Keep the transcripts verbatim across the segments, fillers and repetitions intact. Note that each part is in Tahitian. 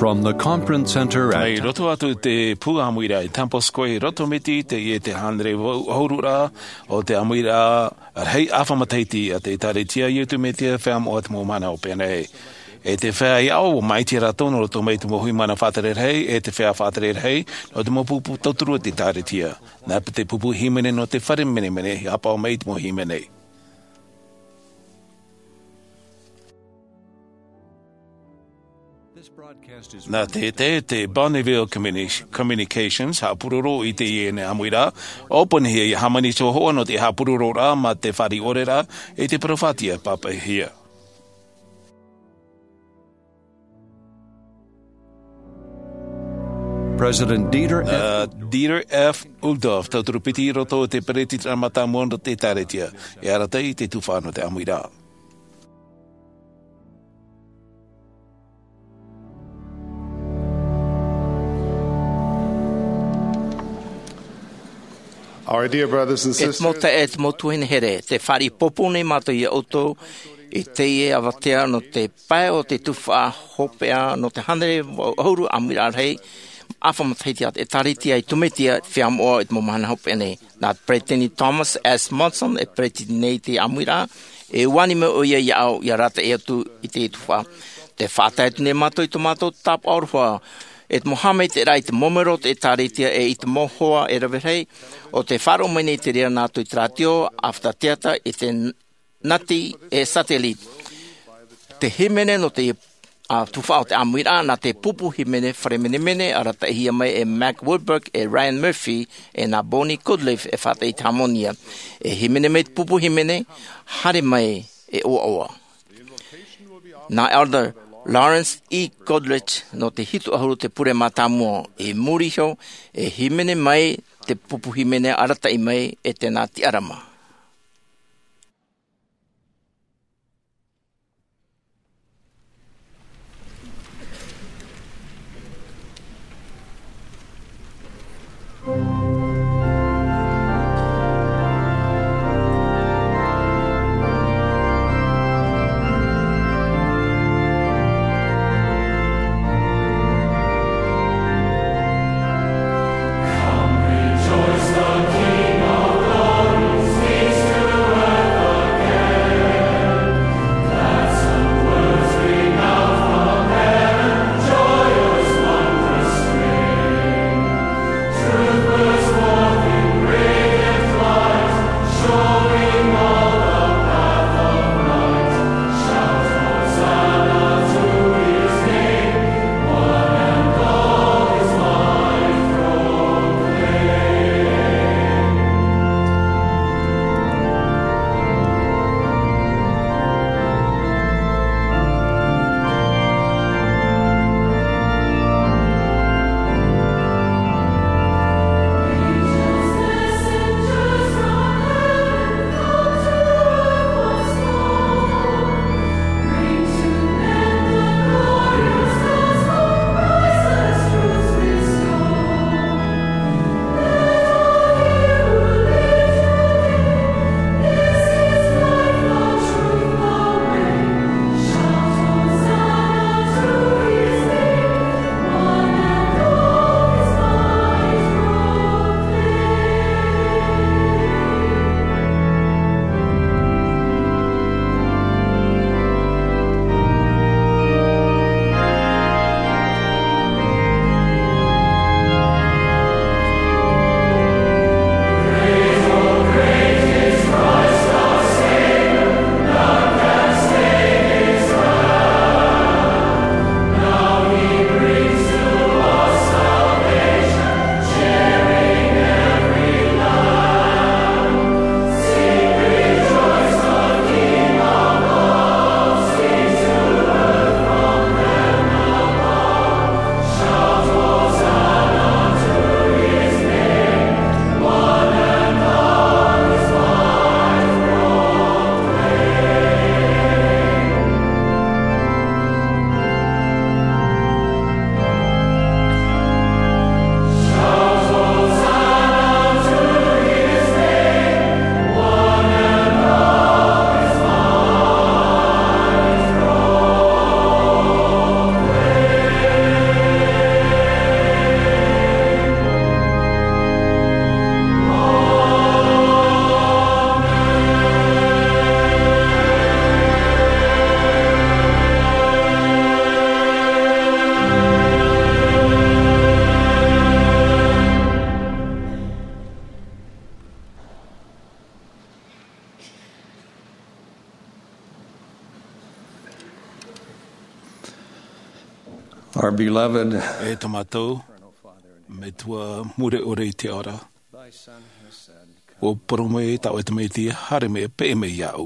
From the Conference Center at Mai roto atu te pū ʻāmuiraʻa i Temple Square i Rotomiti, teie te hānere ʻahuru rā o te ʻāmuiraʻa rahi ʻāfa matahiti a te ʻĒkālesia Iesu Mesia Feiā Moʻa o te Mau Mahana Hopeʻa Nei. E te feiā ʻāʻau, ʻua māʻiti rātou nō roto mai te mau hui mana faʻatere rahi, e te feiā faʻatere rahi, nō te mau pupu tauturu o te ʻĒkālesia. Nā te pupu hīmene nō te fare menemene, i haʻapaʻo mai i te mau hīmene. Nā te, te, te Bonneville Communi-, Communications, haʻapuroro i teie nei ʻāmuiraʻa, ʻōpuahia ia hāmani te hōhoʻa nō te haʻapurororaʻa mā te fāriʻi ʻore ra i te parau faʻaʻite pāpaʻihia. President Dieter F. Nā Dieter F. Uchtdorf, tauturu piti i roto i te peretitiraʻa mātāmua nō te ʻĒkālesia, e arataʻi i te tuhaʻa nō te ʻāmuiraʻa. Our dear brothers and E te mau sisters, taeaʻe, e te mau tuahine here, tē fāriʻi pōpou nei mātou ia ʻoutou i teie avatea nō te pae o te tuhaʻa hopeʻa nō te hānere ʻahuru ʻāmuiraʻa rahi ʻāfa matahiti a te ʻĒkālesia Iesu Mesia Feiā Moʻa o te Mau Mahana Hopeʻa Nei. Nā Peresideni Thomas S. Monson e peretitiraʻa nei i te ʻāmuiraʻa, e ʻua ani mai ʻoia iāʻu ia arataʻi atu i te tuhaʻa. Tē faʻatae atu nei mātou i tō mātou tāpaʻo aroha, e te mau haʻamaitaʻiraʻa i te mau melo o te ʻĒkālesia e i te mau hoa e rave rahi, ʻo tē faʻaroʻo mai nei te reira nā roto i te rātio, ʻāfata teata, i te nati e satellite. Te hīmene nō te, ā, tuhaʻa o te ʻāmuiraʻa, nā te pupu hīmene fare menemene, arataʻihia mai e Mac Wilberg, e Ryan Murphy, e nā Bonnie Goodliffe e faʻataʻa i te hāmani. E hīmene mai te pupu hīmene, haere mai e ʻoaʻoa. Nā Elder Lawrence E. Goodrich nō te hitu ʻahuru te pure mātāmua, i muri iho, e hīmene mai te pupu hīmene arataʻi mai e te nā tiʻarama. Our beloved E tō mātou Metua Mure ʻore i te ao ra, ʻua parau mai tā ʻoe Tamaiti, haere mai, peʻe mai iāʻu.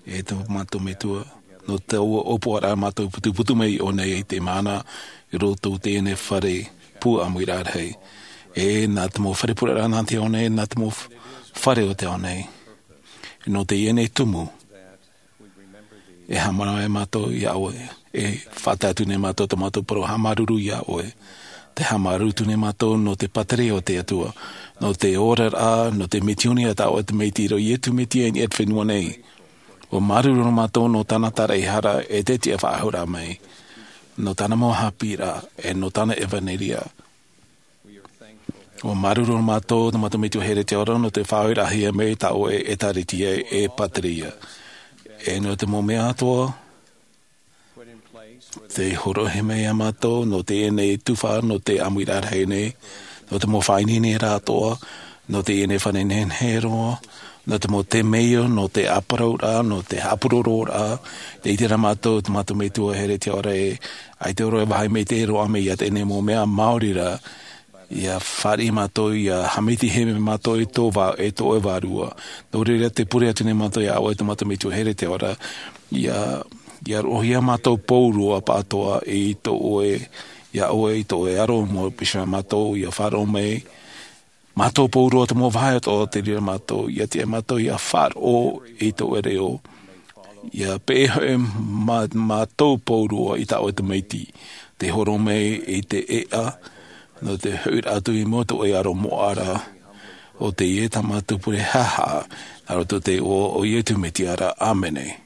E tō mātou Metua, nō taua ʻōpuaraʻa mātou putuputu mai i ʻō nei i te mahana, i roto i teie nei fare pū ʻāmuiraʻa rahi. E nā te mau fare pureraʻa nā te ao nei, nā te mau f-, fare o te ao nei. Nō teie nei tumu, e haʻamanaʻo ai mātou iā ʻoe, e faʻatae atu nei mātou tō mātou parau haʻamāuruuru iā ʻoe. Tē haʻamāuruuru atu nei mātou nō te pātireia o te Atua, nō te oraraʻa, nō te misiōni a tā ʻoe Tamaiti i roto iā Iesu Mesia i niʻa i te fenua nei. ʻUa māuruuru mātou nō tāna tāraʻehara e te tiʻafaʻahouraʻa mai, nō tāna mau haʻapiʻiraʻa, e nō tāna ʻevanelia. ʻUa māuruuru mātou, tō mātou Metua here i te ao ra, nō te faʻaorahia mai tā ʻoe ʻĒtārētia e pātireia. E nō te mau mea atoʻa, tē hōroʻahia mai iā mātou, nō teie nei tuhaʻa, nō te ʻāmuiraʻa rahi nei, nō te mau faʻaineineraʻa atoʻa, nō teie nei fare nehenehe roa, nō te mau temeio, nō te ʻāparauraʻa, nō te haʻapurororaʻa, tē ʻite ra mātou, tō mātou Metua here i te ao ra ē, ʻaita roa e vāhi maitaʻi roa mai iā teie nei mau mea, maori rā, ʻia fāriʻi mātou, ʻia haʻamaitaʻihia mātou e tō vā-, e tō ʻoe Vārua. Nō reira tē pure atu nei mātou iā ʻoe tō mātou Metua here i te ao ra, ʻia, ʻia roʻohia mātou pauroa pāʻatoʻa i tō ʻoe, iā ʻoe i tō ʻoe aro mau piha mātou, ʻia faʻaroʻo mai, mātou pauroa te mau vāhi atoʻa tē reira mātou, ʻia tiʻa mātou ʻia faʻaroʻo i tō ʻoe reo. ʻIa peʻe hoʻi mā-, mātou pauroa i tā ʻoe Tamaiti, tē hōroʻa mai i te ʻēʻa, nō te hoʻiraʻa atu i mua i tō ʻoe aro moʻa ra, ʻo teie tā mātou pure haʻahaʻa, nā roto i te iʻoa o Iesu Mesia ra, ʻāmene.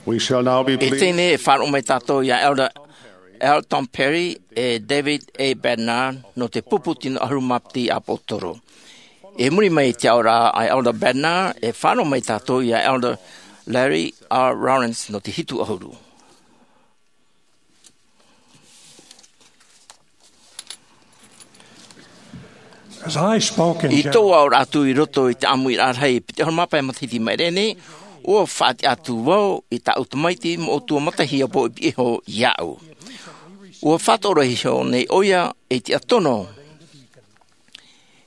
We shall now be I pleased. Teie nei e faʻaroʻo mai tātou iā Elder Elton Perry e David A. Bednar nō te pupu tino ʻahuru mā piti ʻāpōsetolo. I muri mai i te aʻoraʻa a Elder Bednar, e faʻaroʻo mai tātou iā Elder Larry R. Lawrence nō te hitu ʻahuru. As I spoke in I tōʻu aʻoraʻa atu i roto i te ʻāmuiraʻa rahi piti ʻahuru mā pae matahiti i maʻiri aʻe nei, ʻua faʻatiʻa atu vau i tāʻu tamaiti moʻotua matahiti ʻāpō i piʻi iho iāʻu. ʻUa faʻatoʻoraʻa iho nei ʻoia i te tiʻa tono.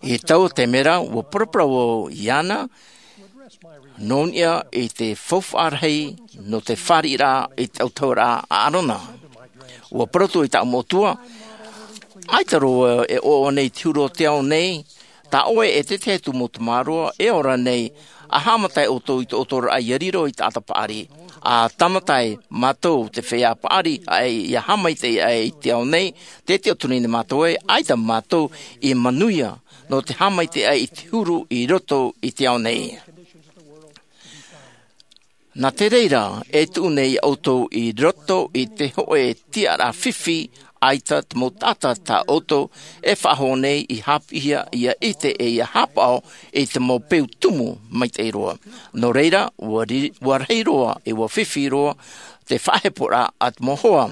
I taua taime ra, ʻua paraparau vau iāna, nō niʻa i te faufaʻa rahi nō te fāriʻiraʻa i te autahuʻaraʻa a ʻĀrona. ʻUa parau atu i tāʻu moʻotua, ʻaita roa e ʻoaʻoa nei te huru o te ao nei, tā ʻoe e te tahi atu mau tamāroa e ora nei, ʻa haʻamata ʻoutou i tō ʻoutou oraraʻa ʻia riro i te taʻata paʻari. ʻA tāmata ai mātou te feiā paʻari, ʻa ʻia haʻamaitaʻi aʻe i te ao nei, tē tiʻaturi nei mātou ē, ʻaita mātou i manuia, nō te haʻamaitaʻi aʻe i te huru i roto i te ao nei. Nā te reira, e tuʻu nei ʻoutou i roto i te hōʻē tiʻaraʻa fifi, ʻaita te mau taʻata tā ʻoutou e faʻahou nei i haʻapiʻihia ʻia ʻite ʻe ʻia haʻapaʻo i te mau peu tumu maitaʻi roa. Nō reira, ʻua ri-, ʻua rahi roa, ʻe ʻua fifi roa, te faʻaheporaʻa a te mau hoa.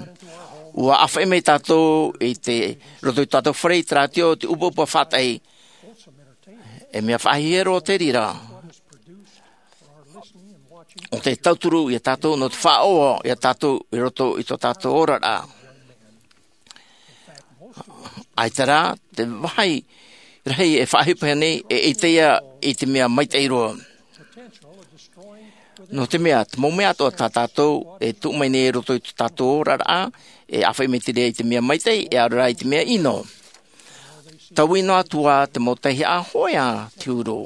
ʻUa ʻāfaʻi mai tātou i te roto i tō tātou fare i te rātio o te ʻupaʻupa faʻataʻi. E mea faʻahiahia roa te reira. ʻO te tauturu iā tātou, nō te faʻaʻoaʻoa iā tātou i roto i tō tātou oraraʻa. ʻAita rā, te vāhi rahi e faʻaʻohipa nei, e ʻite ia i te mea maitaʻi roa. Nō te mea, te mau mea atoʻa tā tātou, e tuʻu mai nei i roto i tō tātou oraraʻa, e ʻāfaʻi mai te reira i te mea maitaʻi, e ʻaore rā i te mea ʻino. Taui noa atu ā te mau tauihaʻa hōʻē ā te huru.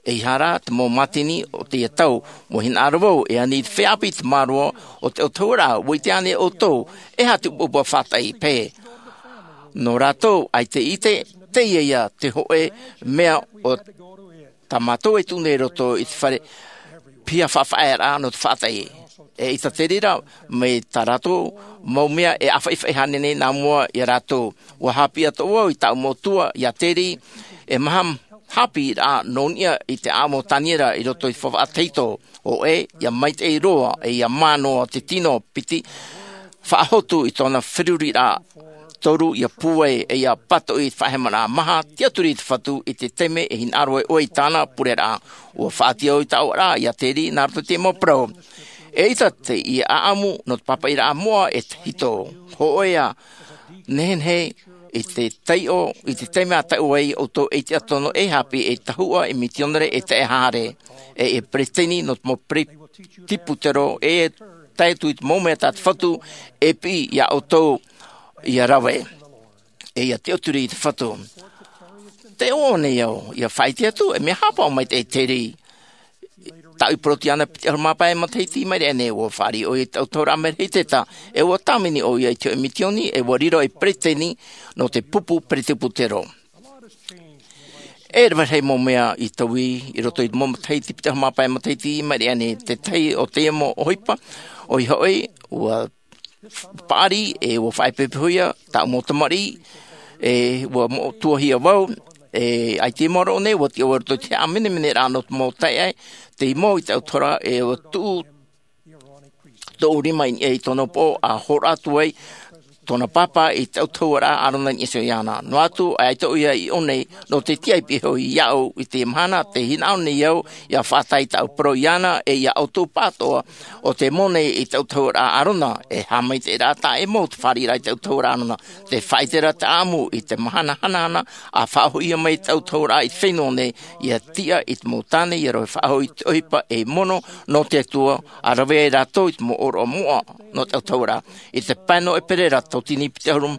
ʻEiaha rā te mau mātini o teie tau, ʻua hinaʻaro vau, e ani i te feiā ʻāpī tamāroa o te autahuʻaraʻa, ʻua ʻite ānei ʻoutou, e aha te ʻupaʻupa faʻataʻi, pē. Nō rātou, ʻaita i ʻite, teie ia te hōʻē mea o tā mātou e tuʻu nei i roto i te fare, piha faʻafaʻaearaʻa nō te faʻataʻi. E ʻaita te reira, mai tā rātou mau mea e ʻāfaʻifaʻi haere nei nā mua iā rātou. ʻUa haʻapiʻi atoʻa vau i tāʻu moʻotua, iā Teri, e maha haʻapiʻiraʻa nō niʻa i te ʻāʻamu o Taniera i roto i te faufaʻa tahito, hōʻē, ʻia maitaʻi roa, ʻe ʻia mā noa te tino piti, faʻahotu i tōna feruriraʻa toru, ʻia pūai, ʻe ʻia pātoʻi i te faʻahemaraʻa maha, tiʻaturi i te Fatu i te taime e hinaʻaro ai ʻoe i tāna pureraʻa. ʻUa faʻatiʻa au i tāʻu ʻoaʻoa iā Teri nā roto i te mau parau. E ʻaita te ʻāʻamu nō te pāpaʻiraʻa moʻa e tahito. Hōʻē ā, nehenehe i te taiʻo, i te taime a taiʻo ai ʻoutou e tiʻa tono e haʻapiʻi e tahuʻa, e mitionare, e taeaʻe haʻahaere, ʻe e peresideni nō te mau presibutero, e tae atu i te mau mea tā te Fatu e piʻi iā ʻoutou ʻia rave, ʻe ʻia tiʻaturi i te Fatu. Tē ʻoaʻoa nei au, ʻia faʻaʻite atu, e mea haʻapaʻo maitaʻi Teri. Tāʻu i parau atu iāna piti ʻahuru mā pae matahiti i maʻiri aʻe nei, ʻua fāriʻi ʻoia i te autahuʻaraʻa Merehitetā, ʻe ʻua tāvini ʻoia i te hōʻē mitioni, ʻe ʻua riro ei peresideni nō te pupu presibutero. E rave rahi mau mea i taui i roto i te mau matahiti, piti ʻahuru mā pae matahiti i maʻiri aʻe nei, te tahi o teie mau ʻohipa, ʻoia hoʻi, ʻua paʻari, ʻe ʻua faʻaʻepeʻepehohia tāʻu mau tamariʻi, ʻe ʻua moʻotuahia vau, ʻe ʻaita i maoro nei, ʻua tiʻa vau i roto i te haʻamenemeneraʻa nō te mau taeaʻe, tei mau i te autahuʻaraʻa, ʻe ʻua tuʻu tōʻu rima i niʻa i tōna upoʻo, ʻa hōroʻa atu ai tōna pāpā i te autahuʻaraʻa ʻĀrona i niʻa iho iāna. Noa atu, ʻaita ʻoia i ʻō nei, nō te tiʻa i piʻi iho iāʻu i teie mahana, tē hinaʻaro nei au, ʻia faʻatae i tāʻu parau iāna, ʻe iā ʻoutou pāʻatoʻa, ʻo tē moʻe nei i te autahuʻaraʻa ʻĀrona, e haʻamaitaʻiraʻa taʻa ʻē mau te fāriʻiraʻa i te autahuʻaraʻa ʻĀrona, te faʻaʻiteraʻa te ʻāʻamu i te mahana hanahana, ʻa faʻahoʻihia mai te autahuʻaraʻa i te fenua nei, ʻia tiʻa i te mau tāne, ʻia rave faʻahou i te ʻohipa ei mono nō te Atua, ʻa rave ai rātou i te mau ʻōroʻa moʻa nō te autahuʻaraʻa. I te pae nō ʻEperēra, tauatini piti ʻahuru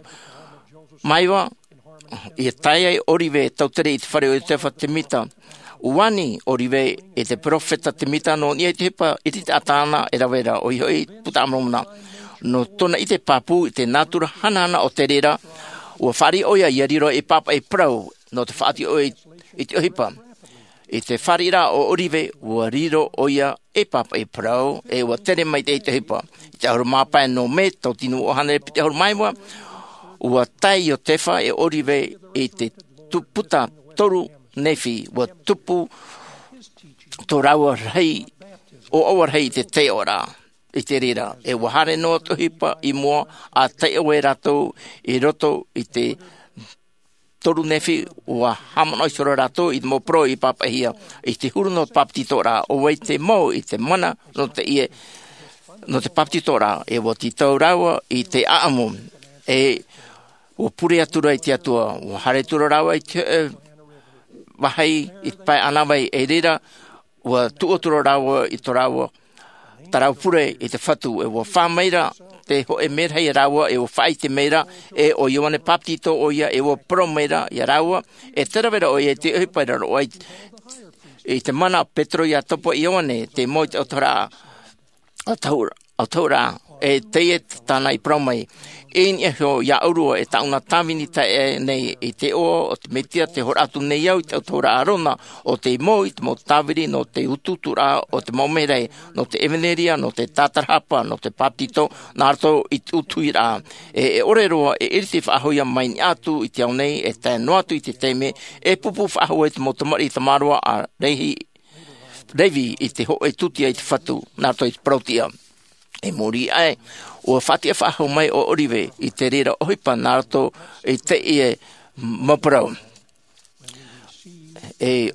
mā iva, ʻia tae ai ʻOrive Tautere i te fare o Iosefa Temita. ʻUa ani ʻOrive i te peropheta Temita nō niʻa i te ʻohipa ʻiriti taʻata ʻāʻana e rave ra, ʻoia hoʻi, Buka a Moromona. Nō tōna ʻite pāpū i te nātura hanahana o te reira, ʻua fāriʻi ʻoia ʻia riro ei pāpaʻi parau, nō te faʻatiʻa ʻoia i te ʻohipa. I te fāriʻiraʻa o ʻOrive, ua riro ʻoia ei pāpaʻi parau, ʻe ua tere mai te ʻohipa. I te ʻahuru mā pae nō Mē, tauatini ʻahuru mā iva, ua tae Iotefa ʻe ʻOrive i te tu-, puta toru nefi, ua tupu tō rāua rahi, ʻoaʻoa rahi i te taiʻoraʻa i te reira. ʻE ua haere noa te ʻohipa i mua, ʻa taiʻo ai rātou i roto i te toru nefi, ua haʻamanaʻo iho rā rātou i te mau parau i pāpaʻihia. I te huru nō te bāpetizoraʻa, ʻo vai te mau i te mana nō te ie, nō te bāpetizoraʻa, ʻe ua tītau rāua i te ʻāʻamu, ʻe ua pure atu ra i te Atua, ua haere atu ra rāua i te, ē, vāhi i te pae ʻānāvai, ʻe i reira, ua tuʻu atu ra rāua i tō rāua, tā rāua pure i te Fatu, ʻe ua fā mai ra te hōʻē merahi ia rāua, ʻe ua faʻaʻite mai ra, ʻe ʻo Ioane Bāpetizo ʻoia, ʻe ua parau mai ra ia rāua, ʻe tē rave ra ʻoia i te ʻohipa i raro aʻe i te mana o Petero, Iakobo, Ioane, te mau i te autahuʻaraʻa, autahu-, autahuʻaraʻa, ʻe teie tāna i parau mai. I niʻa iho ia ʻōrua e tāʻuna tāvini taeaʻe nei i te iʻoa o te Mesia, tē hōroʻa atu nei au i te autahuʻaraʻa Arona, ʻo tē mau i te mau tāviri nō te utuuturaʻa o te mau merahi, nō te ʻevanelia, nō te tātarahapa, nō te bāpetizo, nā roto i te ʻutuhiraʻa. ʻE, e ʻore roa e ʻiriti faʻahou ia mai niʻa atu i te ao nei, e tae noa atu i te taime e pūpū faʻahou ai te mau tamariʻi tamaroa a Rehi-, Revi i te hōʻē tūtia i te Fatu, nā roto i te parau-tiʻa. I muri aʻe, ua faʻatiʻa faʻahou mai ʻo ʻOrive i te reira ʻohipa nā roto i teie mau parau. ʻE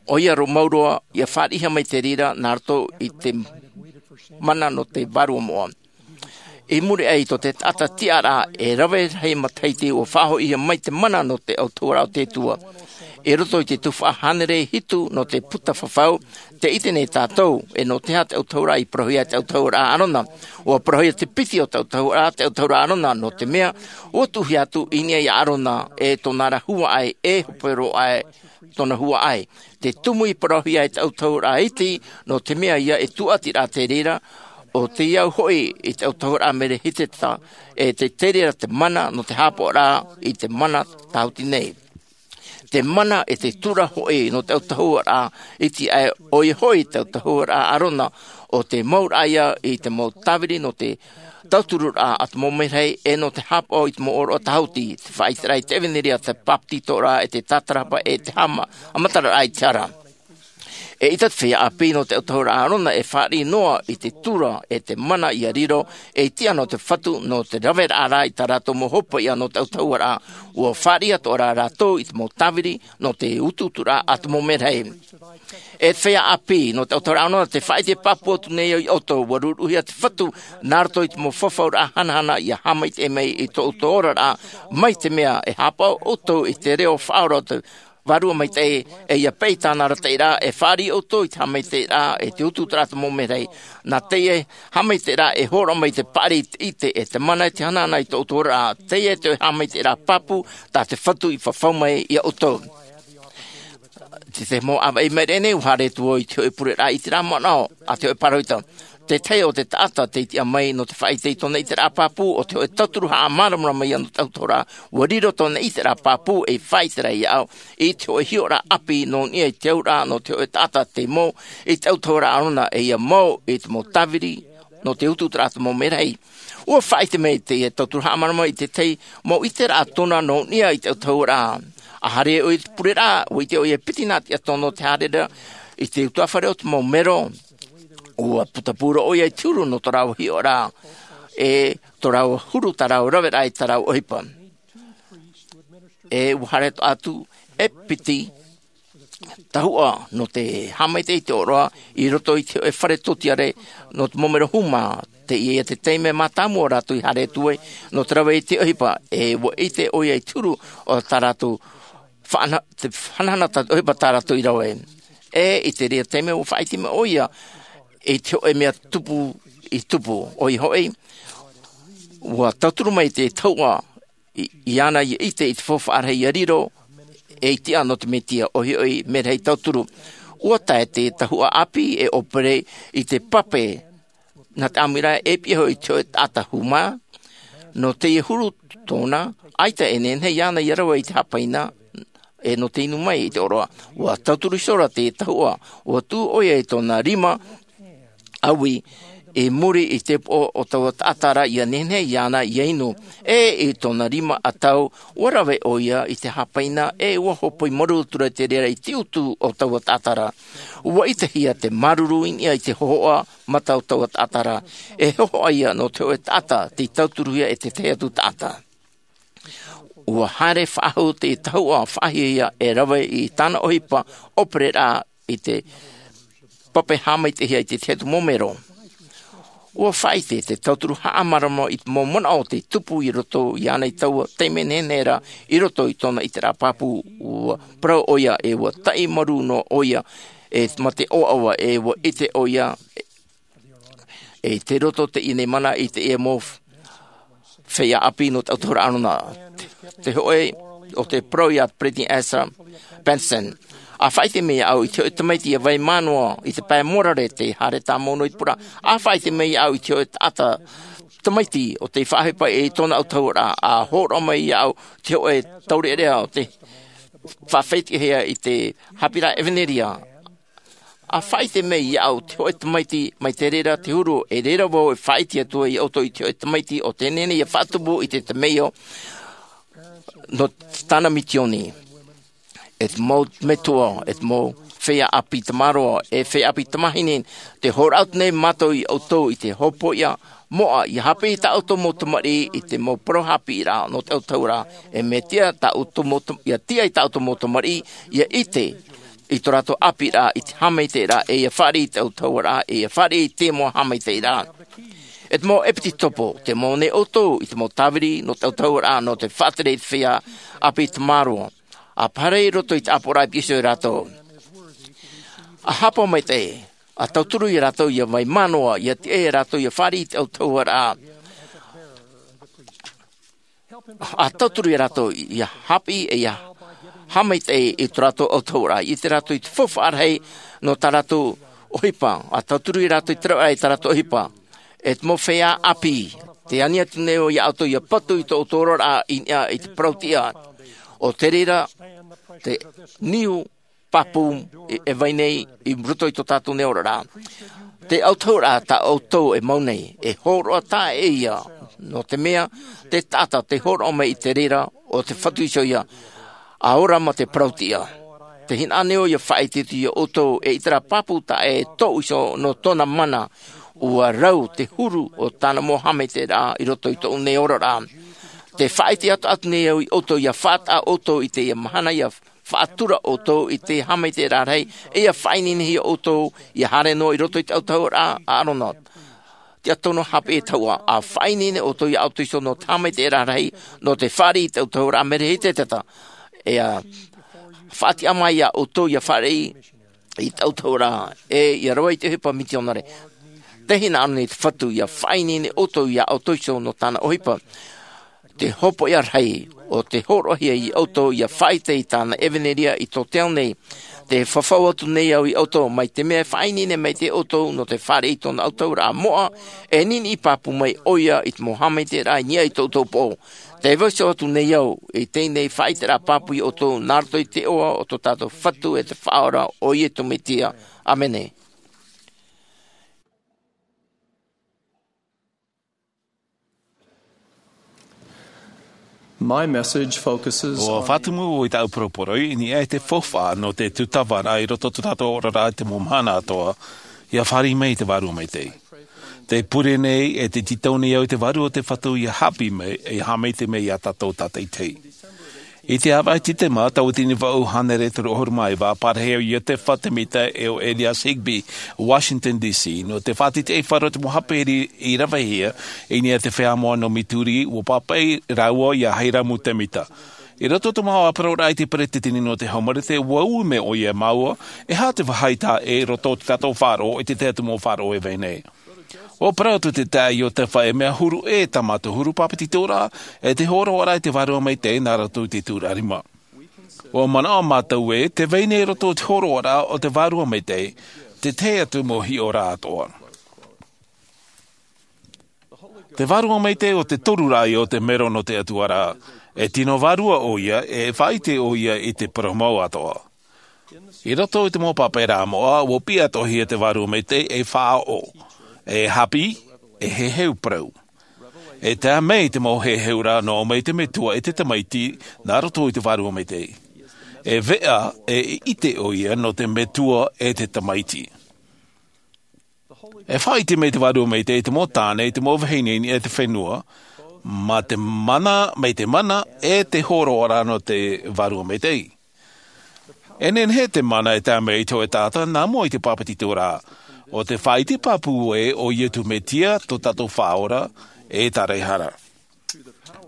ʻoia roa mau roa, ia fāriʻihia mai te reira nā roto i te mana nō te vārua moʻa. I muri aʻe i tō te taʻata tiʻaraʻa e rave rahi matahiti, ua faʻahoʻihia mai te mana nō te autahuʻaraʻa o te Atua. I roto i te tuhaʻa hānere hitu nō te puta fafau, tē ʻite nei tātou, ʻe nō te aha te autahuʻaraʻa i parauhia e te autahuʻaraʻa Arona. Ua parauhia te piti o te autahuʻaraʻa, te autahuʻaraʻa Arona, nō te mea, ua tuʻuhia atu i niʻa ia Arona, ʻe tōna ra huaʻai, e hope roa aʻe tōna huaʻai. Te tumu i parauhia e te autahuʻaraʻa iti, nō te mea ïa e tūʻatiraʻa te reira, ʻo tei au hoʻi i te autahuʻaraʻa Merehiteta, ʻe te, te reira te mana nō te haʻapaʻoraʻa i te mana tāhuti nei. Te mana ʻe te tura hoʻi nō te autahuʻaraʻa iti aʻe, ʻoia hoʻi te autahuʻaraʻa Arona, ʻo te mauraʻa ïa i te mau tāviri nō te tautururaʻa a te mau merahi, ʻe nō te haʻapaʻo i te mau ʻōroʻa tāhuti, te faʻaʻiteraʻa i te ʻevanelia, te bāpetizoraʻa, ʻe te tātarahapa, ʻe te haʻama-, haʻamataraʻa i te hara. ʻE ʻaita te feiā ʻāpī nō te autahuʻaraʻa Arona e fāriʻi noa i te tura ʻe te mana ia riro ei tiʻa nō te Fatu, nō te raveraʻa ra i tā rātou mau hopeʻa nō te autahuʻaraʻa, ua fāriʻi atoʻa ra rātou i te mau tāviri nō te utuuturaʻa a te mau merahi. ʻE te feiā ʻāpī nō te autahuʻaraʻa Arona, tē faʻaʻite pāpū atu nei au ia ʻoutou, ua ruruʻuhia te Fatu nā roto i te mau fafauraʻa hanahana ia haʻamaitaʻi mai i tō ʻoutou oraraʻa mai te mea e haʻapaʻo ʻoutou i te reo faʻaora o te Vārua Maitaʻi, ʻe ʻia peʻe i tāna arataʻiraʻa, e fāriʻi ʻoutou i te haʻamaitaʻiraʻa ʻe te utuuturaʻa a te mau merahi. Nā teie haʻamaitaʻiraʻa e hōroʻa mai te paʻari i te ʻite ʻe te mana ʻe te hanahana i tō ʻoutou oraraʻa, teie te haʻamaitaʻiraʻa pāpū tā te Fatu i fafau mai ia ʻoutou. Te, te mau ʻāvaʻe i maʻiri aʻe nei, ʻua haere atu vau i te hōʻē pureraʻa ʻiteraʻa manaʻo a te hōʻē pāroita. Te tahi o te taʻata tei tiʻa mai nō te faʻaʻite i tōna ʻiteraʻa pāpū, ʻo te hōʻē tauturu haʻamāramarama ïa nō te autahuʻaraʻa. Ua riro tōna ʻiteraʻa pāpū ei faʻaʻiteraʻa ia au i te hōʻē hiʻoraʻa ʻāpī nō niʻa i te auraʻa nō te hōʻē taʻata tei mau i te autahuʻaraʻa Arona, ʻe ʻia mau i te mau tāviri nō te utuuturaʻa a te mau merahi. ʻUa faʻaʻite mai teie tauturu haʻamāramarama i te tahi mau ʻiteraʻa tōna nō niʻa i te autahuʻaraʻa. ʻA haere ʻoia i te pureraʻa, ʻua ʻite ʻoia e piti nā tiʻa tōna o te haere ra i te utuafare o te mau mero. ʻUa putapū roa ʻoia i te huru nō tō rāua hiʻoraʻa, ʻe tō rāua huru, tā rāua raveraʻa i tā rāua ʻohipa. ʻE ʻua haere atu e piti tahuʻa nō te haʻamaitaʻi i te ʻōroʻa i roto i te hōʻē fare tōtiare nō te mau mero hūmā. Teie ïa te taime mātāmua rātou i haere atu ai nō te rave i te ʻohipa, ʻe ʻua ʻite ʻoia i te huru o tā rātou faʻana-, te hanahana tā te ʻohipa tā rātou i rave. ʻE i te reira taime ʻua faʻaʻite mai ʻoia i te hōʻē mea tupu i tupu. ʻOia hoʻi, ʻua tauturu mai te tahuʻa i, iāna i ʻite i te faufaʻa rahi ia riro ei tiʻa nō te Mesia, ʻoia hoʻi, merahi tauturu. ʻUa tae te tahuʻa ʻāpī e ʻōpere i te pape nā te ʻāmuiraʻa e piʻi iho i te hōʻē taʻata hūmā. Nō teie huru tōna, ʻaita e nehenehe iāna ia rave i te hāpaina, e nō te inu mai i te ʻōroʻa. Ua tauturu iho ra te tahuʻa, ua tū ʻoia i tōna rima ʻaui i muri i te upoʻo o taua taʻata ra, ʻia nehenehe iāna ʻia inu. E i tōna rima ʻatau, ua rave ʻoia i te hāpaina, e ua hōpoi marū atu ra te reira i te utu o taua taʻata ra. Ua ʻitehia te māuruuru i niʻa i te hōhoʻa mata o taua taʻata ra. E hōhoʻa ïa nō te hōʻē taʻata tei tauturuhia e te tahi atu taʻata. Ua haere faʻahou te tahuʻa faʻahiahia e rave i tāna ʻohipa ʻōpereraʻa i te pape haʻamaitaʻihia i te tahi atu mau mero. Ua faʻaʻite te tauturu haʻamārama i te mau manaʻo tei tupu i roto iāna i taua taime nehenehe ra i roto i tōna ʻiteraʻa pāpū. Ua parau ʻoia e ua taʻi marū noa ʻoia e mā te ʻoaʻoa, e ua ʻite ʻoia e i te roto teie nei mana i teie mau feiā ʻāpī nō te ʻautahuʻaraʻa ʻArona. Te hōʻē o te parau iā Peresideni Ezra Benson. ʻA faʻaʻite mai iāʻu i te hōʻē tamaiti ʻia vai mā noa i te pae mōrare, tei haere tāmau noa i te pureraʻa. ʻA faʻaʻite mai iāʻu i te hōʻē taʻata tamaiti ʻo tei faʻaʻohipa i tōna ʻautahuʻaraʻa. ʻA hōroʻa mai iāʻu te hōʻē taureʻareʻa ʻo tei faʻaʻitehia i te haʻapiʻiraʻa ʻevanelia. ʻA faʻaʻite mai iāʻu te hōʻē tamaiti mai te reira te huru, e reira vau e faʻaʻite atu ai iā ʻoutou i te hōʻē tamaiti ʻo tē nehenehe ʻia faʻatupu i te temeio nō tāna mitioni. E te mau metua, e te mau feiā ʻāpī tamaroa, e feiā ʻāpī tamāhine, tē hōroʻa atu nei mātou iā ʻoutou i te hopoiʻa moʻa, ʻia haʻapiʻi i tā ʻoutou mau tamariʻi i te mau parau haʻapiʻiraʻa nō te ʻautahuʻaraʻa. E mea tiʻa tā ʻoutou mau tam-, ʻia tiʻa i tā ʻoutou mau tamariʻi ʻia ʻite i tō rātou ʻāpīraʻa i te haʻamaitaʻiraʻa, e ʻia fāriʻi i te ʻautahuʻaraʻa, e ʻia fāriʻi i te mau haʻamaitaʻiraʻa. E te mau ʻepitopo, tē mau nei ʻoutou i te mau tāviri nō te ʻautahuʻaraʻa, nō te faʻatere i te feiā ʻāpī tamaroa. ʻA haere i roto i te ʻāpoʻoraʻa i ʻō iho iā rātou. ʻA hāpaʻo maitaʻi, ʻa tauturu iā rātou ʻia vai mā noa, ʻia tiʻa iā rātou ʻia fāriʻi i te ʻautahuʻaraʻa. ʻA tauturu iā rātou ʻia haʻapiʻi e ʻia haʻamaitaʻi i tō rātou ʻautahuʻaraʻa, ʻia ʻite rātou i te faufaʻa rahi nō tā rātou ʻohipa. ʻA tauturu iā rātou i te rauʻaʻa i tā rātou ʻohipa. E te mau feiā ʻāpī, tē ani atu nei au iā ʻoutou ʻia patu i tō ʻoutou oraraʻa i niʻa i te parau-tiʻa. ʻO te reira te niu pāpū e, e vai nei i roto i tō tātou nei oraraʻa. Te ʻautahuʻaraʻa tā ʻoutou e mau nei, e hōroʻa taʻa ʻē ïa, nō te mea, te taʻata tē hōroʻa mai i te reira, ʻo te Fatu iho ïa, ʻa ora mā te parau-tiʻa. Tē hinaʻaro nei au ʻia faʻaʻite atu iā ʻoutou, e ʻiteraʻa pāpū taʻa ʻē tōʻu iho nō tōna mana, ʻua rau te huru o tāna mau haʻamaitaʻiraʻa i roto i tōʻu nei oraraʻa. Tē faʻaʻite atoʻa atu nei au iā ʻoutou ʻia faʻataʻa ʻoutou i teie mahana, ʻia faʻatura ʻoutou i te haʻamaitaʻiraʻa rahi, e ʻia faʻaineinehia ʻoutou ʻia haere noa i roto i te ʻautahuʻaraʻa a ʻArona. Tiʻa tonu haʻapiʻi e tahuʻa, ʻa faʻaineine ʻoutou iā ʻoutou iho nō te haʻamaitaʻiraʻa rahi, nō te fāriʻi i te ʻautahuʻaraʻa, mea rahi te taʻata. E ʻia faʻatiʻa mai iā ʻoutou ʻia fāriʻi i te ʻautahuʻaraʻa, e ʻia rave i te ʻohipa mitionare. Tē hinaʻaro nei te Fatu ʻia faʻaineine ʻoutou iā ʻoutou iho nō tāna ʻohipa. Te hopoiʻa rahi, ʻo tē hōroʻahia iā ʻoutou ʻia faʻaʻite i tāna ʻevanelia i tō te ao nei. Tē fafau atu nei au iā ʻoutou, mai te mea e faʻaineine maitaʻi ʻoutou nō te fāriʻi i tōna ʻautahuʻaraʻa moʻa, e niniʻi pāpū mai ʻoia i te mau haʻamaitaʻiraʻa i niʻa i tō ʻoutou upoʻo. Tē vaiiho atu nei au i teie nei faʻaʻiteraʻa pāpū iā ʻoutou, nā roto i te iʻoa o tō tātou Fatu e te Faʻaora, ʻo Iesu Mesia. ʻĀmene. My message focuses ʻUa on fātumu au i tāʻu poroporoʻi i niʻa i te faufaʻa nō te tūtava ra i roto i tō tātou oraraʻa i te mau mahana atoʻa, ʻia fāriʻi mai i te Vārua Maitaʻi. Tē pure nei, e tē tītau nei au i te Vārua o te Fatu ʻia haʻapiʻi mai, ʻia haʻamaitaʻi mai iā tātou tātaʻitahi. I te ʻāvaʻe Tītema, tauatini vaʻu hānere toru ʻahuru mā iva, parahi au iā Iotefa Temita e ʻo Elias Higbee, Washington D C, nō te faʻatītīʻaifaro o te mau haʻapiʻiraʻa i ravehia i niʻa i te feiā moʻa nō Missouri, ʻua pāpaʻi rāua iā Hyrum Temita. I roto i tō māua parauʻraʻa i te peresideni nō te haumārū, ʻua ui mai ʻoia iā māua, e aha te vāhi taʻa ʻē i roto i tō tātou faʻaroʻo i te tahi atu mau faʻaroʻo e vai nei. ʻUa parau atu te taeaʻe Iotefa, e mea huru ʻē tā mātou huru pāpetitoraʻa, e te hōroʻaraʻa i te Vārua Maitaʻi nā roto i te tūraʻa rima. ʻUa manaʻo mātou ē, tē vai nei i roto i te hōroʻaraʻa o te Vārua Maitaʻi te tahi atu mau hiʻoraʻa atoʻa. Te Vārua Maitaʻi ʻo te toru rā ïa o te mero nō te Atua ra, E tino vārua ʻoia, e faʻaʻite ʻoia i te parau mau atoʻa. I roto i te mau pāpaʻiraʻa moʻa, ua piʻi atoʻahia te vārua maitaʻi ei faʻaʻoʻo, ei hāpiʻi, ei heheu parau. E tae mai te mau heheuraʻa nō mai te Metua e te Tamaiti nā roto i te vārua maitaʻi. E veʻa, e ʻite ʻoia nō te Metua e te Tamaiti. E faʻaʻite mai te vārua maitaʻi i te mau tāne, i te mau vahine, i niʻa i te fenua, mā te mana, mai te mana, e te hōroʻaraʻa nō te vārua maitaʻi. E nehenehe te mana e tae mai i te hōʻē taʻata, nā mua i te pāpetitoraʻa. ʻO te faʻaʻite pāpū ē, ʻo Iesu Mesia, tō tātou Faʻaora, e Tāraʻehara.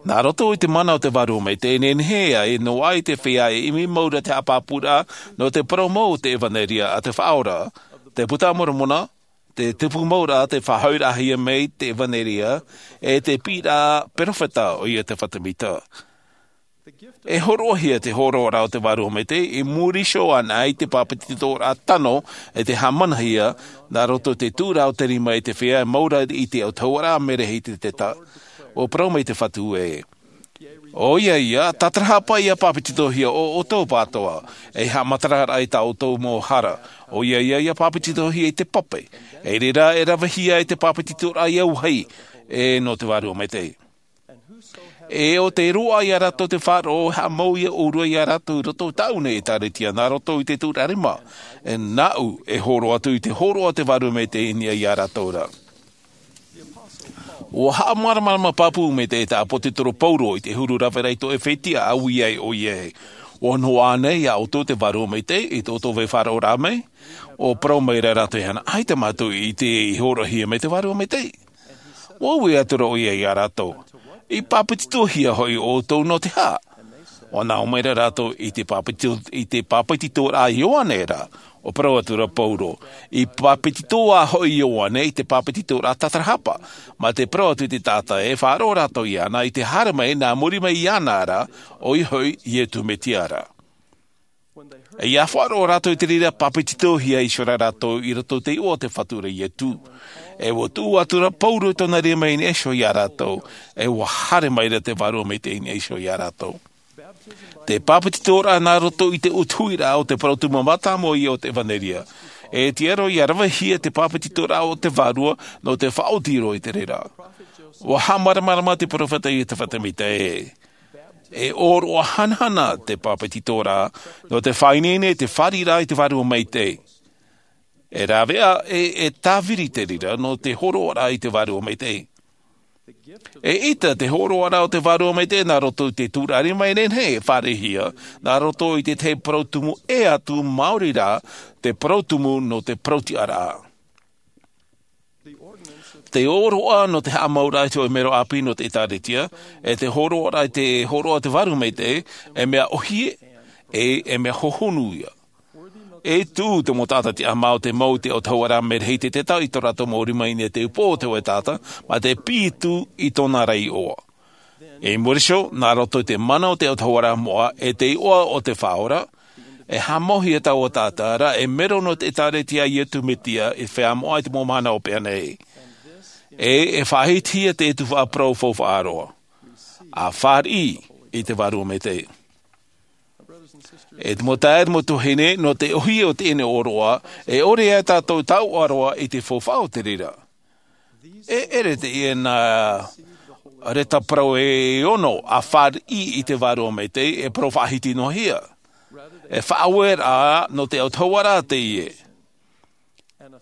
Nā roto i te mana o te vārua maitaʻi, e nehenehe ai, noa atu i te feiā e ʻimi, maura te haʻapāpūraʻa, nō te parau mau o te ʻevanelia a te Faʻaora, te Buka a Moromona, te tupu mauraʻa, te faʻahoʻiraʻahia mai te ʻevanelia, e te piʻiraʻa perofeta ʻoia te Fatimita. E hōroʻahia te hōroʻaraʻa o te vārua maitaʻi, i muri iho anaʻe i te pāpetitoraʻa tano, e te haʻamanahia, nā roto i te tuʻuraʻa o te rima i te feiā, maura i te autahuʻaraʻa mea rahi i te teta. ʻUa parau mai te Fatu ē. ʻOia ia, tātarahapa ʻia pāpetitohia ʻo ʻoutou pātoa, ei haʻamataraʻa i tā ʻoutou mau hara. ʻOia ia, ʻia pāpetitohia i te pape. E reira e ravehia ai te pāpetitoraʻa i au vāhi, e nō te vārua maitaʻi. E ʻo tē roaʻa ia rātou te faʻaroʻo, haʻamau ia ʻōrua ia rātou i roto i tāʻu nei ʻĒtārētia, nā roto i te tuʻuraʻa rima. E nāʻu, e hōroʻa atu i te hōroʻa o te vārua maitaʻi i niʻa ia rātou ra. ʻUa haʻamāramarama pāpū maitaʻi te ʻāpōsetolo Paulo i te huru rave ra i tō ʻEfetia, ʻa ui ai ʻoia ē. ʻUa noaʻa nei ia ʻoutou te vārua maitaʻi, i tō ʻoutou vai faʻaroʻoraʻa mai? ʻUa parau mai ra rātou iāna, ʻaita mātou i ʻite i hōroʻahia mai te vārua maitaʻi. ʻUa ui atu ra ʻoia ia rātou, i pāpetitohia hoʻi ʻoutou nō te aha? ʻUa nā ʻō mai ra rātou, i te pāpetito-, i te pāpetitoraʻa a Ioane ra. ʻUa parau atu ra Paulo, i pāpetito ā hoʻi Ioane i te pāpetitoraʻa tātarahapa. Mā te parau atu i te taʻata ē, faʻaroʻo rātou iāna, i te haere mai, nā muri mai iāna ra, ʻoia hoʻi Iesu Mesia ra. E ʻia faʻaroʻo rātou i te reira, pāpetitohia iho ra rātou i roto i te iʻoa o te Fatu ra Iesu. E ʻua tuʻu atu ra Paulo i tōna rima i niʻa iho ia rātou, e ʻua haere mai ra te vārua maitaʻi i niʻa iho ia rātou. Te pāpetitoraʻa nā roto i te ʻutuʻi ra o te parau tumu mātāmua ïa o te ʻevanelia. E tiʻa roa ʻia ravehia te pāpetitoraʻa o te Vārua nō te faʻaoti roa i te reira. ʻUa haʻamāramarama te perofeta Iosefa Sāmita ē, e ʻōroʻa hanahana te pāpetitoraʻa nō te faʻaineine i te fāriʻiraʻa i te Vārua Maitaʻi. E rāveʻa ē, e tāviri te reira nō te hōroʻaraʻa i te Vārua Maitaʻi. E ʻita te hōroʻaraʻa o te Vārua Maitaʻi nā roto i te tuʻuraʻa rima e nehenehe e fāriʻihia, nā roto i te tahi parau tumu ʻē atu, maori rā, te parau tumu nō te parau-tiʻaraʻa. Te ʻōroʻa nō te haʻamauraʻa i te hōʻē mero ʻāpī nō te ʻĒtārētia, e te hōroʻaraʻa i te hōroʻa o te Vārua Maitaʻi, e mea ʻōhie, e, e mea hohonu ïa. E tuʻu te mau taʻata tiʻamā o te mau i te autahuʻaraʻa merahi i te teta i tō rātou mau rima i niʻa i te upoʻo o te hōʻē taʻata, mā te piʻi atu i tōna ra iʻoa. I muri iho, nā roto i te mana o te autahuʻaraʻa moʻa, e te iʻoa o te Faʻaora, e haʻamauhia taua taʻata ra ei mero nō te ʻĒtārētia a Iesu Mesia i te feiā moʻa i te mau mahana hopeʻa nei. E, e faʻahitihia te tuhaʻa parau faufaʻa roa. ʻA fāriʻi i te Vārua Maitaʻi. E te mau taeaʻe, mau tuahine, nō te ʻōhie o teie nei ʻōroʻa, e ʻore ia tātou e taoʻa roa i te faufaʻa o te reira. E ʻere teie nā reta parau e ono ʻa fāriʻi i te Vārua Maitaʻi, e parau faʻahiti noa hia. E faʻaueraʻa nō te autahuʻaraʻa teie.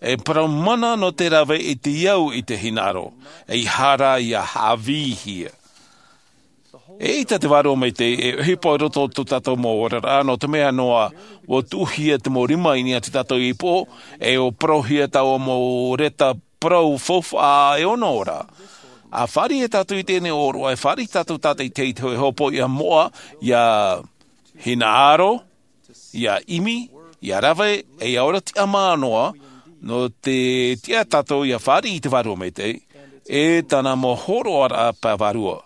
E parau mana nō te rave i te au i te hinaʻaro, ʻeiaha rā ʻia haʻavīhia. E ʻita te Vārua Maitaʻi e ʻohipa i roto i tō tātou mau oraraʻa, nō te mea noa, ʻua tuʻuhia te mau rima i niʻa i tō tātou ipoʻo, e ʻua parauhia taua mau reta parau faufaʻa e ono ra. ʻA fāriʻi ia tātou i teie nei ʻōroʻa, e fāriʻi tātou tātaʻitahi i te hōʻē hopoiʻa moʻa, ʻia hinaʻaro, ʻia ʻimi, ʻia rave, e ʻia ora tiʻamā noa, nō te tiʻa tātou ʻia fāriʻi i te Vārua Maitaʻi, e tāna mau hōroʻaraʻa pae vārua.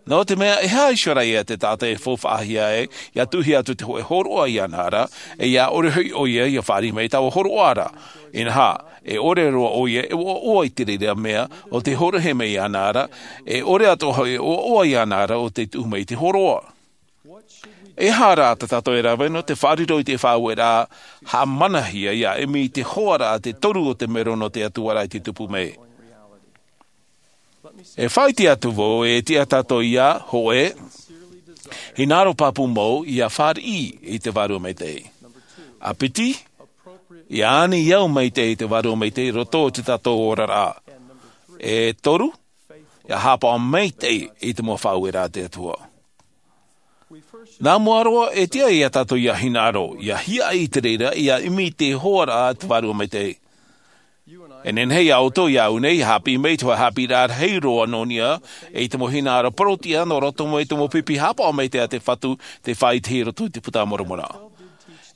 Nō te mea e haʻaʻite ra ia te taʻata e faufaʻahia ai ia tuʻuhia atu te hoʻe hōroʻa iāna ra, e ia ʻore hoʻi ʻo ia ia fāriʻi mai taua hōroʻa ra. Inaha, e ʻore roa ʻo ia e ʻoaʻoa i te reira mea o te hōroʻa mai iāna ra, e ʻore atoʻa hoʻi e ʻoaʻoa iāna ra o te tuʻu mai i te hōroʻa. E aha rā tā tātou e rave nō te faʻariro i te faʻaueraʻa haʻamanahia ia ʻimi i te hoaraʻa te toru o te mero nō te atua ra i te tupu mai? E faʻaʻite atu vau e tiʻa tātou ia hoʻe hinaʻaro pāpū mau ia fāriʻi i te vārua maitaʻi. A piti, ia ani i au maitaʻi i te vārua maitaʻi i roto o te tātou oraraʻa. E toru, ia haʻapaʻo maitaʻi i te mau faʻaueraʻa a te atua. Nā mua roa e tiʻa ia tātou ia hinaʻaro ia hiaʻai i te reira ia ʻimi i te hoaraʻa a te vārua maitaʻi. E nehenehe ia ʻoutou ia au nei ia haʻapiʻi mai i te hoʻe haʻapiʻiraʻa rahi roa nō niʻa i te mau hinaʻaro parau tiʻa nō roto mai i te mau pipi haʻapaʻo maitaʻi a te fatu te faʻaʻitehia i roto i te puta a moromona.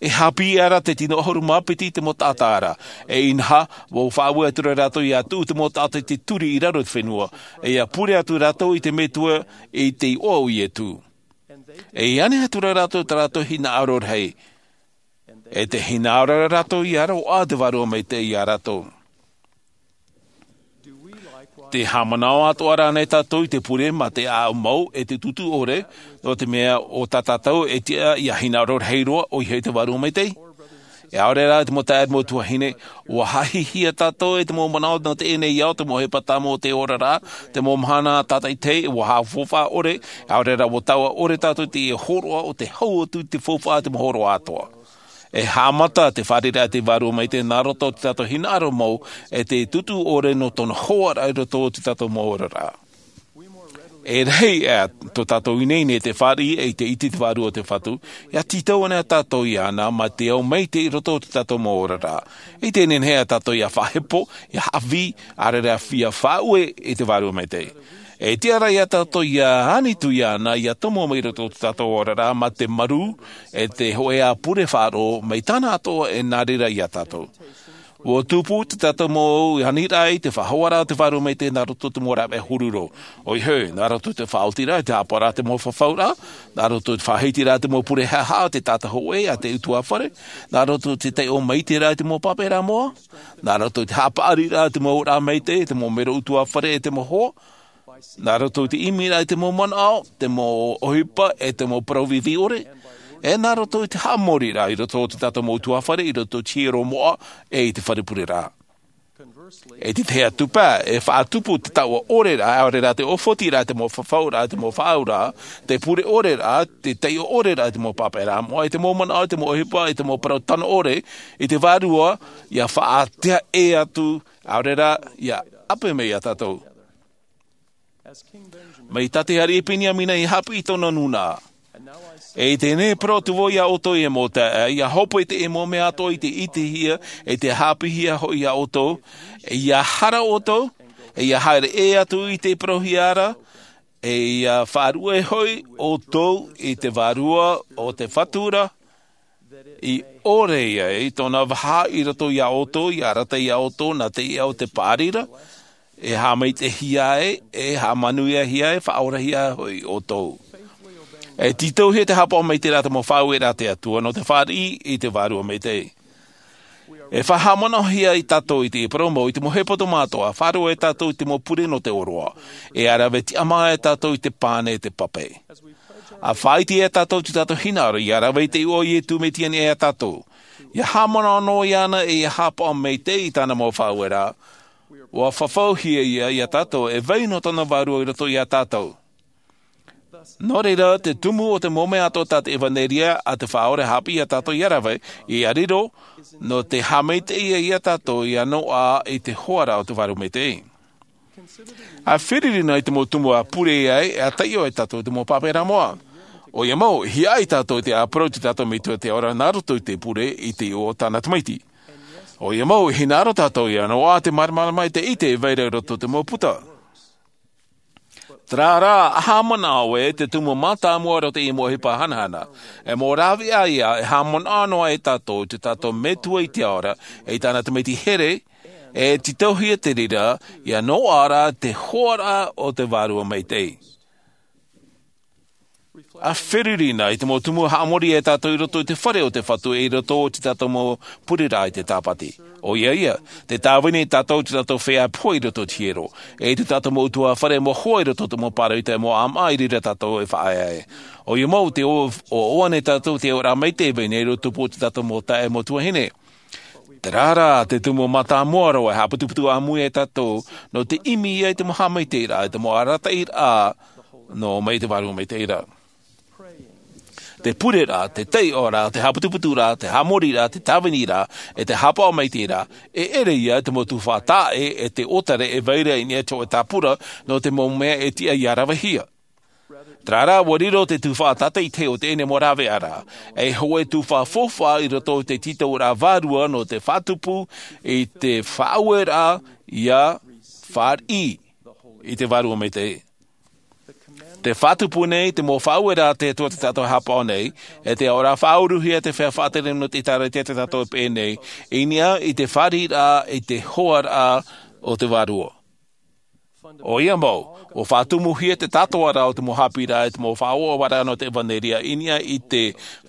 E haʻapiʻi ra te tino ʻahuru mā piti i te mau taʻata ra. E inaha, ua faʻaue atu ra rātou ia tuʻu te mau taʻata i te turi i raro i te fenua, e ia pure atu rātou i te metua i te iʻoa o iesu. E ia ani atu ra rātou tā rātou hinaʻaro rahi. E te hinaʻaro ra rātou ia roaʻa te vārua maitaʻi ia rātou. Te haʻamanaʻo atoʻa rā nei tātou i te pure mā te ʻāʻau mau e te tūtū ʻore? Nō te mea o tā tātou e tiʻa ia hinaʻaro rahi roa ʻoia hoʻi te vārua maitaʻi. E ʻaore rā te mau taeaʻe mau tuahine, ua haʻahihia tātou e te mau manaʻo nō teie nei ao te mau ʻohipa tāmau o te oraraʻa, te mau mahana tātaʻitahi ua haʻafaufaʻa ʻore. E ʻaore rā ua taua ʻore tātou i te hōroʻa o te hau atu i te faufaʻa te mau hōroʻa atoʻa. E haʻamata te fārereiraʻa te vārua maitaʻi nā roto i tā tātou hinaʻaro mau e te tūtū ʻore nō tōna hoaraʻa i roto i tā tātou mau oraraʻa. E rahi ā tō tātou ineine i te fāriʻi i te ʻite i te vārua o te fatu, ia tītau ana tātou iāna mā te ao maitaʻi i roto i tā tātou mau oraraʻa. I teie nei ā tātou ia faʻahepo, ia haʻavī, ʻaore rā ia faʻaue i te vārua maitaʻi. E tiʻa ra ia tātou ia ani atu iāna ia tomo mai i roto i tā tātou oraraʻa mā te marū e te hoʻe ā pure faʻaroʻo mai tāna atoʻa e nā reira ia tātou. Ua tupu tā tātou mau aniraʻa i te faʻahoaraʻa o te vārua maitaʻi nā roto i te mau rāveʻa huru roa. ʻOia hoʻi, nā roto i te faʻaotiraʻa i te haʻapaʻoraʻa te mau fafauraʻa, nā roto i te faʻahitiraʻa te mau pure haʻahaʻa o te taʻata hōʻē a te ʻutuāfare, nā roto i te taiʻo maitaʻiraʻa i te mau pāpaʻiraʻa moʻa, nā roto i te haʻapaʻariraʻa te mau ʻōraʻa maitaʻi, te mau mero ʻutuāfare e te mau hoa, nā roto i te ʻimiraʻa i te mau manaʻo, te mau ʻohipa e te mau parau vīvī ʻore, e nā roto i te haʻamoriraʻa i roto i tā tātou mau ʻutuāfare, i roto i te hiero moʻa e i te fare pureraʻa. E te tahi atu paʻi, e faʻatupu te taua ʻoreraʻa, ʻaore rā te ʻōfotiraʻa i te mau fafauraʻa, te mau faʻaauraʻa, te pure ʻoreraʻa, te taiʻo ʻoreraʻa i te mau pāpaʻiraʻa moʻa, i te mau manaʻo, i te mau ʻohipa, i te mau parau tano ʻore, i te vārua, ia faʻaʻite atu, ʻaore rā, ia ʻape mai ia tātou. Mai tā te ariʻi Peniamina i haʻapiʻi i tōna nūnaʻa. E i teie nei e parau atu vau ia ʻoutou e mau taeaʻe, ia hope i te mau mea atoʻa i te ʻitehia, e te haʻapiʻihia hoʻi ia ʻoutou, e ia hara ʻoutou, e ia haere ʻē atu i te parauhia ra, e ia faʻaruʻe hoʻi ʻoutou i te vārua o te fatu ra, i ʻore ai tōna vaha i roto ia ʻoutou, ia arataʻi ia ʻoutou nā te iʻa o te paʻari ra, e haʻamaitaʻihia ai, e haʻamanuiahia ai, faʻaorahia ai hoʻi ʻoutou. E tītauhia te haʻapaʻo maitaʻi i te mau faʻaueraʻa a te Atua nō te fāriʻi i te Vārua Maitaʻi. E faʻahaʻamanaʻohia tātou i te parau mau i te mau hepetoma atoʻa, faʻaroʻo tātou i te mau pure nō te ʻōroʻa, e ʻa rave tiʻamā tātou i te pane e te pape. ʻA faʻaʻite tātou i tō tātou hinaʻaro, ʻia rave i te iʻoa o Iesu Mesia ia tātou. ʻIa haʻamanaʻo noa iāna e ʻia haʻapaʻo maitaʻi i tāna mau faʻaueraʻa. ʻUa fafauhia ia, ia tātou, e vai noa tōna Vārua i roto ia tātou. Nō reira, te tumu o te mau mea atoʻa tā te ʻevanelia a te Faʻaora e haʻapiʻi ia tātou ʻia rave, ʻia riro, nō te haʻamaitaʻi ia tātou ʻia noaʻa i te hoaraʻa o te Vārua Maitaʻi. ʻA fīriri noa i te mau tumu ʻa pure ai, ʻa taiʻo ai tātou i te mau pāpaʻiraʻa moʻa. ʻOia mau, e hiaʻai tātou i te ʻāparau i tō tātou Metua te Atua nā roto i te pure i te iʻoa o tāna Tamaiti. ʻOia mau, e hinaʻaro tātou ʻia noaʻa te māramarama i te ʻite e vai ra i roto i te mau puta. Terā rā, ʻa haʻamanaʻo ē, te tumu mātāmua o teie mau ʻohipa hanahana, e mau rāveʻa ia, e haʻamanaʻo noa ai tātou i tō tātou Metua i te ao ra, e i tāna Tamaiti here, e tītauhia te reira, ʻia noaʻa ra te hoaraʻa o te Vārua Maitaʻi. A feruri na i te mau tumu haʻamori e tātou i roto i te fare o te Fatu, i roto i te tātou mau pureraʻa i te Tāpati. ʻOia ia, te tāvini tātou i te tātou feiā pohe i roto i te hiero, e i te tātou mau ʻutuāfare mau hoa i roto i te mau pāroita e mau ʻāmaʻa i reira tātou e faʻaea ai. ʻOia mau te ʻoaʻoa nei tātou te auraʻa maitaʻi e vai nei i roto i te pū o te tātou mau taeaʻe mau tuahine. Terā rā te tumu mātāmua roa e haʻaputuputu ʻāmui ai tātou, nō te ʻimi ia i te mau haʻamaitaʻiraʻa, i te mau arataʻiraʻa nō mai te Vārua Maitaʻi ra. Te pureraʻa, te taiʻoraʻa, te haʻaputuputuraʻa, te haʻamoriraʻa, te tāviniraʻa, e te haʻapaʻo maitaʻiraʻa, e ʻere ia te mau tuhaʻa taʻa ʻē e te ʻōtare e vai ra i niʻa i te hōʻē tāpura nō te mau mea e tiʻa ia ravehia. Terā rā, ʻua riro te tuhaʻa tātaʻitahi o teie mau rāveʻa ra, ei hōʻē tuhaʻa faufaʻa i roto i te tītauraʻa vārua nō te faʻatupu i te faʻaueraʻa ia fāriʻi i te Vārua Maitaʻi. Te faʻatupu nei te mau faʻaueraʻa a te Atua tā tātou e haʻapaʻo nei, e te auraʻa faʻauruhia te feiā faʻatere nō te ʻĒtārētia tā tātou e peʻe nei, i niʻa i te fāriʻiraʻa, i te hoaraʻa o te Vārua. ʻOia mau, ʻua faʻatumuhia te tātōraʻa o te mau haʻapiʻiraʻa, e te mau faʻaʻoaʻoaraʻa nō te ʻevanelia, i niʻa i te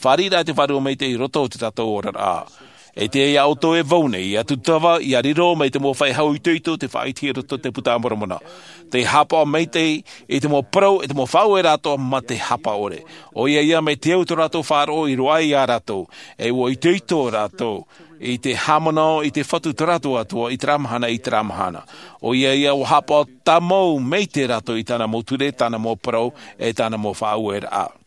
fāriʻiraʻa i te Vārua Maitaʻi i roto i tā tātou oraraʻa. E tiʻa ia ʻoutou e vau nei, ia tūtava, ia riro mai te mau feiā itoito, te faʻaʻitehia i roto i te Buka a Moromona. Te haʻapaʻo maitaʻi i te mau parau, e te mau faʻaueraʻa atoʻa mā te haʻapaʻo ʻore. ʻOia ia mai te au tō rātou faʻaroʻo i roaʻa ia rātou, e ʻua itoito rātou i te haʻamanaʻo i te Fatu tō rātou Atua, i terā mahana, i terā mahana. ʻOia ia, ʻua haʻapaʻo tāmau maitaʻi rātou i tāna mau ture, tāna mau parau, e tāna mau faʻaueraʻa.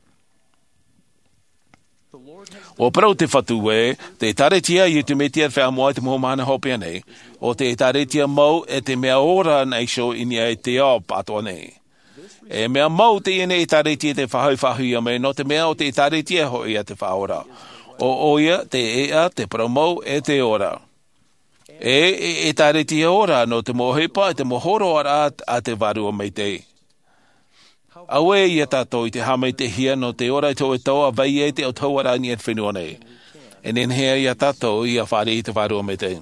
ʻUa parau te Fatu ē, te ʻĒtārētia a Iesu Mesia e feiā moʻa i te mau mahana hopeʻa nei, ʻo te ʻĒtārētia mau e te mea ora nei iho i niʻa i te ao pāʻatoʻa nei. E mea mau teie nei ʻĒtārētia te faʻahoʻi faʻahoʻihia mai, nō te mea ʻo te ʻĒtārētia hoʻi ia te Faʻaora. ʻO ʻoia, te ʻēʻa, te parau mau, e te ora. E, e, ʻĒtārētia ora, nō te mau ʻohipa, e te mau hōroʻaraʻa a te Vārua Maitaʻi. Auē ia tātou i te haʻamaitaʻihia nō te ora i te hōʻē tau ʻa vai ai te autahuʻaraʻa i niʻa i te fenua nei. E nehenehe ia tātou ia fāriʻi i te Vārua Maitaʻi.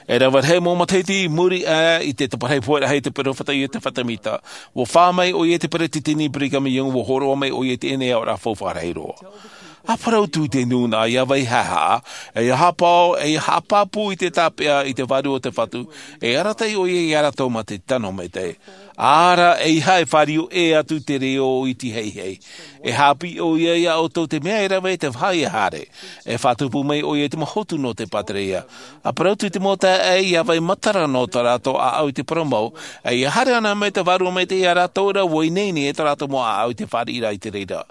E rave rahi mau matahiti i muri aʻe i te taparahi pohe rahi a te peropheta Iosefa Sāmita, ʻua fā mai ʻoia i te peresideni Brigham Young, ʻua hōroʻa mai ʻoia i teie nei aʻoraʻa faufaʻa rahi roa. ʻA parau atu i te nūnaʻa ia vai haʻehaʻa, e ia haʻapaʻo, e ia haʻapāpū i te tāpeʻa i te Vārua o te Fatu, e arataʻi ʻoia ia rātou mā te tano maitaʻi. ʻĀreʻa e fāriu ʻē atu te reo iti heihei. E haʻapiʻi ʻoia ia ʻoutou te mea e rave i te vāhi e haere. E faʻatupu mai ʻoia i te mau hotu nō te pātireia. ʻA parau atu i te mau taeaʻe ia vai matara nō tā rātou ʻāʻau i te parau mau, e ia haere ana mai te Vārua Maitaʻi ia rātou ra, ʻua ineine e tā rātou mau ʻāʻau i te fāriʻiraʻa i te reira.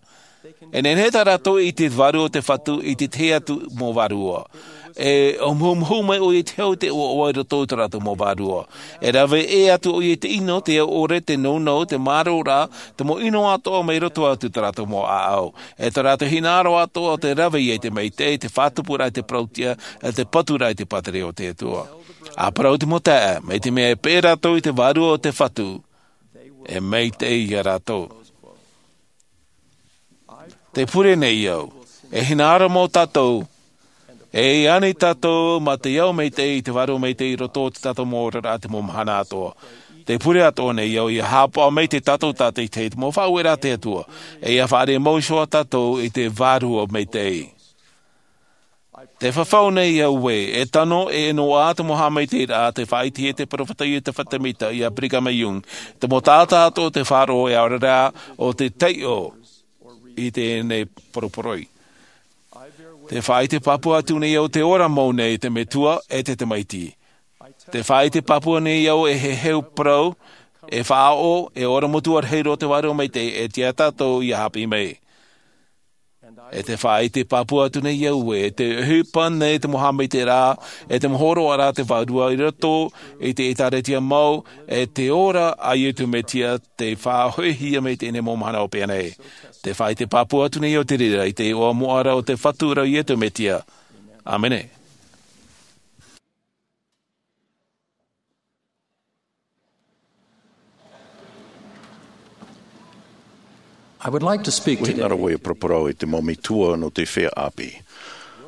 E nehenehe tā rātou e ʻite i te Vārua o te Fatu i te tahi atu mau vārua. E ʻōmuhumuhu mai ʻoia i te hau, te ʻoaʻoa i roto i tō rātou mau vārua. E rave ʻē atu ʻoia i te ʻino, te au ʻore, te nounou, te mārō ra, te mau ʻino atoʻa mai roto atu i tō rātou mau ʻāʻau. E tō rātou hinaʻaro atoʻa te rave ia i te maitaʻi, te faʻatupuraʻa i te parauʻtiʻa, e te paturaʻa i te pātireia o te Atua. ʻA parau te mau taeaʻe, mai te mea e peʻe rātou i te Vārua o te Fatu, e maitaʻi ia rātou. Te pure nei au, e hinaʻaro mau tātou, e ani tātou mā te ao maitaʻi i te Vārua Maitaʻi i roto i tā tātou mau oraraʻa i te mau mahana atoʻa. Te pure atoʻa nei au ia haʻapaʻo maitaʻi tātou tātaʻitahi i te mau faʻaueraʻa a te Atua, e ia fāriʻi mau iho ā tātou i te Vārua Maitaʻi. Te fafau nei au ē, e tano, e noaʻa te mau haʻamaitaʻiraʻa, te faʻaʻitehia e te peropheta Iosefa Sāmita ia Brigham Young, te mau taʻata atoʻa o te faʻaroʻo e aore rā ʻo te taiʻo i teie nei poroporoi. Te faʻaʻite pāpū atu nei au te ora mau nei te Metua e te Tamaiti. Te faʻaʻite pāpū nei au e heheu parau, e faʻaʻoʻo, e ora motuʻa rahi roa te Vārua Maitaʻi, e tiʻa tātou ia haʻapiʻi mai. E te faʻaʻite pāpū atu nei au ē, te ʻohipa nei te mau haʻamaitaʻiraʻa, e te mau hōroʻaraʻa a te Vārua i roto i te ʻĒtārētia mau, e te ora a Iesu Mesia tei faʻahoʻihia mai i teie nei mau mahana hopeʻa nei. Te faʻaʻite pāpū atu nei au te reira i te iʻoa moʻa ra o te Fatu ra Iesu Mesia. ʻĀmene. I would like to speak today. ʻUa hinaʻaro au e paraparau i te mau metua nō te feiā ʻāpī.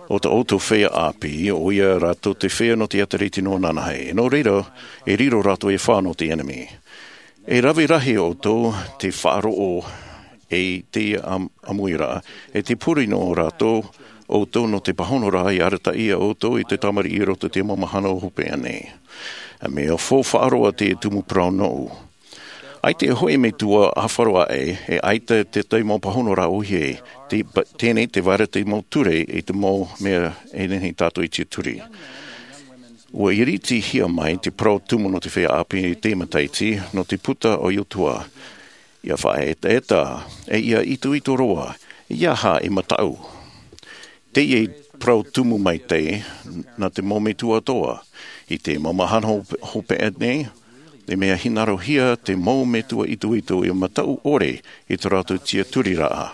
ʻO tā ʻoutou feiā ʻāpī, ʻoia rātou te feiā nō te ʻĒtārētia nō ananahi. Nō reira, e riro rātou e fā nō te ʻenemi. E rave rahi ʻoutou te faʻaroʻo e te ʻamuiraʻa, e te pure nō rātou ʻoutou nō te pāhonoraʻa i arataʻi ia ʻoutou i te tamariʻi i roto i te mau mahana hopeʻa nei. E mea faufaʻa roa te tumu parau nōʻu. ʻAita e hoʻi metua ʻāfaro aʻe, e ʻaita te tahi mau pāhonoraʻa ʻōhie, te, tēnei te vaira te mau ture i te mau mea e nehenehe tātou e tiʻaturi. Ua iritihia mai te parau tumu nō te feiā ʻāpī i te matahiti, nō te puta o Iotua. ʻIa faʻaetaeta, e ʻia itoito roa, ʻeiaha e mataʻu. Teie parau tumu maitaʻi, nā te mau metua atoʻa, i te mau mahana hopeʻa nei, e mea hinaʻarohia te mau metua itoito ʻia mataʻu ʻore i tō rātou tiʻaturiraʻa.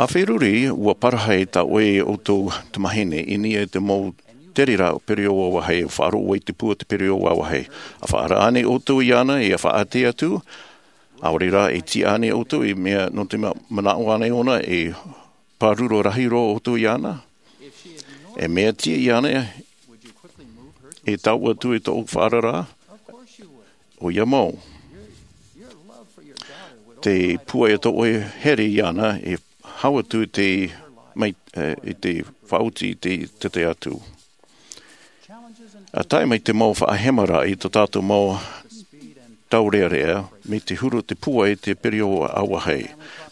ʻA feruri, ua parahi tā ʻoe e ʻoutou tamāhine i niʻa i te mau tereraʻa pereoʻo vāvāhi, faʻaroʻo i te pū o te pereoʻo vāvāhi. ʻA faʻaara ānei ʻoutou iāna, ʻia faʻaʻite atu, ʻaore rā e tiʻa ānei ʻoutou i mea nō te manaʻo ānei ʻōna e pāruru rahi roa ʻoutou iāna? E mea tiʻa iāna e taʻu atu i tōʻu faʻaara? ʻOia mau. Te pūai o tō ʻoe here iāna e hau atu te mai i te faʻaoti i te tete atu. ʻA tae mai te mau faʻahemaraʻa i tō tātou mau taurearea, me te huru o te pūai i te pereoʻo vāvāhi.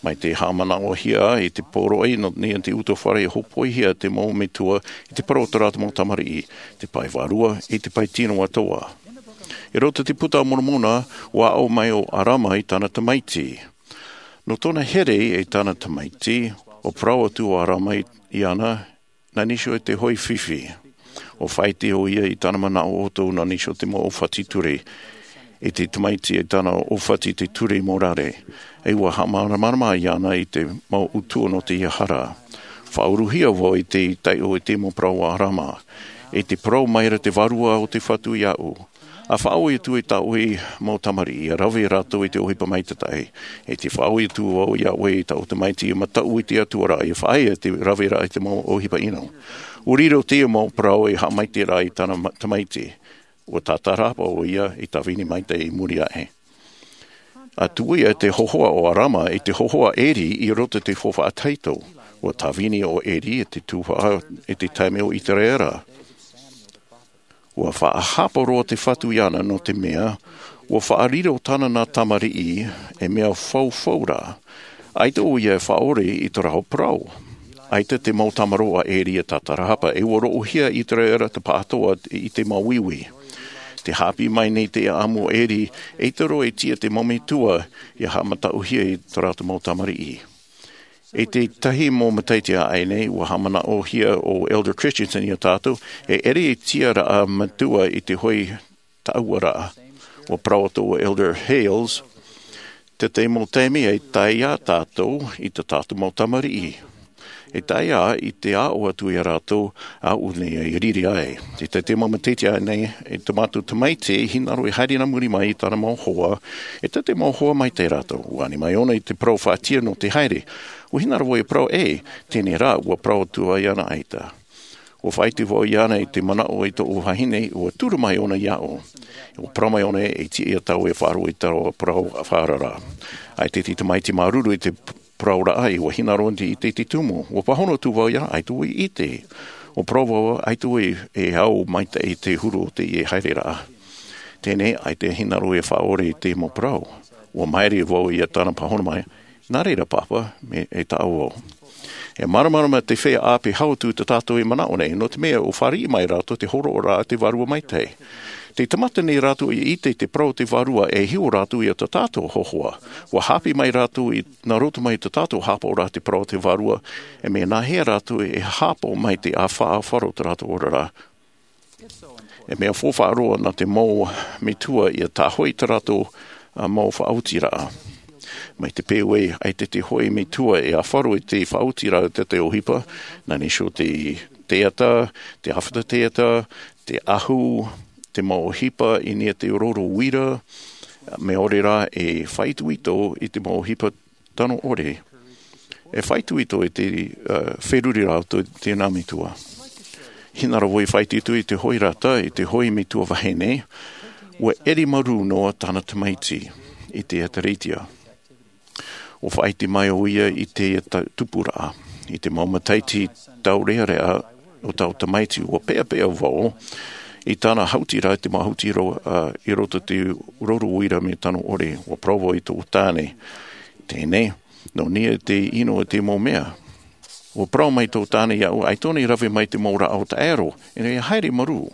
Mai te haʻamanaʻohia i te poroʻi nō niʻa i te utuafare, e hōpoihia te mau metua i te parau o tō rātou mau tamariʻi, te pae vārua i te pae tino atoʻa. I roto i te puta a Moromona, ua aʻo mai ʻo ʻArama i tāna tamaiti. Nō tōna here i tāna tamaiti, ua parau atu ʻo ʻArama iāna, nā niʻa iho i te hoʻi fifi. ʻUa faʻaʻite ʻoia i tāna manaʻo ʻoutou nā niʻa iho i te mau ʻōfati ture. I te tamaiti i tāna ʻōfati i te ture i Morare. E ua haʻamāramarama iāna i te mau utuʻa nō teie hara. Faʻauruhia vau i te taiʻo i te mau parau a ʻArama. I te parau mai ra te Vārua o te Fatu iāʻu. ʻA faʻaʻoi atu i tā ʻoe mau tamariʻi, ʻia rave rātou i te ʻohipa maitaʻi. E te faʻaʻoi atu vau iā ʻoe i tāʻu tamaiti ʻia mataʻu i te Atua ra, ʻia faʻaea te raveraʻa i te mau ʻohipa ʻino. ʻUa riro teie mau parau ei haʻamaitaʻiraʻa i tāna tamaiti. ʻUa tātarahapa ʻoia i tāvini maitaʻi i muri aʻe. ʻA tuʻu ia te hōhoʻa o ʻArama i te hōhoʻa o ʻEri i roto i te faufaʻa tahito. ʻUa tāvini ʻo ʻEri i te tuhaʻa i te taime o ʻĪteraʻera. ʻUa faʻahapa roa te Fatu iāna nō te mea, ʻua faʻariro tāna nā tamariʻi, e mea faufau rā. ʻAita ʻoia e faʻaʻore i tō rāua parau. ʻAita te mau tamaroa a ʻEri e tātarahapa, e ʻua roʻohia ʻĪteraʻera te pāʻatoʻa i te mau uiui. Te haʻapiʻi mai nei te ʻaʻamu o ʻEri, ʻeita roa e tiʻa te mau metua, ʻia haʻamataʻuhia i tō rātou mau tamariʻi. I te tahi mau matahiti aʻe nei, ʻua haʻamanaʻohia ʻo Elder Christensen iā tātou, e ʻere ei tiʻaraʻa metua i te hoʻi taʻuaraʻa. ʻUa parau atu ʻo Elder Hales, te tahi mau taime e tae ia tātou i tā tātou mau tamariʻi. E tae ia i te aʻo atu iā rātou, ʻaʻu nei e riri ai. Te tahi mau matahiti aʻe nei, e tō mātou tamaiti, hinaʻaro e haere nā muri mai i tāna mau hoa, e te tahi mau hoa maitaʻi rātou. ʻUa ani mai ʻōna i te parau faʻatiʻa nō te haere. ʻUa hinaʻaro vau e parau ē, teie rā, ʻua parau atu ai iāna ʻaita. ʻUa faʻaʻite vau iāna i te manaʻo i tōʻu vahine, ʻua turu mai ʻōna iāʻu. ʻUa parau mai ʻōna e tiʻa ia tāua e faʻaroʻo i taua parau faʻaara ra. ʻAita te tamaiti māuruuru i te parauraʻa, ʻua hinaʻaro i te, i te tumu. ʻUa pāhono atu vau iāna, ʻaita ʻoe e ʻite. ʻUa parau vau, ʻaita ʻoe e au maitaʻi i te huru o teie haereraʻa. Teie nei, ʻaita e hinaʻaro e faʻaʻore i te mau parau. ʻUa māere vau iā tāna pāhono mai, nā reira, Pāpā, mea e taʻa vau. E māramarama te feiā ʻāpī hau atu i tā tātou e manaʻo nei, nō te mea ʻua fāriʻi mai rātou te hōroʻaraʻa a te Vārua Maitaʻi. Tē tamata nei rātou ʻia ʻite i te parau o te Vārua, e hiʻo rātou iā tā tātou hōhoʻa. ʻUa haʻapiʻi mai rātou i, nā roto mai i tā tātou haʻapaʻoraʻa te parau o te Vārua, e mea nāhea rātou e haʻapaʻo mai te ʻāfa, ʻāfaro o tā rātou oraraʻa. E mea faufaʻa roa nā te mau metua ʻia tāhōʻē i tā rātou, ā, mau faʻaotiraʻa. Mai te peu ē, ʻaita te hoʻi metua e ʻāfaro i te faʻaotiraʻa o te, te ʻohipa, nā niʻa iho i te teata, te ʻāfata teata, te ʻahu, te mau ʻohipa i niʻa i te roro uira, mea ʻore rā e faʻaitoito i te mau ʻohipa tano ʻore. E faʻaitoito i te, ā, feruriraʻa o te, te nā metua. Hinaʻaro vau e faʻaitoito i te hoʻi rata, i te hoʻi metua vahine, ʻua ʻere marū noa tāna tamaiti. i te ʻēkālesia. Ua faʻaʻite mai ʻoia i te ta- tupuraʻa. I te mau matahiti taureʻareʻa o taua tamaiti, ua peʻapeʻa vau i tāna hautiraʻa, te mau hauti ro- ā, i roto i te rouru uira mea tano ʻore. Ua parau vau i tōʻu tāne, teie nei, nō niʻa te ʻino i te mau mea. Ua parau mai tōʻu tāne iāʻu, ʻaita e rave mai te mau rāʻau taʻero, e haere marū.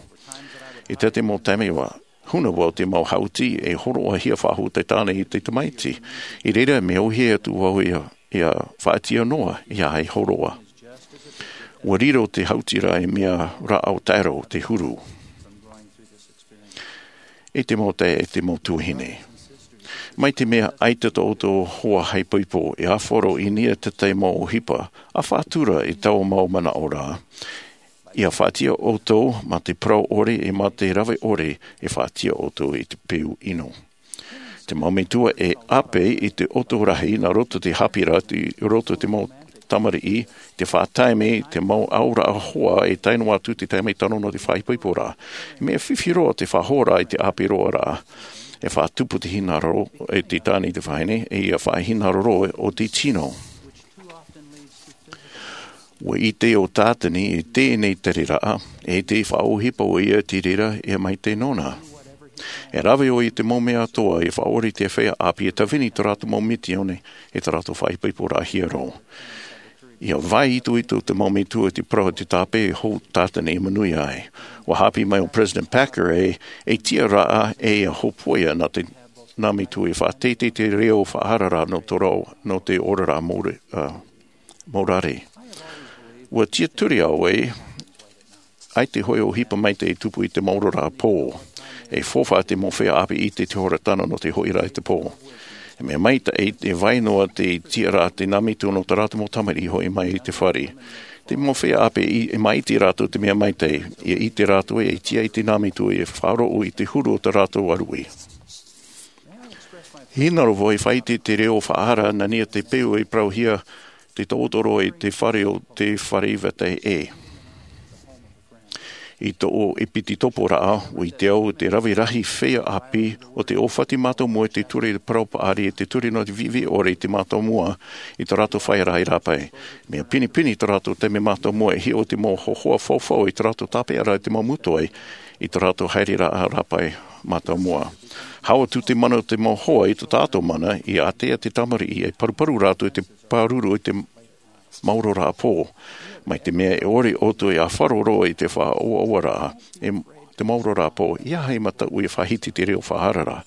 I tā te mau taime ua huna vau te mau hauti e hōroʻahia faʻahou te tāne i te tamaiti. I reira, mea ʻōhie atu vau ia, ia faʻatiʻa noa, ia e hōroʻa. Ua riro te hautiraʻa i mea rāʻau taʻero, te huru. I te mau taeaʻe, te mau tuahine, mai te mea ʻaita tō ʻoutou hoa haʻaipoipo, e ʻāfaro i niʻa i te tahi mau ʻohipa, ʻa faʻatura i taua mau manaʻo ra. Ia faʻatiʻa ʻoutou mā te parau ʻore e mā te rave ʻore, e faʻatiʻa ʻoutou i te peu ʻino. Te mau metua e ʻāpī i te ʻoto rahi nā roto i te haʻapiʻiraʻa i roto i te mau tamariʻi, te faʻataime, te mau auraʻa hoa e tae noa atu i te taime tano nō te faʻaipoiporaʻa. E mea fifi roa te faʻahoʻiraʻa i te ʻāpī roa ra. E faʻatupu te hinaʻaro i te tāne i te vahine, e ia faʻahinaʻaro roa o te tino. Ua ʻite ʻo Tātani i teie nei tereraʻa, e te faʻaʻohipa ʻoia i te reira e maitaʻi nōna. E rave ʻoia i te mau mea atoʻa e faʻaʻore i te feiā ʻāpī e tāvini i tō rātou mau misiōni, e tō rātou faʻaipoiporaʻa hiero. Ia vai itoito te mau metua i te parau o te tāpeʻa hou Tātani e manuia ai. Ua haʻapiʻi mai ʻo President Packer e, e tiʻaraʻa e ia hōpoiʻa nā te, nā metua e faʻateitei te reo faʻahaʻaraʻa nō tō rāua, nō te oraraʻa mōre-, ā, mōrare. Ua tiʻaturi au e, ʻaita hoʻi ʻohipa maitaʻi e tupu i te mau oraraʻa pō. E faufaʻa te mau feiā ʻāpī i te, te hora tano nō te hoʻiraʻa i te pō. E mea maitaʻi, e vai noa te tiʻaraʻa te nā metua nō tā rātou mau tamariʻi hoʻi mai i te fare. Te mau feiā ʻāpī i, e maʻiti rātou te mea maitaʻi, ia ʻite rātou e tiʻa i te nā metua e faʻaroʻo i te huru o tā rātou ʻāruʻi. Hinaʻaro vau e faʻaʻite i te reo faʻahaʻaraʻa nā niʻa i te peu e parauhia te taʻoto i te fare o te fare vetahi ʻē. I tōʻu ʻepitoporaʻa, ua ʻite au te rave rahi feiā ʻāpī o te ʻōfati mātāmua i te ture parau paʻari, i te ture nō te viʻiviʻi ʻore i te mātāmua i tō rātou fāʻaraʻa i rāpae. Mea pinepine tō rātou taime mātāmua e hiʻo i te mau hōhoʻa faufau i tō rātou tāpeʻaraʻa i te mau mutoʻi, i tō rātou haereraʻa rāpae mātāmua. Hau atu te mana o te mau hoa i tō tātou mana, ia ātea te tamariʻi e paruparu rātou i te pāruru i te mau oraraʻa pō. Mai te mea e ʻore ʻoutou e ʻāfaro roa i te faʻaʻoaʻoaraʻa, e te mau oraraʻa pō, ʻeiaha e mataʻu e faʻahiti te reo faʻahaʻaraʻa.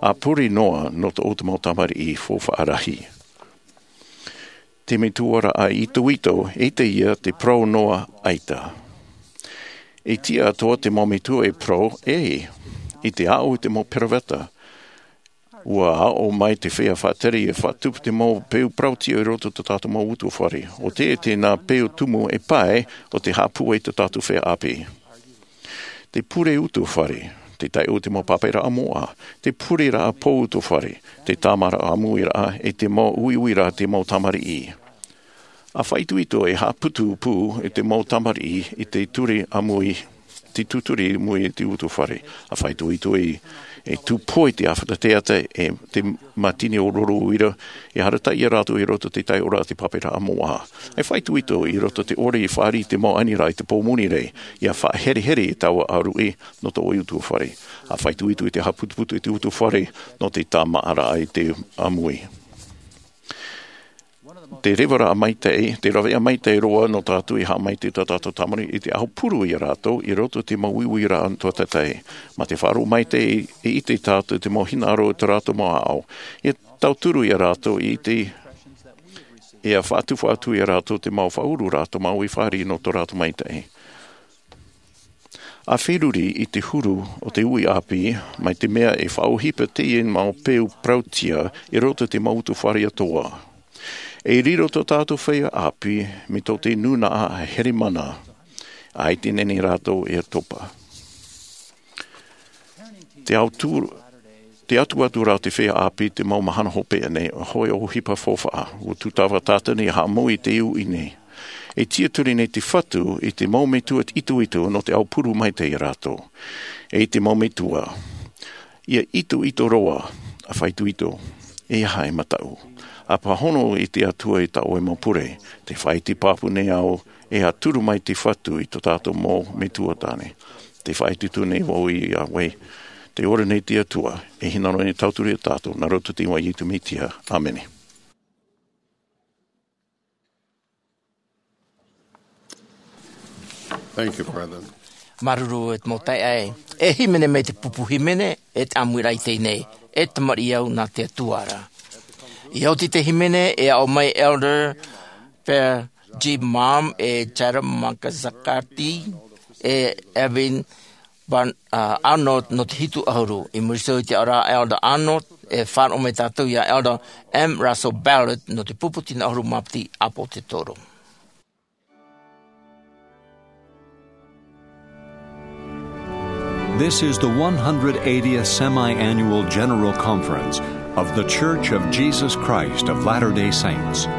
ʻA pure noa nō tō ʻoutou mau tamariʻi faufaʻa rahi. Te metuaraʻa itoito, ʻeita ia te parau noa ʻaita. E tiʻa atoʻa te mau metua e parau, ʻē, i te aʻo i te mau peroveta. Ua aʻo mai te feiā faʻatere e faʻatupu te mau peu parauʻtiʻa i roto i tō tātou mau utuafare. ʻO tē, tēnā peu tumu e pae o te haʻapūai i tō tātou feiā ʻāpī. Te pure utuafare, te taiʻo i te mau pāpaʻiraʻa moʻa, te pureraʻa pō utuafare, te tāmāraʻa ʻāmuiraʻa, e te mau uiuiraʻa te mau tamariʻi. ʻA faʻaitoito e haʻaputu pū i te mau tamariʻi i te ture ʻāmui, te tūturi ʻāmui i te utuafare. ʻA faʻaitoito e, e tūpohe te ʻāfata teata e te mātini o rouru uira, e arataʻi ia rātou i roto i te taiʻoraʻa te pāpaʻiraʻa moʻa. ʻA faʻaitoito i roto i te ʻore i fāriʻi i te mau aniraʻa i te pō moni ra, ia faʻaherehere i taua ʻāruʻi nō tō ʻoe utuafare. ʻA faʻaitoito i te haʻaputuputu i te utuafare nō te tāmāraʻa i te ʻāmui. Te revaraʻa maitaʻi, te raveʻa maitaʻi roa nō tātou i haʻamaitaʻi i tā tātou tamariʻi i te aupuru ia rātou, i roto i te mau uiuiraʻa tuatātaʻi. Mā te faʻaroʻo maitaʻi, e ʻite tātou te mau hinaʻaro i tā rātou mau aʻo. E tauturu ia rātou i te, e faʻatupu atu ia rātou te mau faʻaururaʻa tō māua i fāriʻi nō tō rātou maitaʻi. ʻA feruri i te huru o te uʻi ʻāpī, mai te mea e faʻaʻohipa teie mau peu parauʻtiʻa i roto i te mau utuafare atoʻa. E riro tō tātou feiā ʻāpī, mai tō te nūnaʻa here mana, ʻaita e nehenehe rātou e topa. Te auturu, te atuaturaʻa o te feiā ʻāpī i te mau mahana hopeʻa nei, ʻoia hoʻi ʻohipa faufaʻa, ua tūtava Tātani e haʻamau i te uʻi nei. E tiʻaturi nei te Fatu i te mau metua itoito nō te aupuru maitaʻi ia rātou. E te mau metua, ia itoito roa, A faʻaitoito, e aha e mataʻu? A pāhono i te Atua i tā ʻoe mau pure, tē faʻaiti pāpū nei au, e a turu mai te Fatu i tō tātou mau metua tāne. Tē faʻaitoito nei vau iā ʻoe, tē ora nei te Atua, e hinaʻaro nei e tauturu iā tātou, nā roto i te iʻoa o Iesu Mesia. ʻĀmene. Thank you, brother. Māuruuru e te mau taeaʻe. E hīmene mai te pupu hīmene, e te ʻāmuiraʻa i teie nei, e tamariʻi au nā te Atua ra. I oti te hīmene, e aʻo mai Elder Pea G. Malm, e Jara Makazakati, e Evan Van, uh, Arnold nō te hitu ʻahuru. I muri iho i te aʻo ra Elder Arnold, e faʻaroʻo mai tātou iā Elder M. Russell Ballard nō te pupu tino ʻahuru mā piti ʻāpōsetolo. This is the one hundred eightieth Semi-Annual General Conference of The Church of Jesus Christ of Latter-day Saints.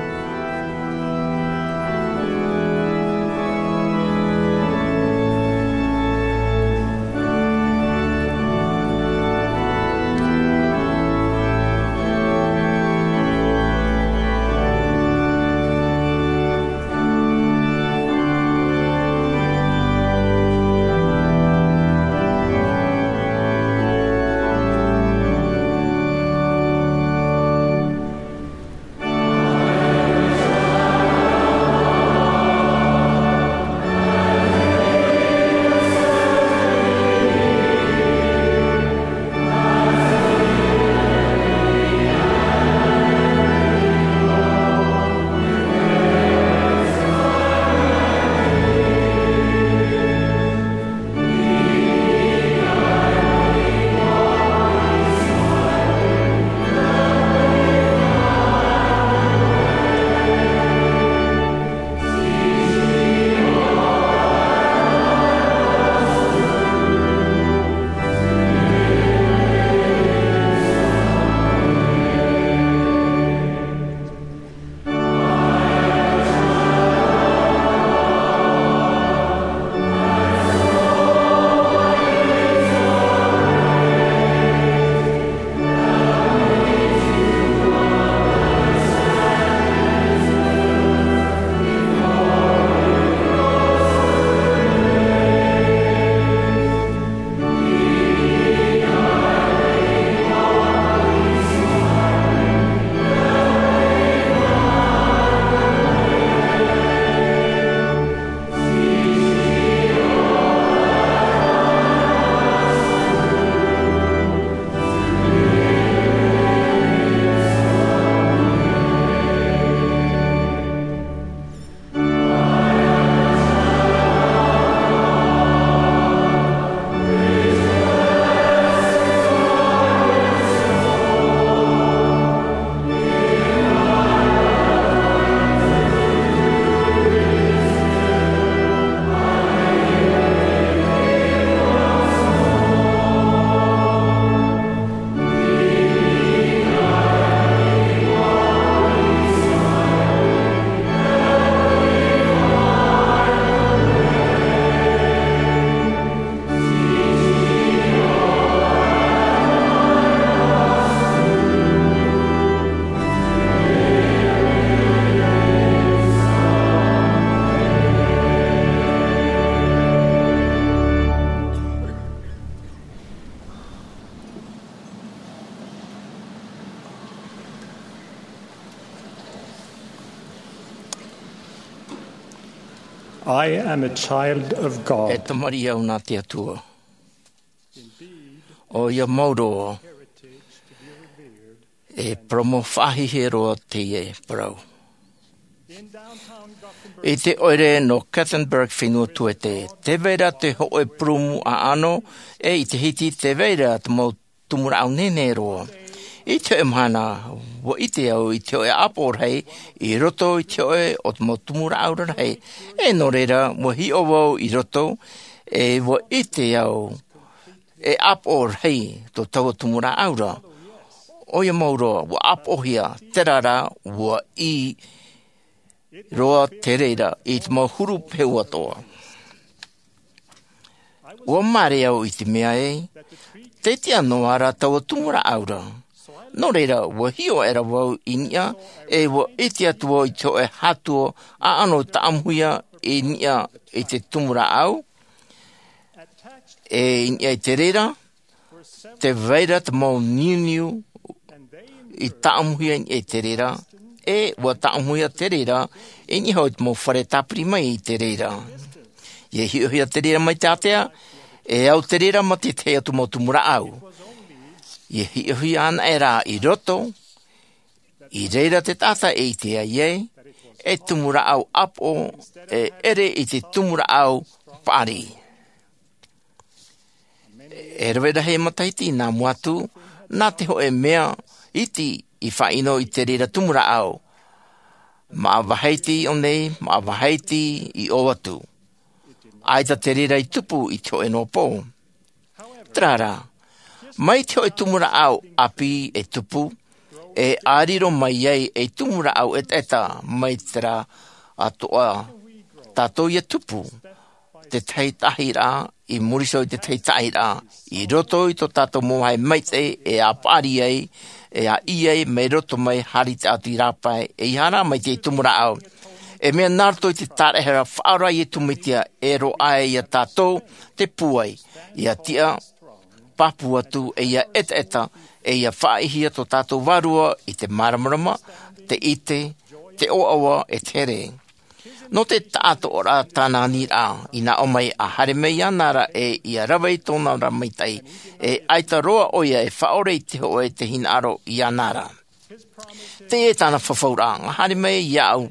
I am a child of God. E tamariʻi au nā te Atua. ʻOia mau roa, e parau mau faʻahiahia roa teie parau. I te ʻoire nō Gothenburg, fenua Tuete, tē vai ra te hōʻē purūmu ʻaʻano, e i te hiti tē vai ra te mau tumu rāʻau nehenehe roa. I te hōʻē mahana, ʻua ʻite au i te hōʻē ʻāpoʻo rahi i roto i te hōʻē o te mau tumu rāʻau rarahi. E nō reira, ʻua hiʻo vau i roto, e ʻua ʻite au e ʻāpoʻo rahi tō taua tumu rāʻau ra. ʻOia mau roa, ʻua ʻāpoʻohia, terā rā, ʻua ʻī roa te reira i te mau huru pehu atoʻa. ʻUa māere au i te mea ē, tē tiʻa noa ra taua tumu rāʻau ra. Nō reira, ua hiʻo aʻera vau i niʻa, e ua ʻite atu vau i te hōʻē hātua ʻaʻano i tāʻamuhia i niʻa i te tumu rāʻau, e i niʻa i te reira, tē vai ra te mau niuniu i tāʻamuhia i niʻa i te reira, e ua tāʻamuhia te reira i niʻa hoʻi te mau fare tāpiri mai i te reira. ʻIa hiʻohia te reira mai te ātea, e au te reira mā te tahi atu mau tumu rāʻau. ʻIa hiʻohia anaʻe rā i roto, i reira te taʻata e ʻite ai ē, e tumu rāʻau ʻāpoʻo, e ʻere i te tumu rāʻau paʻari. E rave rahi matahiti nā mua atu, nā te hōʻē mea iti i faʻaʻino i te reira tumu rāʻau. Māʻa vāhi iti i ʻō nei, māʻa vāhi iti i ʻō atu. ʻAita te reira i tupu i te hōʻē noa pō. Terā rā, mai te hōʻē tumu rāʻau ʻāpī e tupu, e ʻāriro mai ai ei tumu rāʻau ʻetaʻeta mai terā atoʻa tātou ʻia tupu. Te tahi tahi rā, i muri iho i te tahi tahi rā, i roto i tō tātou mau vāhi maitaʻi, e ʻa paʻari ai, e ʻa ʻī ai, mai roto mai, haere atu i rāpae, e ʻeiaha rā mai te tumu rāʻau. E mea nā roto i te tāraʻehara faʻaora a Iesu Mesia, e roaʻa ai ia tātou te pūai, ʻia tiʻa, pāpū atu, e ʻia ʻetaʻeta, e ʻia faʻaʻitehia tō tātou vārua i te māramarama, te ʻite, te ʻoaʻoa, e te here. Nō te taʻatoʻaraʻa tāna aniraʻa, i nā ʻō mai ʻa haere mai iāna ra e ʻia rave i tōna ra maitaʻi, e ʻaita roa ʻoia e faʻaʻore i te hōʻē e te hinaʻaro iāna ra. Teie tāna fafauraʻa, ʻa haere mai iāʻu,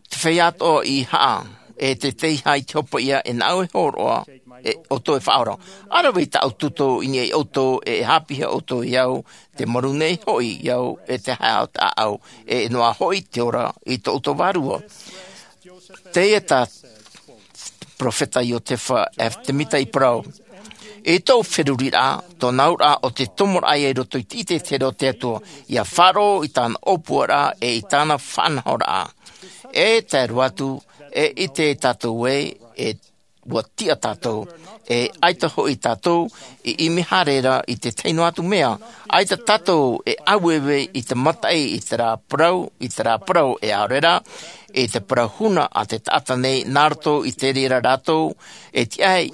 te feiā atoʻa i haʻa, e te teiaha i te hopeʻa e nāʻu e hōroʻa, e ʻoutou e faʻaora. ʻA rave i tāʻu tūtō i niʻa ia ʻoutou, e haʻapiʻihia ʻoutou iāʻu, te maru nei hoʻi iāʻu, e te haʻehaʻa o te ʻāʻau, e noa hoʻi te ora i tō ʻoutou vārua. Teie tā Perofeta Iosefa F. Semita i parau. I tōʻu feruriraʻa, tōna auraʻa ʻo te tomoraʻa ia i roto i te ʻite e te here o te Atua, ʻia faʻaroʻo i tāna ʻōpuaraʻa e i tāna faʻanahoraʻa. E tae roa atu, e ʻite tātou ē, e ua tiʻa tātou, e ʻaita hoʻi tātou i ʻimi haere ra i te tahi noa atu mea, ʻaita tātou e aueue i te mataʻi i terā parau, i terā parau e ʻaore rā, i te parau huna a te taʻata nei nā roto i te reira rātou e tiʻa ai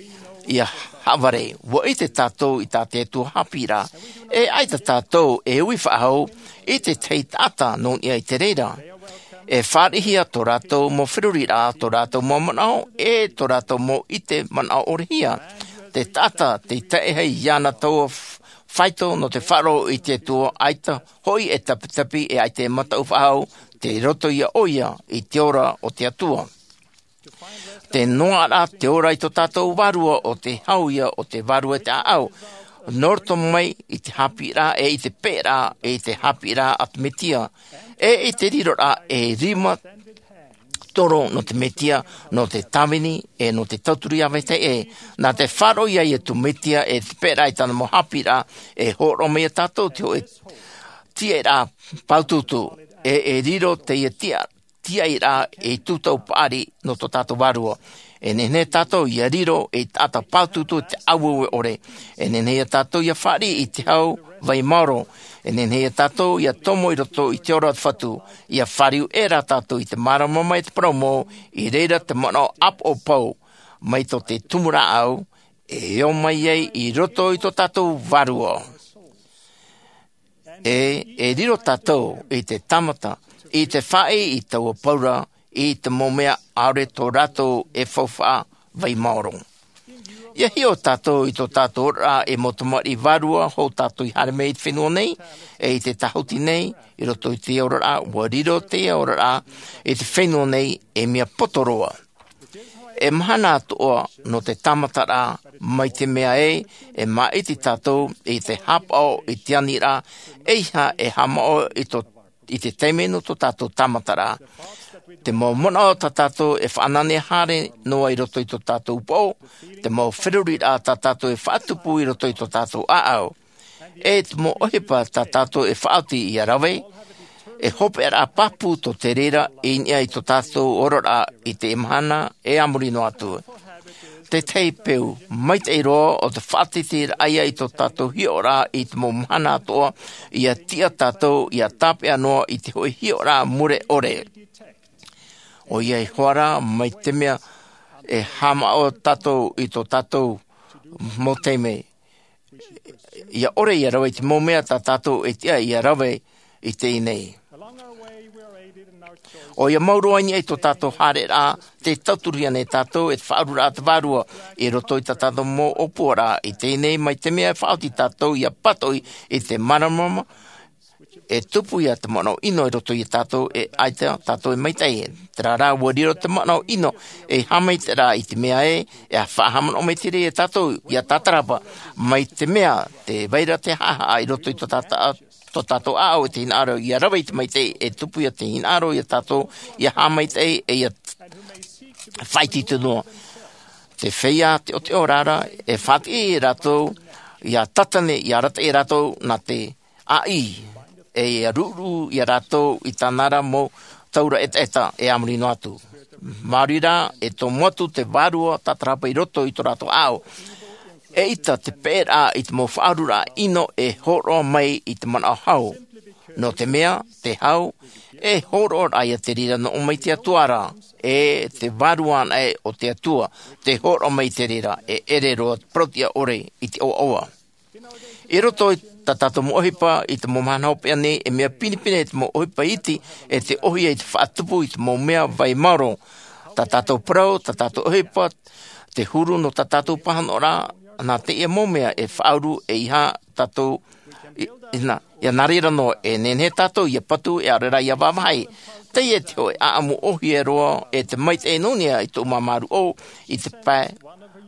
ʻia haʻavare. Ua ʻite tātou i tā te Atua haʻapiʻiraʻa, e ʻaita tātou e ui faʻahou i te tahi taʻata nō niʻa i te reira. E fāriʻihia tō rātou mau feruriraʻa, tō rātou mau manaʻo, e tō rātou mau ʻite manaʻo ʻorehia. Te taʻata, tei tae ai iāna taua f-, faito nō te faʻaroʻo i te Atua, ʻaita hoʻi e tapitapi, e ʻaita e mataʻu faʻahou, tei roto ia ʻoia i te ora o te Atua. Te noaʻa te ora i tō tātou vārua ʻo te hau ia o te vārua e te ʻāʻau. Nō roto mai i te haʻapiʻiraʻa, e i te peʻeraʻa, e i te haʻapiʻiraʻa a te Mesia, e i te riroraʻa e rima toro nō te Mesia, nō te tāvini, e nō te tauturu iā vetahi ʻē. Nā te faʻaroʻo ia Iesu Mesia, e te peʻeraʻa i tāna mau haʻapiʻiraʻa, e hōroʻa mai ia tātou te hōʻē tiaʻiraʻa pāutuutu, e, e riro teie tiaʻiraʻa, tiaʻiraʻa ei tūtau paʻari nō tō tātou vārua. E nehenehe tātou ʻia riro ei taʻata pāutuutu i te aueue ʻore. E nehenehe ia tātou ʻia fāriʻi i te hau vai maoro. E nehenehe ia tātou ʻia tomo i roto i te ora o te Fatu. ʻIa fāriu ʻē rā tātou i te māramarama e te parau mau, i reira te manaʻo ʻāpoʻo pau, mai tō te tumu rāʻau, e ō mai ai i roto i tō tātou vārua. E, e riro tātou i te tāmata, i te faʻaʻī i taua paura, i te mau mea ʻaore tō rātou e faufaʻa vai maoro. ʻIa hiʻo tātou i tō tātou oraraʻa ei mau tamariʻi vārua, hou tātou i haere mai i te fenua nei, e i te tāhuti nei, i roto i te oraraʻa, ʻua riro te oraraʻa, i te fenua nei, ei mea poto roa. E mahana atoʻa nō te tāmataraʻa, mai te mea ē, e māʻiti tātou i te haʻapaʻo i te aniraʻa, ʻeiaha e haʻamaʻo i tō, i te taime nō tō tātou tāmataraʻa. Te mau manaʻo tā tātou e faʻananea haere noa i roto i tō tātou upoʻo, te mau feruriraʻa tā tātou e faʻatupu i roto i tō tātou ʻāʻau. E te mau ʻohipa tā tātou e faʻaoti ʻia rave, e hopeʻaraʻa pāpū tō te reira i niʻa i tō tātou oraraʻa i te mahana e a muri noa atu. tētahi peu maitaʻi roa o te faʻateteraʻa ia i tō tātou hiʻoraʻa i te mau mahana atoʻa, ia tiʻa tātou ia tāpeʻa noa i te hoʻi hiʻoraʻa mure ʻore. ʻOia hoʻi rā, mai te mea e haʻamāʻo tātou i tō tātou mau taime, ia ʻore ia rave i te mau mea tā tātou e tiʻa ia rave i teie nei. ʻOia mau roa i niʻa i tō tātou haereraʻa, tē tauturu nei tātou e te faʻaururaʻa te Vārua i roto i tā tātou mau ʻōpuaraʻa i teie nei, mai te mea e faʻaoti tātou ia pātoʻi i te māramarama, e tupu ia te manaʻo ʻino i roto ia tātou, e ʻaita tātou e maitaʻi. Terā rā, ʻua riro te manaʻo ʻino ei haʻamaitaʻiraʻa i te mea ē, e faʻahaʻamanaʻo maitaʻi ia tātou ia tātarahapa, mai te mea tē vai ra te haʻahaʻa i roto i tō tātou, tō tātou ʻāʻau i te hinaʻaro ia rave i te maitaʻi, e tupu ia te hinaʻaro ia tātou ia haʻamaitaʻi, e ia faʻaitoito noa. Te feiā teʻoteʻo rā, e faʻatiʻa ia rātou ia tātane, ia arataʻi ia rātou nā te ʻāʻī, e ia ruʻuruʻu ia rātou i tāna ra mau taura ʻetaʻeta e a muri noa atu. Maori rā, e tomo atu te Vārua tātarahapa i roto i tō rātou ʻāʻau. ʻEita te peʻeraʻa i te mau faʻaururaʻa ʻino e hōroʻa mai i te manaʻo hau. Nō te mea, te hau, e hōroʻa ra ia te reira nō ʻō mai te Atua ra, e te Vārua anaʻe o te Atua, tē hōroʻa mai te reira, e ʻere roa te parauʻtiʻa ʻore i te ʻoaʻoa. I roto i tā tātou mau ʻohipa i te mau mahana hopeʻa nei, e mea pinepine te mau ʻohipa iti, e te ʻōhie i te faʻatupu i te mau mea vai maoro. Tā tātou parau, tā tātou ʻohipa, te huru nō tā tātou pāhonoraʻa, nā teie mau mea e faʻauru ei hā tātou i, i nā, ia nā reira noa, e nehenehe tātou ia patu, e ʻaore rā ia vāvāhi. Teie te hoʻi ʻāʻamu ʻōhie roa, e te maitaʻi nō niʻa i tōʻu māmā ruʻau, i te pae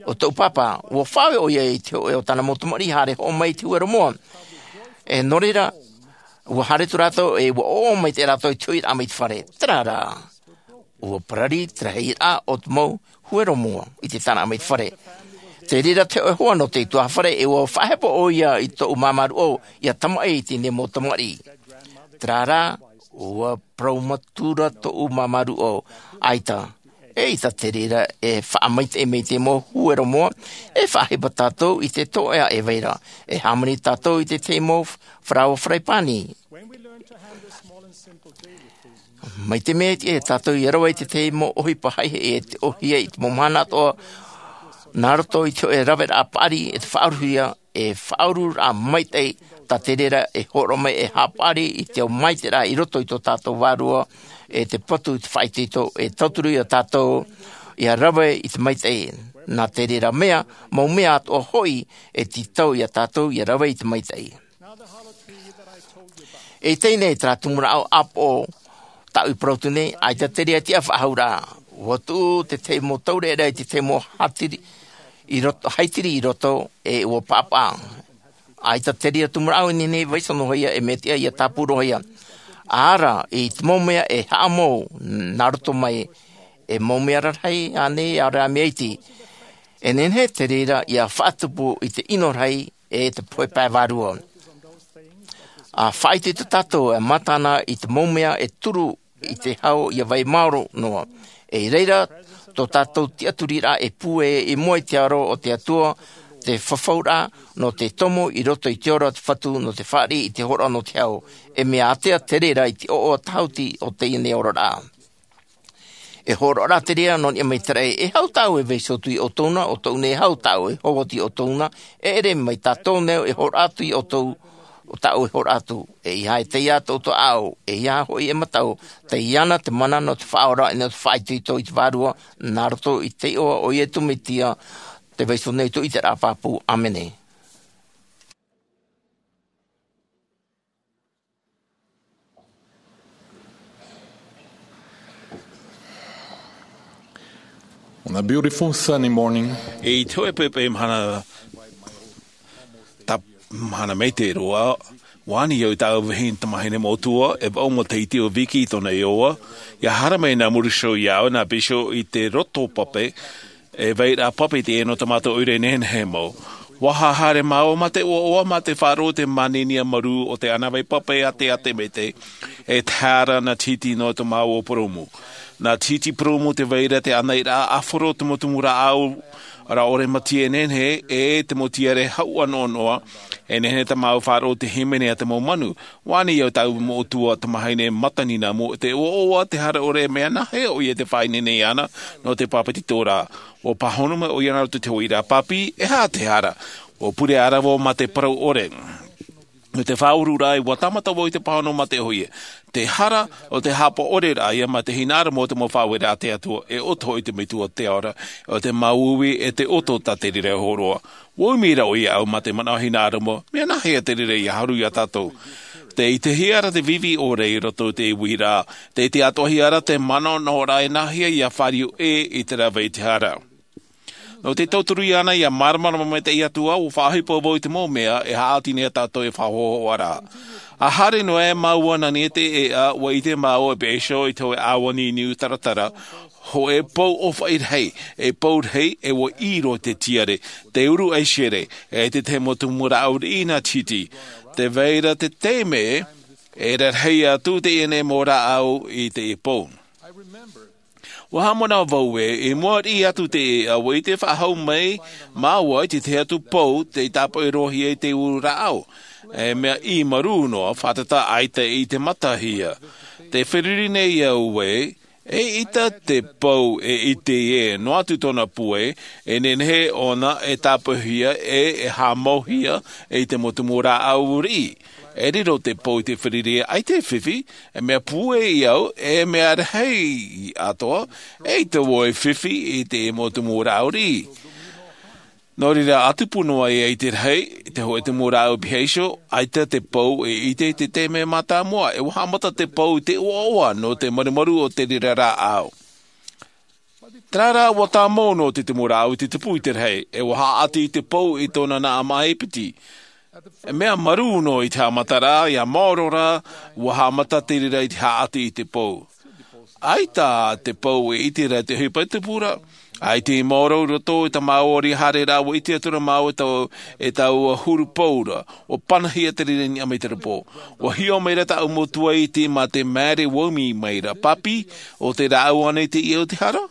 o tōʻu pāpā. ʻUa faʻaue ʻoia i te hōʻē o tāna mau tamariʻi haere hoʻo mai i te huero moa. E nō reira, ʻua haere atu rātou, e ʻua ʻoaʻoa maitaʻi rātou i te hoʻiraʻa mai te fare. Terā rā, ʻua parari te rahiraʻa o te mau huero moa i te tāraʻa mai te fare. Te reira te hōʻē hoa nō te tuhaʻa fare, e ʻua faʻahepo ʻoia i tōʻu māmā ruʻau ia tamaʻi i teie nei mau tamariʻi. Terā rā, ʻua parau matura tōʻu māmā ruʻau. ʻAita, ʻeita te reira e faʻamaitaʻi mai te mau huero moa, e faʻahepo tātou i te toʻa e vai ra, e hāmani tātou i te tahi mau faraoa faraipani. Mai te mea e tātou ia rave i te tahi mau ʻohipa haʻehaʻa, e te ʻōhie i te mau mahana atoʻa, nā roto i te hōʻē raveraʻa paʻari, e te faʻaruhia, e faʻaururaʻa maitaʻi, tā te reira e hōroʻa mai e haʻapaʻari i te ao maitaʻi i roto i tō tātou Vārua, e te patu i te faʻaitoito, e tauturu ia tātou ia rave i te maitaʻi. Nā te reira mea, mau mea atoʻa hoʻi, e tītau ia tātou ia rave i te maitaʻi. E teie nei terā tumu rāʻau ʻāpoʻo tāʻu i parau atu nei, ʻaita te reira tiʻa faʻahou ra. ʻUa tuʻu te tahi mau taureʻareʻa i te tahi mau haitiri i roto, haitiri i roto, e ʻua pāpaʻa. ʻAita te reira tumu rāʻau e nehenehe e vaiiho noa ia, e mea tiʻa ia tāpū roa ia. ʻĀ rā, i te mau mea e haʻamou, nā roto mai, e mau mea rarahi ānei, ʻaore rā mea iti. E nehenehe te reira ia faʻatupu i te ʻino rahi, e te pohe pae vārua. ʻA faʻaitoito tātou e mātana i te mau mea e turu i te hau ia vai maoro noa. E i reira, tō tātou tiʻaturiraʻa e pūai i mua i te aro o te Atua, te fafauraʻa nō te tomo i roto i te ora o te Fatu, nō te fāriʻi i te hōroʻa nō te hau. E mea ātea te reira i te ʻoaʻoa tāhuti o teie nei oraraʻa. E hōroʻa rā te reira nō niʻa mai te raʻi, e hau tāʻu e vaiiho atu ia ʻoutou na, ʻo tōʻu nei e hau tāʻu e hou atu ia ʻoutou na, e ʻere mai tā tō neu e hōroʻa atu ia ʻoutou, ʻo tāʻu e hōroʻa atu, ʻeiaha e taiā tō ʻoutou ʻāʻau, ʻeiaha hoʻi e mataʻu, taiāna te mana nō te faʻaora, e nō te faʻaitoito i te Vārua, nā roto i te iʻoa o Iesu Mesia, tē vaiiho nei i tō ʻiteraʻa pāpū. ʻĀmene. On a beautiful sunny morning, i te hōʻē poʻipoʻi mahana, tā, mahana maitaʻi roa, ʻua ani au i tāʻu vahine tamahine moʻotua, e vaʻu mau tahiti ʻo Viki i tōna iʻoa, ʻia haere mai nā Mauricio iāʻu, nā Bisio i te roto pape, e vairaʻa pape teie nō tā mātou ʻoire nehenehe mau. ʻUa haere māua mā te ʻoaʻoa, mā te faʻaroʻo, te māninia marū o te ʻānāvai pape a te ʻātete maitaʻi, e tae ra nā Tahiti nō tō māua purūmu. Nā Tahiti purūmu te vai ra te ʻānaʻiraʻa ʻāfaro, tumu rāʻau Ara ʻore matie e nehenehe e te mau tiare hau ʻanoʻanoʻa, e nehenehe tā māua faʻaroʻo te hīmene a te mau manu. Vānei au tāʻu mau ʻutua tamahine matanina mo te ʻoaʻoa te hara ʻore mea nāhea ʻoia te faʻaineine iāna nō te pāpetitoraʻa. Ua pāhono mai ʻoia nā roto i te hoʻi rā pāpī, e aha te hara? Ua pure ʻarava mā te parau ʻore. Nō te faʻaururaʻa ua tāmata vau i te pāhono mā te hoʻi. Te hara o te haʻapaʻo ʻore rā ia mā te hinaʻaro mō te mau faʻaueraʻa a te atua e ʻoto hoʻi te metua o te ao ra, o te māuiui e te ʻoto tā te reira hōroa. Ua umi rā ʻoia au mā te manaʻo hinaʻaro mō mea nāhea te reira ia haru iā tātou. Te ʻitehia ra te vivi ʻore i roto i te uiraʻa, te ʻite atoʻahia ra te manaʻonaʻoraʻa e nāhea ia fāriu ʻē i te rave i te hara. Nō te tauturu iāna ia māramarama mai te atua ua faʻaʻohipa vau i te mau mea e haʻati nei iā tātou e faʻahoahoa ra. A haere noa e māua nā niʻa i te ʻēʻa ua ʻite māua e peʻe iho i te hoʻe ʻāua niniu taratara, hoʻe pou ʻōfaʻi rahi, e pou rahi e ua ʻī roa te tiare, te uru ʻaisere, e te tahi mau tumu rāʻau riʻi nā titi. Te vai ra te taime e rarahi atu teie nei mau rāʻau i te pou. Ua haʻamanaʻo vau ē i mua riʻi atu te ʻēʻa ua ʻite faʻahou mai māua i te tahi atu pou tei tāpaʻo roa hia i te uru rāʻau, e mea ʻī marū noa fātata ʻaita i te mata hia. Te feruri nei au ē, eʻita te pou e ʻite ē noa atu tōna pūai, e nehenehe ʻōna e tāpaʻohia e e haʻamauhia i te mau tumu rāʻau riʻi. E riro te pou i te feruri ʻaita e fifi, e mea pūai au e mea rahi atoʻa, eʻita vau e fifi i te mau tumu rāʻau riʻi. Nō reira a tupu noa ia i te rahi, te hoʻe tumu rāʻau piha iho, ʻaita te pou e ʻite i te taime mātāmua e ua haʻamata te pou i te ʻoaʻoa nō te marumaru o te reira rāʻau. Terā rā ua tāmau noa te tumu rāʻau i te tupu i te rahi e ua haʻati i te pou i tōna naʻa maʻa e piti. E mea marū noa i te haʻamataraʻa ia maoro rā, ua haʻamata te reira i te haʻati i te pou. ʻAita te pou e ʻite ra te ʻohipa e tupu ra. ʻAita i maoro i roto i tā māua ʻori haereraʻa ua ʻite atu ra māua e tau e taua huru pou ra. Ua panahia te reira i niʻa mai te repo. Ua hiʻo mai ra tāʻu mau tuaʻiti mā te maere ua umi mai ra, pāpī, o te rāʻau ānei teie o te hara?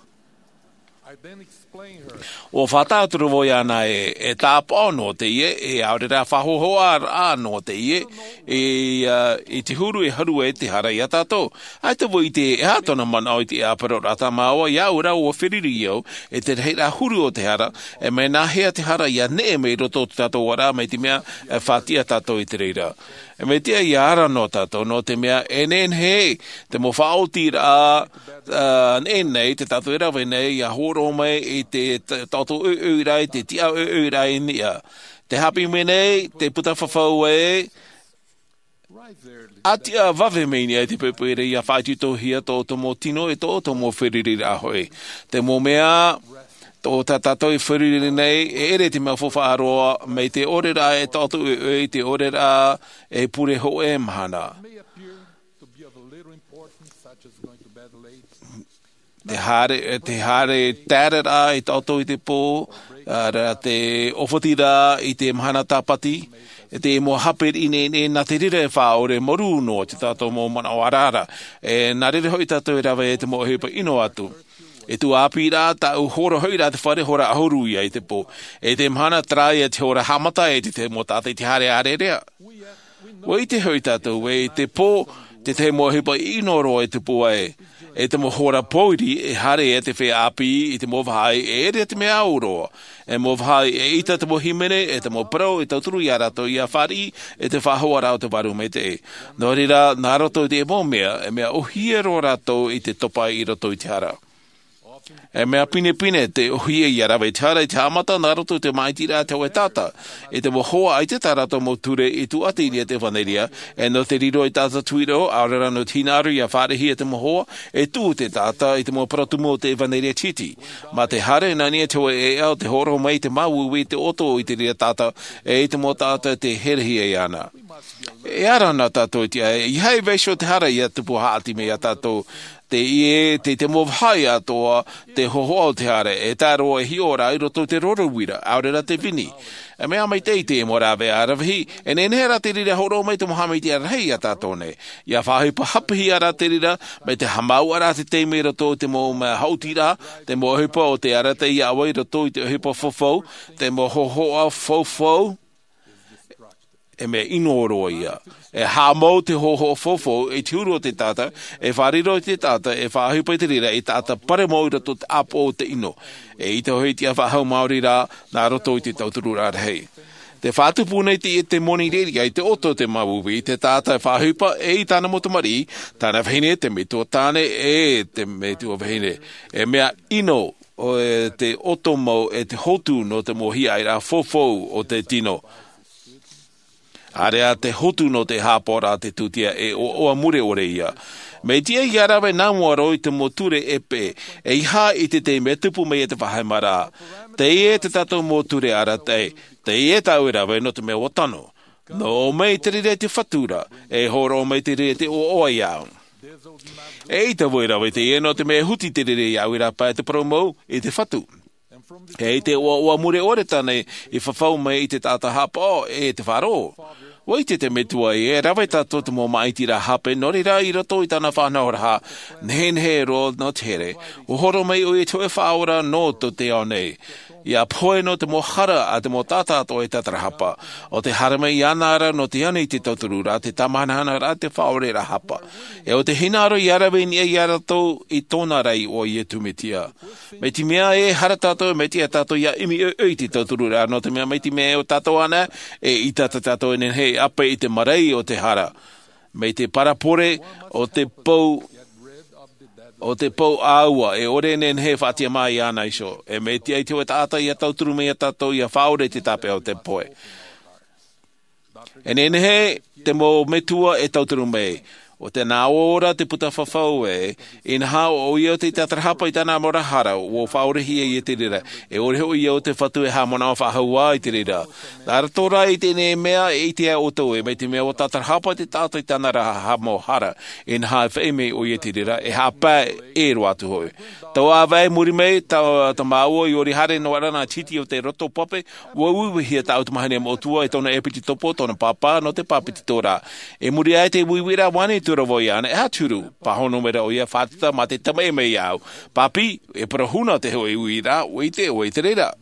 Ua faʻatauturu vau iāna ē e tāpaʻo noa teie, e ʻaore rā faʻahoahoaraʻa noa teie, i te huru e haru ai te hara iā tātou. ʻAita vau i ʻite e aha tōna manaʻo i te ʻāparauraʻa tā māua iāʻu rā ua feruri au e te rahiraʻa huru o te hara, e mea nāhea te hara ia neʻe mai roto o te tātou ʻoaʻoa mai te mea e faʻatiʻa tātou i te reira. E mea tiʻa ia ara noa tātou nō te mea e nehenehe te mau faʻaotiraʻa neʻe nei te tātou e rave nei ia hōroʻa mai i te taʻoto ʻoiʻoiraʻa i te tiʻa ʻoiʻoiraʻa i niʻa. Te haʻapiʻi mai nei te puta fafau ē, ʻa tiʻa vave mai niʻa i te poʻipoʻi ra ia faʻaitoitohia tō tō mau tino e tō tō mau feruriraʻa hoʻi. Te mau mea tō tā tātou e feruri nei e ʻere te mea faufaʻa roa mai te ʻoreraʻa e taʻoto ʻoiʻoi i te ʻoreraʻa e pure hoʻe mahana. Te haere te haere taeraʻa i taʻoto i te pō, ara te ʻōfatiraʻa i te mahana tāpati, e te mau hape riʻi nei nā te reira e faʻaʻore marū noa te tātou mau manaʻo arara. E nā reira hoʻi tātou e rave e te mau ʻohipa ʻino atu. E tuaʻāpīraʻa tāʻu hora hoʻi rā te fare hora ʻahuru ia i te pō. E te mahana taraia te hora haʻamata e te mau taʻata i te haere ʻārearea. Ua ʻite hoʻi tātou ē i te pō te tahi mau ʻohipa ʻino roa e tupu ai. E te mau hora pōiri e haere e te feiā ʻāpī i te mau vāhi e ʻere te mea au roa. E mau vāhi e ʻita te mau hīmene e te mau parau e tauturu iā rātou ia fāriʻi e te faʻahoaraʻa o te vārua maitaʻi. Nō reira nā roto i te mau mea e mea ʻohie roa rātou i te topa i roto i te hara. E mea pinepine te ʻohie ia rave i te hara i te haʻamata nā roto i te māʻitiraʻa te hoʻe taʻata. I te mau hoa ʻaita tā rātou mau ture i tuʻati i niʻa te ʻevanelia. E nō te riro i taʻata tuiroʻo ʻaore rā nō te hinaʻaro ia fāriʻihia te mau hoa e tuʻu te taʻata i te mau parau tumu o te ʻevanelia titi. Mā te haere nā niʻa te hoʻe ʻēʻa o te hōroʻa mai i te māuiui i te ʻoto i te reira taʻata e i te mau taʻata e te herehia iāna. E ara nā tātou i te ʻae ia haʻi vaiho te hara ia tupu haʻati mai iā tātou. Te ie, te, te mau vāhi atoʻa, te hōhoʻa o te hara, e tae roa e hiʻo ra i roto i te roro uira, ʻaore rā te vini. E mea maitaʻi te mau rāveʻa aravihi, e nehenehe rā te reira e hōroʻa mai te mau haʻamaitaʻiraʻa rahi ia tātou nei. ʻIa faʻaʻohipa haʻapiʻi ra te reira, mai te haʻamāuʻa ra te taime i roto i te mau mea haʻutiraʻa, te mau ʻohipa o te arataʻi iā ʻoe i roto i te ʻohipa faufaʻa, te mau hōhoʻa faufaʻa, e mea ʻino roa ia. E haʻamau te hōhoʻa faufaʻa i te huru o te taʻata, e fārerei te taʻata, e faʻaʻohipa te reira i te taʻata parau mau i roto i te ʻāpoʻo o te ʻino. E ʻaita hoʻi te faʻahou maori rā, nā roto i te tautururaʻa rahi. Te faʻatupu nei te, te moni reira i te ʻoto o te māuiui, te taʻata e faʻaʻohipa, e i tāna mau tamariʻi, tāna vahine, te metua tāne, e te metua vahine. E mea ʻino, ʻo e te ʻoto mau, e te hotu nō te mau hiaʻai ra faufaʻa o te tino. ʻĀreʻa te hotu nō te haʻapaʻoraʻa te tūtia e ʻoaʻoa mure ʻore ia. Mea tiʻa ʻia rave nā mua roa i te mau ture e peʻe, ʻeiaha i te taime e tupu mai e te faʻahemaraʻa. Teie te tātou mau ture arataʻi, teie tāʻu e rave nō te mea ʻua tano. Nō ʻō mai te reira i te Fatu ra, e hōroʻa mai te reira i te ʻoaʻoa iāʻu. E ʻaita vau e rave teie nō te mea e huti te reira iāʻu i rāpae te parau mau i te Fatu. E te ʻoaʻoa mure ʻore tāna i fafau mai i te taʻata haʻapaʻo e te faʻaroʻo. ʻUa ʻite te metua e rave tātou te mau māʻitiraʻa hape, nō reira i roto i tāna faʻanahoraʻa, nehenehe roa nō te here, ʻua hōroʻa mai ʻoia i te hōʻē Faʻaora nō tō te ao nei. ʻIa pohe nō te mau hara a te mau taʻata atoʻa e tātarahapa. ʻO te haere mai iāna ra nō te ani i te tautururaʻa, te tāmāhanahana ra, te faʻaoreraʻa hapa. E ʻo te hinaʻaro ʻia rave i niʻa iā rātou i tōna ra iʻoa ʻo Iesu Mesia. Mai te mea e hara tātou, mai te mea tātou ʻia ʻimi ʻoiʻoi i te tautururaʻa, nō te mea mai te mea e ʻo tātou ana, e ʻaita tātou e nehenehe e ʻape i te marae o te hara. Mai te parabole o te pou, o te pou ʻāua, e ʻore e nehenehe e faʻatiʻa mai iāna iho. E mea tiʻa i te hōʻē taʻata ʻia tauturu mai iā tātou ʻia faʻaora i te tāpeʻa o te pohe. E nehenehe te mau metua e tauturu mai. ʻO te nā ʻō ra te puta fafau ē, inaha ʻoia ʻo te tātarahapa i tāna mau ra hara, ʻua faʻaorehia ia te reira, e ʻore hoʻi ia ʻo te Fatu e haʻamanaʻo faʻahou ā i te reira. Nā roto rā i teie nei mea e ʻite ā ʻoutou ē, mai te mea ʻua tātarahapa te taʻata i tāna ra ha-, mau hara, inaha e faʻaʻite mai ʻoia i te reira, e haʻapae e roaʻa atu hoʻi. Taua ʻāvaʻe i muri mai, tā, tā māua i ʻori haere noa ra nā titi o te roto pape, ʻua uiuihia tāʻu tamahine moʻotua e tōna ʻepitopo, tōna pāpā, nō te bāpetizoraʻa. I muri aʻe i te uiuiraʻa, ʻua ani atu ra vau iāna, e aha te huru? Pāhono mai ra ʻoia, Fātata, mā te tamaʻi mai iāʻu. Pāpī, e parau huna te hōʻē uiraʻa, ʻua ʻite ʻoe i te reira.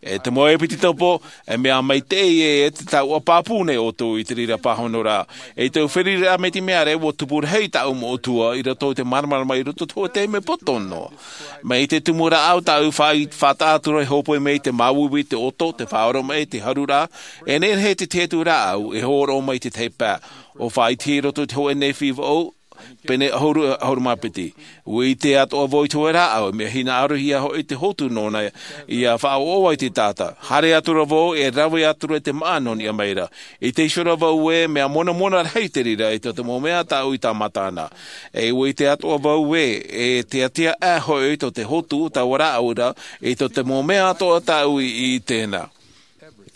E te mau ʻepitopo, e mea maitaʻi ē, e te taoʻa pāpū nei ʻoutou i te reira pāhonoraʻa. E tau feruriraʻa mai te mea ra, ʻua tupu rahi tāʻu moʻotua i roto i te māramarama i roto i te hōʻē taime poto noa. Mai te tumu rāʻau tāʻu fā-, faʻataʻa atu ra e hōpoi mai te māuiui, te ʻoto, te faʻaoromaʻi, te haruraʻa, e nehenehe te tahi atu rāʻau e hōroʻa mai i te tahi pae. ʻUa faʻaʻite i roto i te hōʻē Nephi vaʻu, pene ʻahuru, ʻahuru mā piti. ʻUa ʻite atoʻa vau i te hōʻē rāʻau, mea hinaʻarohia hoʻi te hotu nōna ʻia faʻaʻoaʻoa i te taʻata. Haere atu ra vau, e rave atu ra te māʻa nō niʻa mai ra. ʻIte iho ra vau ē, mea monamona rahi te reira i tō te mau mea tāʻu i tāmata na. E ʻua ʻite atoʻa vau ē, e teatea aʻe hoʻi tō te hotu, taua rāʻau ra, i tō te mau mea atoʻa tāʻu i, i ʻite na.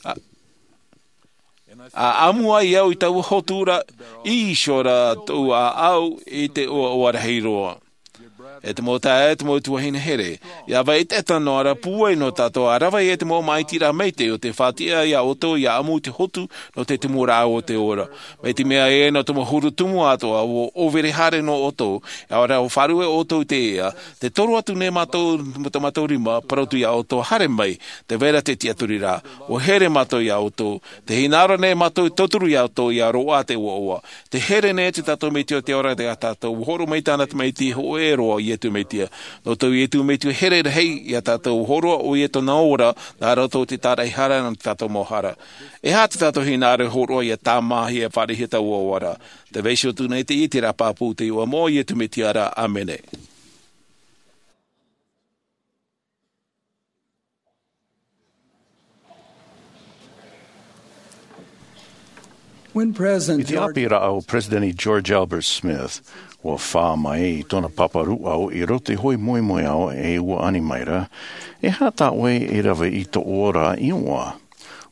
ʻA, ʻa ʻamu ai au i taua hotu ra, ʻī iho ra tōʻu ʻāʻau i te ʻoaʻoa rahi roa. E te mau taeaʻe, e te mau tuahine here, ʻia vai ʻetaʻeta noa ra pūai nō tātou ʻa rave i te mau māʻitiraʻa maitaʻi o te faʻatiʻa iā ʻoutou ʻia ʻamu i te hotu nō te tumu rāʻau o te ora. Mai te mea ē, nō te mau huru tumu atoʻa, ʻua ʻōvere haere noa ʻoutou, ʻaore rā ʻua fārerei ʻoutou i te ea, tē toru atu nei mātou, mā tō mātou rima, parau atu iā ʻoutou, haere mai, tē vai ra te tiʻaturi ra, ʻua here mātou iā ʻoutou, tē hinaʻaro nei mātou i tauturu iā ʻoutou ʻia roaʻa te ʻoaʻoa. Tē here nei te tātou Metua o te ora iā tātou, ʻua hōroʻa mai tāna tamaiti hōʻē roa, Iesu Mesia. Nō tō Iesu Mesia here rahi iā tātou, ʻua hōroʻa ʻoia i tōna ora, nā roto i te tāraʻehara nō tā tātou mau hara. E aha tā tātou hinaʻaro e hōroʻa ʻia tāmāhia, fāriʻihia taua ora? Tē vai iho atu nei teie i te reira pāpū i te iʻoa o Iesu Mesia ra. ʻĀmene. When President I te George ʻāpī rāʻau o Peresideni George Albert Smith, ʻua fā mai i tōna papa rūʻau i roto i te hōʻē moemoeā e ʻua ani mai ra, e aha tā ʻoe e rave i tō ʻoe ra iʻoa?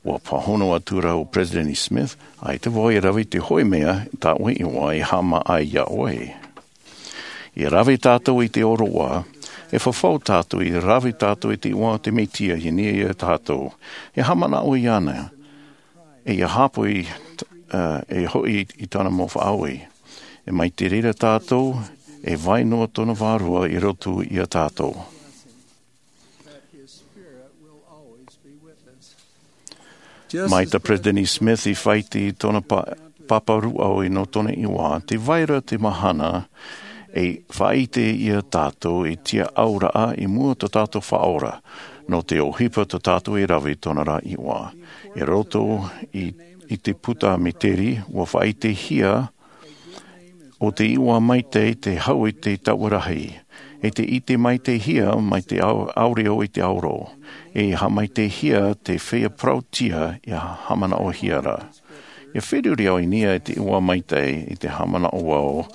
ʻUa pāhono atu ra ʻo Peresideni Smith, ʻaita vau e rave i te hōʻē mea tā ʻoe iʻoa e haʻamā ai iā ʻoe. I rave tātou i te ʻoroʻa, e fafau tātou i rave tātou i te iʻoa o te Mesia i niʻa ia tātou. E haʻamanaʻo iāna, e ia hāpaʻo, e hoʻi i tāna mau faʻaue. E mai te reira tātou, e vai noa tōna vārua i roto ia tātou. Mai tā Peresideni Smith i faʻaʻite i tōna pāpā rūʻau nō tōna iʻoa, tē vai ra te mahana e faʻaʻite ia tātou i te tiaʻauraʻa i mua tō tātou Faʻaora, nō te ʻohipa tō tātou e rave i tōna ra iʻoa. I roto i te puta Mīteri, ua faʻaʻitehia ʻo te iʻoa maitaʻi te hau i te taua rahi, e te ʻite maitaʻihia mai te ʻaore ʻo i te ʻaoro, e haʻamaitaʻihia te feiā parauʻtiʻa ia haʻamanaʻohia ra. Ia feruri au i niʻa i te iʻoa maitaʻi i te haʻamanaʻo au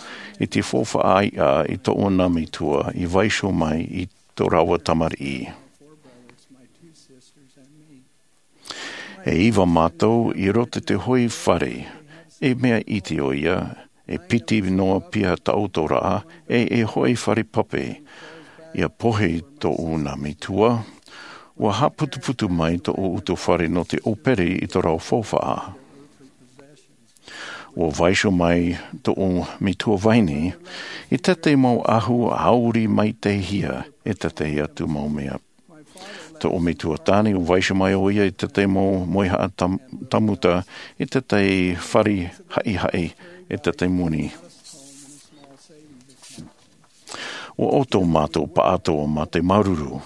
i te faufaʻa ʻaiʻa i tōʻu nā metua i vaiiho mai i tō rāua tamariʻi. E iva mātou i roto i te hoʻi fare, e mea iti ʻo ia, e piti noa pea taʻu tō raʻa, e e hoʻi fare pape. Ia pohe tōʻu nā metua, ua haʻaputuputu mai tōʻu utuafare nō te ʻōpere i tō rāua faufaʻa. Ua vaiiho mai tōʻu metua vahine i tētahi mau ʻahu ʻauri maitaʻihia e tētahi atu mau mea. Tōʻu metua tāne, ua vaiiho mai ʻo ia i tētahi mau mauhaʻa tāmuta i tētahi fare haʻihaʻi i tētahi moni. Ua ʻoto mātou pāʻatoʻa mā te māuruuru.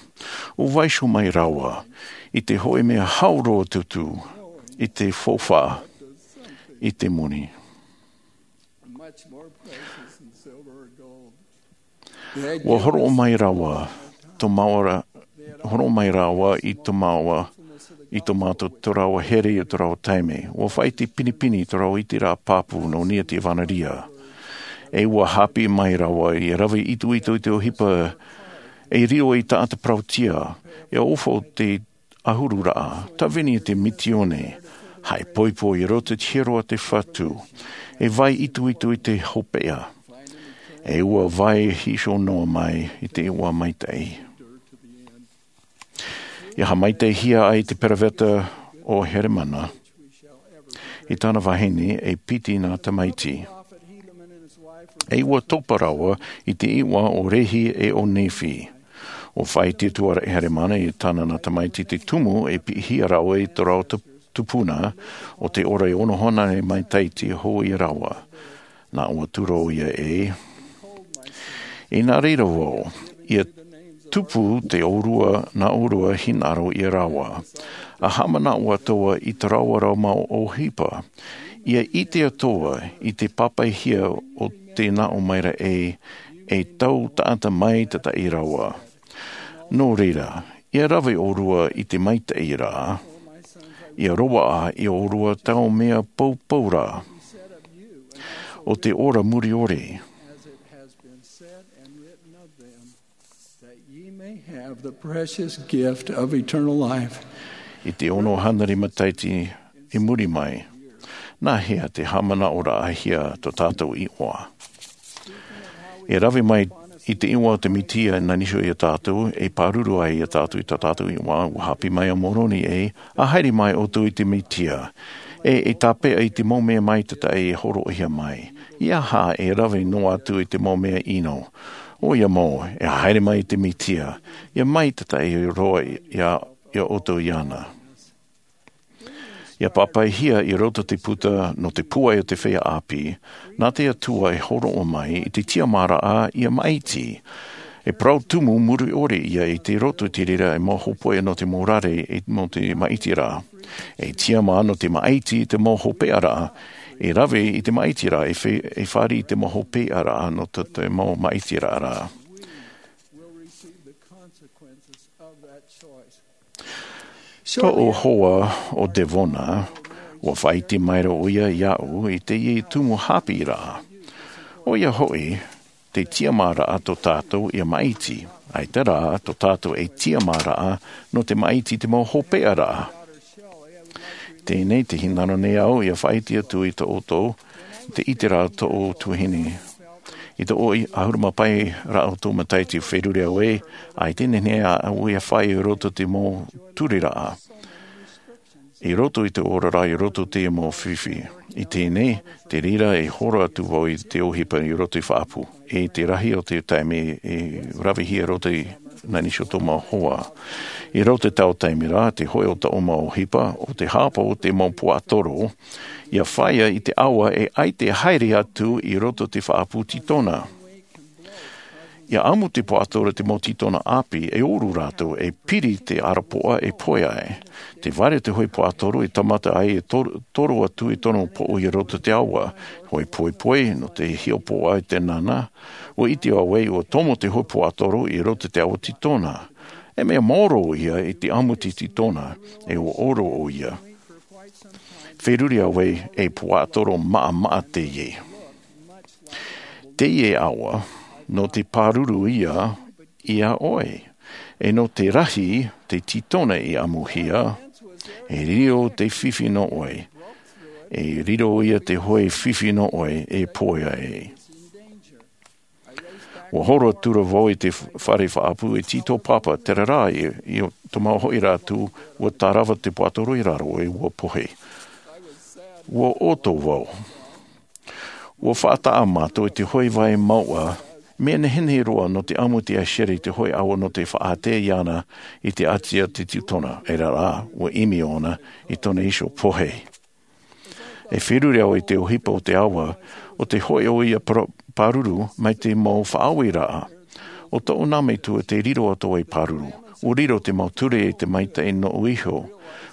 Ua vaiiho mai rāua i te hoʻi mea hau roa tūtū i te faufaʻa, i te moni. Ua horoʻa mai rāua tō māua, horoʻa mai rāua i tō māua, i tō mātou, tō rāua here i tō rāua taime. Ua faʻaʻite pinepine i tō rāua ʻiteraʻa pāpū nō niʻa i te ʻevanelia. E ua haʻapiʻi mai rāua ia rave itoito i te ʻohipa e riro ei taʻata parauʻtiʻa, e ʻofa i te ʻahururaʻa, tāvini i te misiōni, haʻaipoipo i roto i te hiero a te Fatu, e vai itoito i te hopeʻa, e ua vai hiʻo noa mai i te iʻoa maitaʻi. Ia haʻamaitaʻihia ai te peroveta ʻo Heremana i tāna vahine e piti nā tamaiti. E ua topa rāua i te iʻoa ʻo Rehi e ʻo Nephi. Ua faʻaʻite atu ra ʻo Heremana i tāna nā tamaiti te tumu e piʻihia rāua i tō rāua tupuna, ʻo te ora e ono hōnore matahiti hou ia rāua. Nā ʻō atu ra ʻo ia ē, i nā reira vau, ia tupu te ʻōrua, nā ʻōrua hinaʻaro ia rāua. A haʻamanaʻo atoʻa i tō rāua ra mau ʻohipa, ia ʻite atoʻa i te pāpaʻihia o te nā ʻō mai ra ē, e tau taʻata maitaʻi rāua. Nō reira, ia rave ʻōrua i te maitaʻi ra, ia roaʻa ia ʻōrua tau mea poupou ra, ʻo te ora muriʻore. That ye may have the precious gift of eternal life. I te ono hānere matahiti i muri mai, nā hea te haʻamanaʻoraʻahia tō tātou iʻoa? E rave mai i te iʻoa o te Mesia nā niʻa iho ia tātou, e pāruru ai ia tātou i tā tātou iʻoa, ua haʻapiʻi mai ʻo Moroni ē, ʻa haere mai ʻoutou i te Mesia, e, e tāpeʻa i te mau mea maitaʻi e hōroʻahia mai. ʻEiaha e rave noa atu i te mau mea ʻino. ʻOia mau, e haere mai i te Mesia, ia maitaʻi roa ia, ia ʻoutou iāna. Ia pāpaʻihia i roto te puta nō te pūai o te feiā ʻāpī, nā te Atua e hōroʻa mai i te tiʻamāraʻa ia maʻiti. E parau tumu muriʻore ia i te roto i te reira e mau hōpoiʻa nō te mau rāveʻa nō te maʻitiraʻa. E tiʻamā nō te maʻiti i te mau hopeʻaraʻa, e rave i te maʻitiraʻa, e fe-, e fāriʻi i te mau hopeʻaraʻa nō te, te mau maʻitiraʻa ra. Tōʻu hoa ʻo Devona, ua faʻaʻite mai ra ʻo ia iāʻu i teie tumu haʻapiʻiraʻa. ʻOia hoʻi, te tiʻamāraʻa tō tātou ia maʻiti, ʻaita rā tō tātou e tiʻamāraʻa nō te maʻiti i te mau hopeʻaraʻa. Teie nei te hinaʻaro nei au ia faʻaʻite atu iā ʻoutou, te ʻiteraʻa tōʻu tuahine. I te ʻoʻi ʻahuru mā pae rā o tō matahiti feruri au e, ʻaita e nehenehe au ia fai i roto te mau turiraʻa. I roto i te oraraʻa, i roto te mau fifi. I tēnei, te reira e horo atu vau i te ʻohipa i roto i faʻapu. E te rahi o te taime e ravehia roto i nā nisi o tō mau hoa. I roto te tau taime rā, te hoʻi o tō mau ʻohipa, o te hāpa o te mau puatoro, ia faia i te awa e ʻaita e haere atu i roto te faʻapu titona. Ia amu te puatoro te mau titona ʻāpī, e ʻoru rātou, e piri te arapoʻa e poe ai. Te vare te hoʻi puatoro e tamata ai e tor-, toro atu i tōna poʻo i roto te awa. Hoʻi poepoe, nō te hiʻopoʻa i te nana, ʻua ʻite au e ʻua tomo te hoʻi puatoro i roto te awa titona. E mea maoro ia i te amu te titona, e ʻua ʻoro ʻo ia. Feruri au e, e puatoro maʻamaʻa teie. Teie awa, nō te pāruru ia, ia ʻoe. E nō te rahi, te titona i amuhia, e riro te fifi nō ʻoe. E riro ia te hoʻi fifi nō ʻoe, e poe ai. ʻUa horo atu ra vau i te fare faʻapu e tītau pāpā, terā rā, i, i te mau hoʻi rātou, ʻua tārava te puatoro i raro e ʻua pohe. ʻUa ʻoto vau. ʻUa faʻataʻa mātou i te hoʻi vai mauʻa, mea nehenehe roa nō te amu te ahiahi i te hoʻi awa nō te faʻaʻite iāna i te ʻati a te titona, e rā rā, ʻua ʻimi ʻōna i tōna iho pohe. E feruri au i te ʻohipa o te awa, ʻo te hoʻi ʻo ia par-, pāruru mai te mau faʻaue raʻa. ʻO tōʻu nā metua te riro atu i pāruru. ʻUa riro te mau ture i te maitaʻi noʻu iho.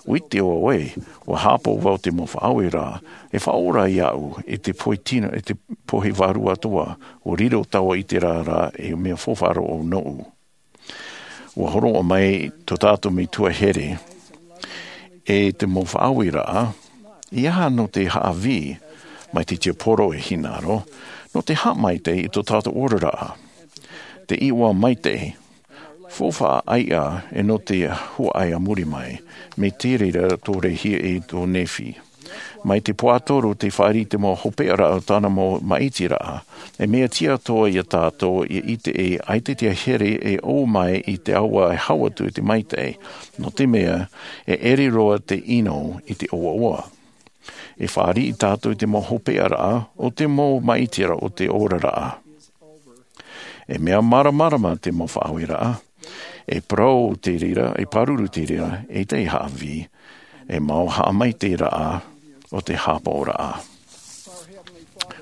ʻUa ʻite au e, ʻua hāpaʻo vau te mau faʻaue raʻa, e faʻaora iāʻu, i te pohe tino, i te pohe vārua atoʻa. ʻUa riro taua ʻite rā, e mea faufaʻa roa noʻu. ʻUa hōroʻa mai tō tātou metua here, e te mau faʻaue raʻa, ʻeiaha nō te haʻavī, mai te tiaporo e hinaʻaro, nō te haʻamaitaʻi i tō tātou oraraʻa. Te iʻoa maitaʻi, faufaʻa ʻaiʻa, e nō te huaʻai a muri mai, mai te reira tō Rehi e tō Nephi. Mai te puatoro te fāriʻi i te mau hopeʻa raʻa o tāna mau māʻitiraʻa. E mea tiʻa atoʻa ia tātou ia ʻite e ʻaita te here e ʻō mai i te awa e hau atu i te maitaʻi. Nō te mea, e ʻere roa te ʻino i te ʻoaʻoa. E fāriʻi tātou i te mau hopeʻa raʻa o te mau māʻitiraʻa o te oraraʻa. E mea māramarama te mau faʻaue raʻa. E parau te reira, e pāruru te reira, e te haʻavī, e mau haʻamaitaʻi raʻa o te hāpaʻo raʻa.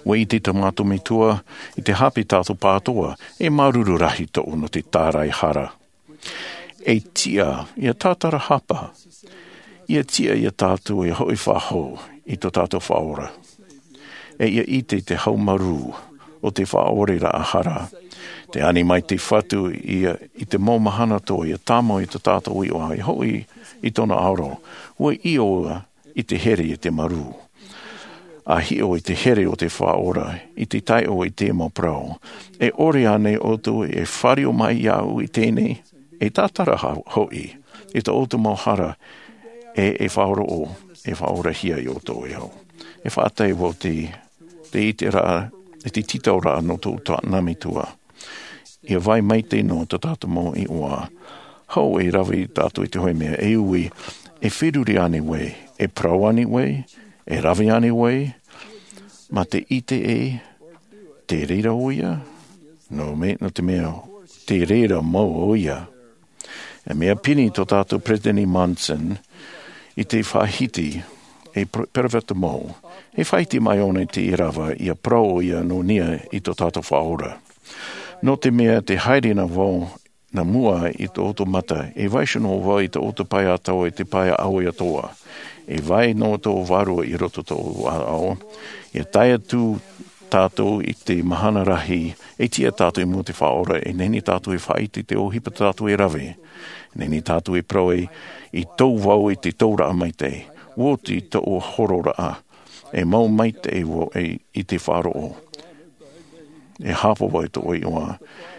ʻUa ʻite tō mātou metua, i te hape tātou pātoa, e māuruuru rahi tōʻu nō te tāraehara. E tiʻa, ia tātarahapa, ia tiʻa ia tātou e hoʻi faʻahou i tō tātou Faʻaora. E ia ʻite te haumarū o te faʻaoreraʻa hara. Te ani mai te Fatu ia i te mau mahana atoʻa ia tāmau i tō tātou iʻoa e hoʻi i tōna ʻaoro. ʻUa ʻio i te here i te marū. A hiʻo i te here o te Faʻaora, i te taiʻo i te mau parau. E ʻore ānei ʻoutou e fāriʻi mai iāʻu i teie nei, e tātara ha-, hoʻi, i tō ʻoutou mau hara, e, e faʻaroʻo, e faʻaorahia iā ʻoutou e au. E faʻatae vau te, te ʻiteraʻa, e te tītauraʻa nō tō tātou metua. ʻIa vai maitaʻi noa tō tātou mau iʻoa. Hou e rave tātou i te hōʻē mea, e ui, e feruri ānei vau, e parau ānei vau, e rave ānei vau, mā te ʻite ē, te reira ʻoia, nō me-, nō te mea, te reira mau ʻoia. E mea piti tō tātou Peresideni Monson, i te faʻahiti, e pre-, peropheta mau, e faʻahiti mai ʻōna i te ʻīrava, ʻia parau ʻoia nō niʻa i tō tātou Faʻaora. Nō te mea te haere nā vau, nā mua i tō ʻoutou mata, e vaiiho noa vau i tō ʻoutou pae atoʻa, i te pae ʻāʻau atoʻa. E vai noa tō vārua i roto tō ʻoutou ʻāʻau. ʻIa tae atu tātou i te mahana rahi, e tiʻa tātou i mua i te Faʻaora, e nehenehe tātou e faʻaʻite i te ʻohipa tātou e rave. E nehenehe tātou e parau ē, i tō vau i te tauraʻa maitaʻi, ʻua oti tōʻu hororaʻa, e mau maitaʻi vau e, i te faʻaroʻo. E hāpaʻo vau i tōʻu iʻoa,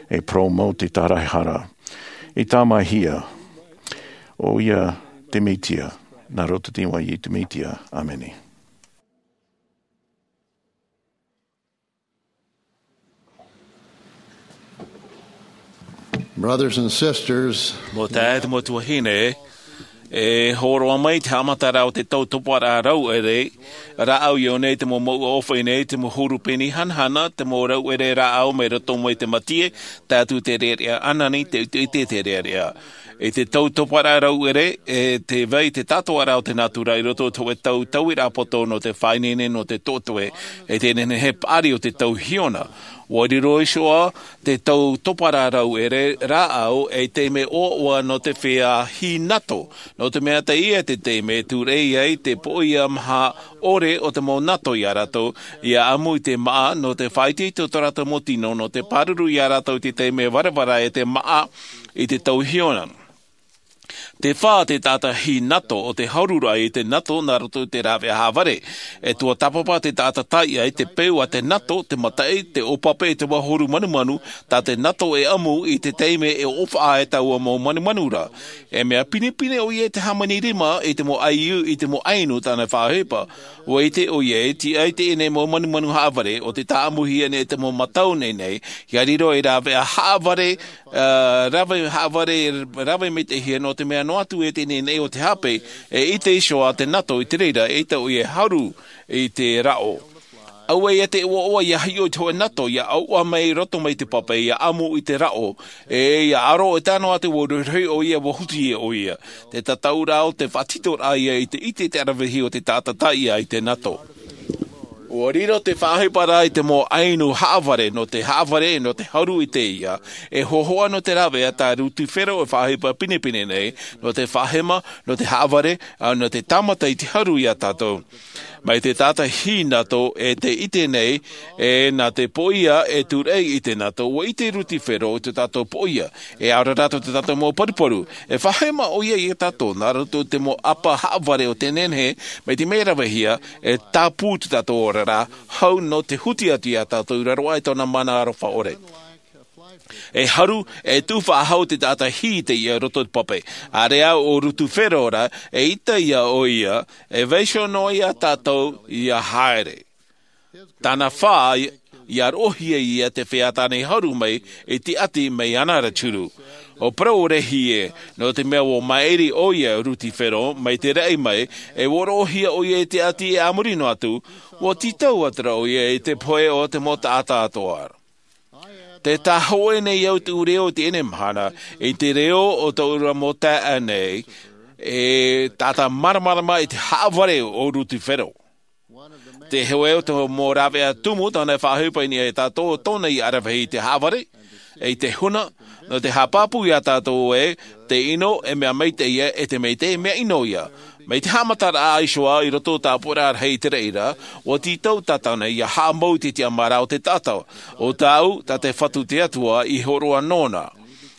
e parau mau te tāraehara. E tāmāhia, ʻoia te Mesia, nā roto i te iʻoa o Iesu Mesia. ʻĀmene. Brothers and sisters, mau taeaʻe, mau tuahine, e hōroʻa mai te haʻamataraʻa o te tautoparaʻa rauʻere rāʻau i ʻō nei te mau mouʻa ʻōfaʻi nei, te mau huru peni hanahana, te mau rauʻere rāʻau mai roto mai te mātie, tae atu te rearea ʻanani, te ʻiteʻite te rearea. I te tautoparaʻa rauʻere, e te vai te tātoʻaraʻa o te nātura i roto i te hōʻē tau tauiraʻa poto nō te faʻaineine nō te toetoe, e te nehenehe paʻari o te tau hiona. ʻUa riro iho ā te tautoparaʻa rauʻere rāʻau ei taime ʻoaʻoa nō te feiā hīnato, nō te mea teie te taime tūrei ai te poʻia maha ʻore o te mau nato ia rātou, ia ʻamu i te māʻa nō te faʻaitoito tō rātou mau tino, nō te pāruru ia rātou i te taime varavara e te māʻa i te tau hiona. Te fā te taʻata hīnato o te haruraʻa i te nato nā roto i te rāveʻa haʻavare. E tuatāpapa te taʻata taiʻa i te peu a te nato, te mataʻi, te ʻōpape, te vahuru manumanu, tā te nato e ʻamu i te taime e ʻōfaʻa ai taua mau manumanu ra. E mea pinepine ʻoia i te hāmani rima i te mau ʻaiū, i te mau ʻainu tāna e faʻaʻohipa. ʻUa ʻite ʻoia e tiʻa i teie nei mau manumanu haʻavare o te tāʻamuhia nei te mau matau nei nei, ia riro ei rāveʻa haʻavare, ā, rave haʻavare, rave maitaʻihia nō te mea noa atu e teie nei o te hape, e ʻite iho ā te nato i te reira, e ʻita ʻoia e haru i te raʻo. Auē ia te ʻoaʻoa ia hiʻo i te hōʻē nato, ia ʻauʻa mai i roto mai te pape, ia ʻamu i te raʻo, e ia aro e tae noa atu ʻua rohirohi ʻoia, ʻua huti ʻoia. Te tataʻuraʻa o te faʻatitoraʻa ia i te ʻite te aravihi o te taʻata taiʻa i te nato. ʻUa riro te faʻaʻohiparaʻa i te mau ʻainu haʻavare, nō te haʻavare, nō te haru i teie, e hōhoʻa nō te rāveʻa tā Rutifero e faʻaʻohipa pinepine nei, nō te faʻahema, nō te haʻavare, ā, nō te tāmata i te haru ia tātou. Mai te taʻata hīnato e te ʻite nei, e nā te poʻia e tūrei i te nato, ʻua ʻite Rutifero i tō tātou poʻia, e ʻaore rā tō tātou mau paruparu, e faʻahema ʻoia ia tātou, nā roto i te mau ʻapa haʻavare o te nehenehe, mai te mea ravehia, e tāpū tō tātou oraraʻa, hau nō te huti atu ia tātou i raro aʻe i tōna mana aroha ʻore. E haru, e tuʻu faʻahou te taʻata hī i teie roto i te pape. ʻĀreʻa ʻo Rutifero ra, e ʻita ia ʻoia, e vaiiho noa ia tātou ia haere. Tāna fā, ia roʻohia ia te feiā tāna i haru mai, i te ʻati mai ana ra turu. ʻO parau rahi ē, nō te mea ʻua mairi ʻoia Rutifero, mai te raʻi mai, e ʻua roʻohia ʻoia i te ʻati e a muri noa atu, ʻua tītau atu ra ʻoia i te pohe o te mau taʻata atoʻa. Tē tāhōʻē nei au te reo i teie mahana, i te reo o tōʻu mau taeaʻe nei, e tātāmaramarama i te haʻavare o Rutifero. Te hōʻē o te mau rāveʻa tumu tāna e faʻaʻohipa i niʻa ia tātou, tōna i aravihi i te haʻavare, e i te huna, nō te haʻapāpū ia tātou ē, te ʻino, e mea maitaʻi ia, e te maitaʻi, e mea ʻino ia. Mai te haʻamataraʻa iho ā i roto tāpura rahi i te reira, ʻua tītau Tātane ia haʻamau i te tiʻamāraʻa o te taʻata. ʻO tāʻu, tā te Fatu te Atua i hōroʻa nōna.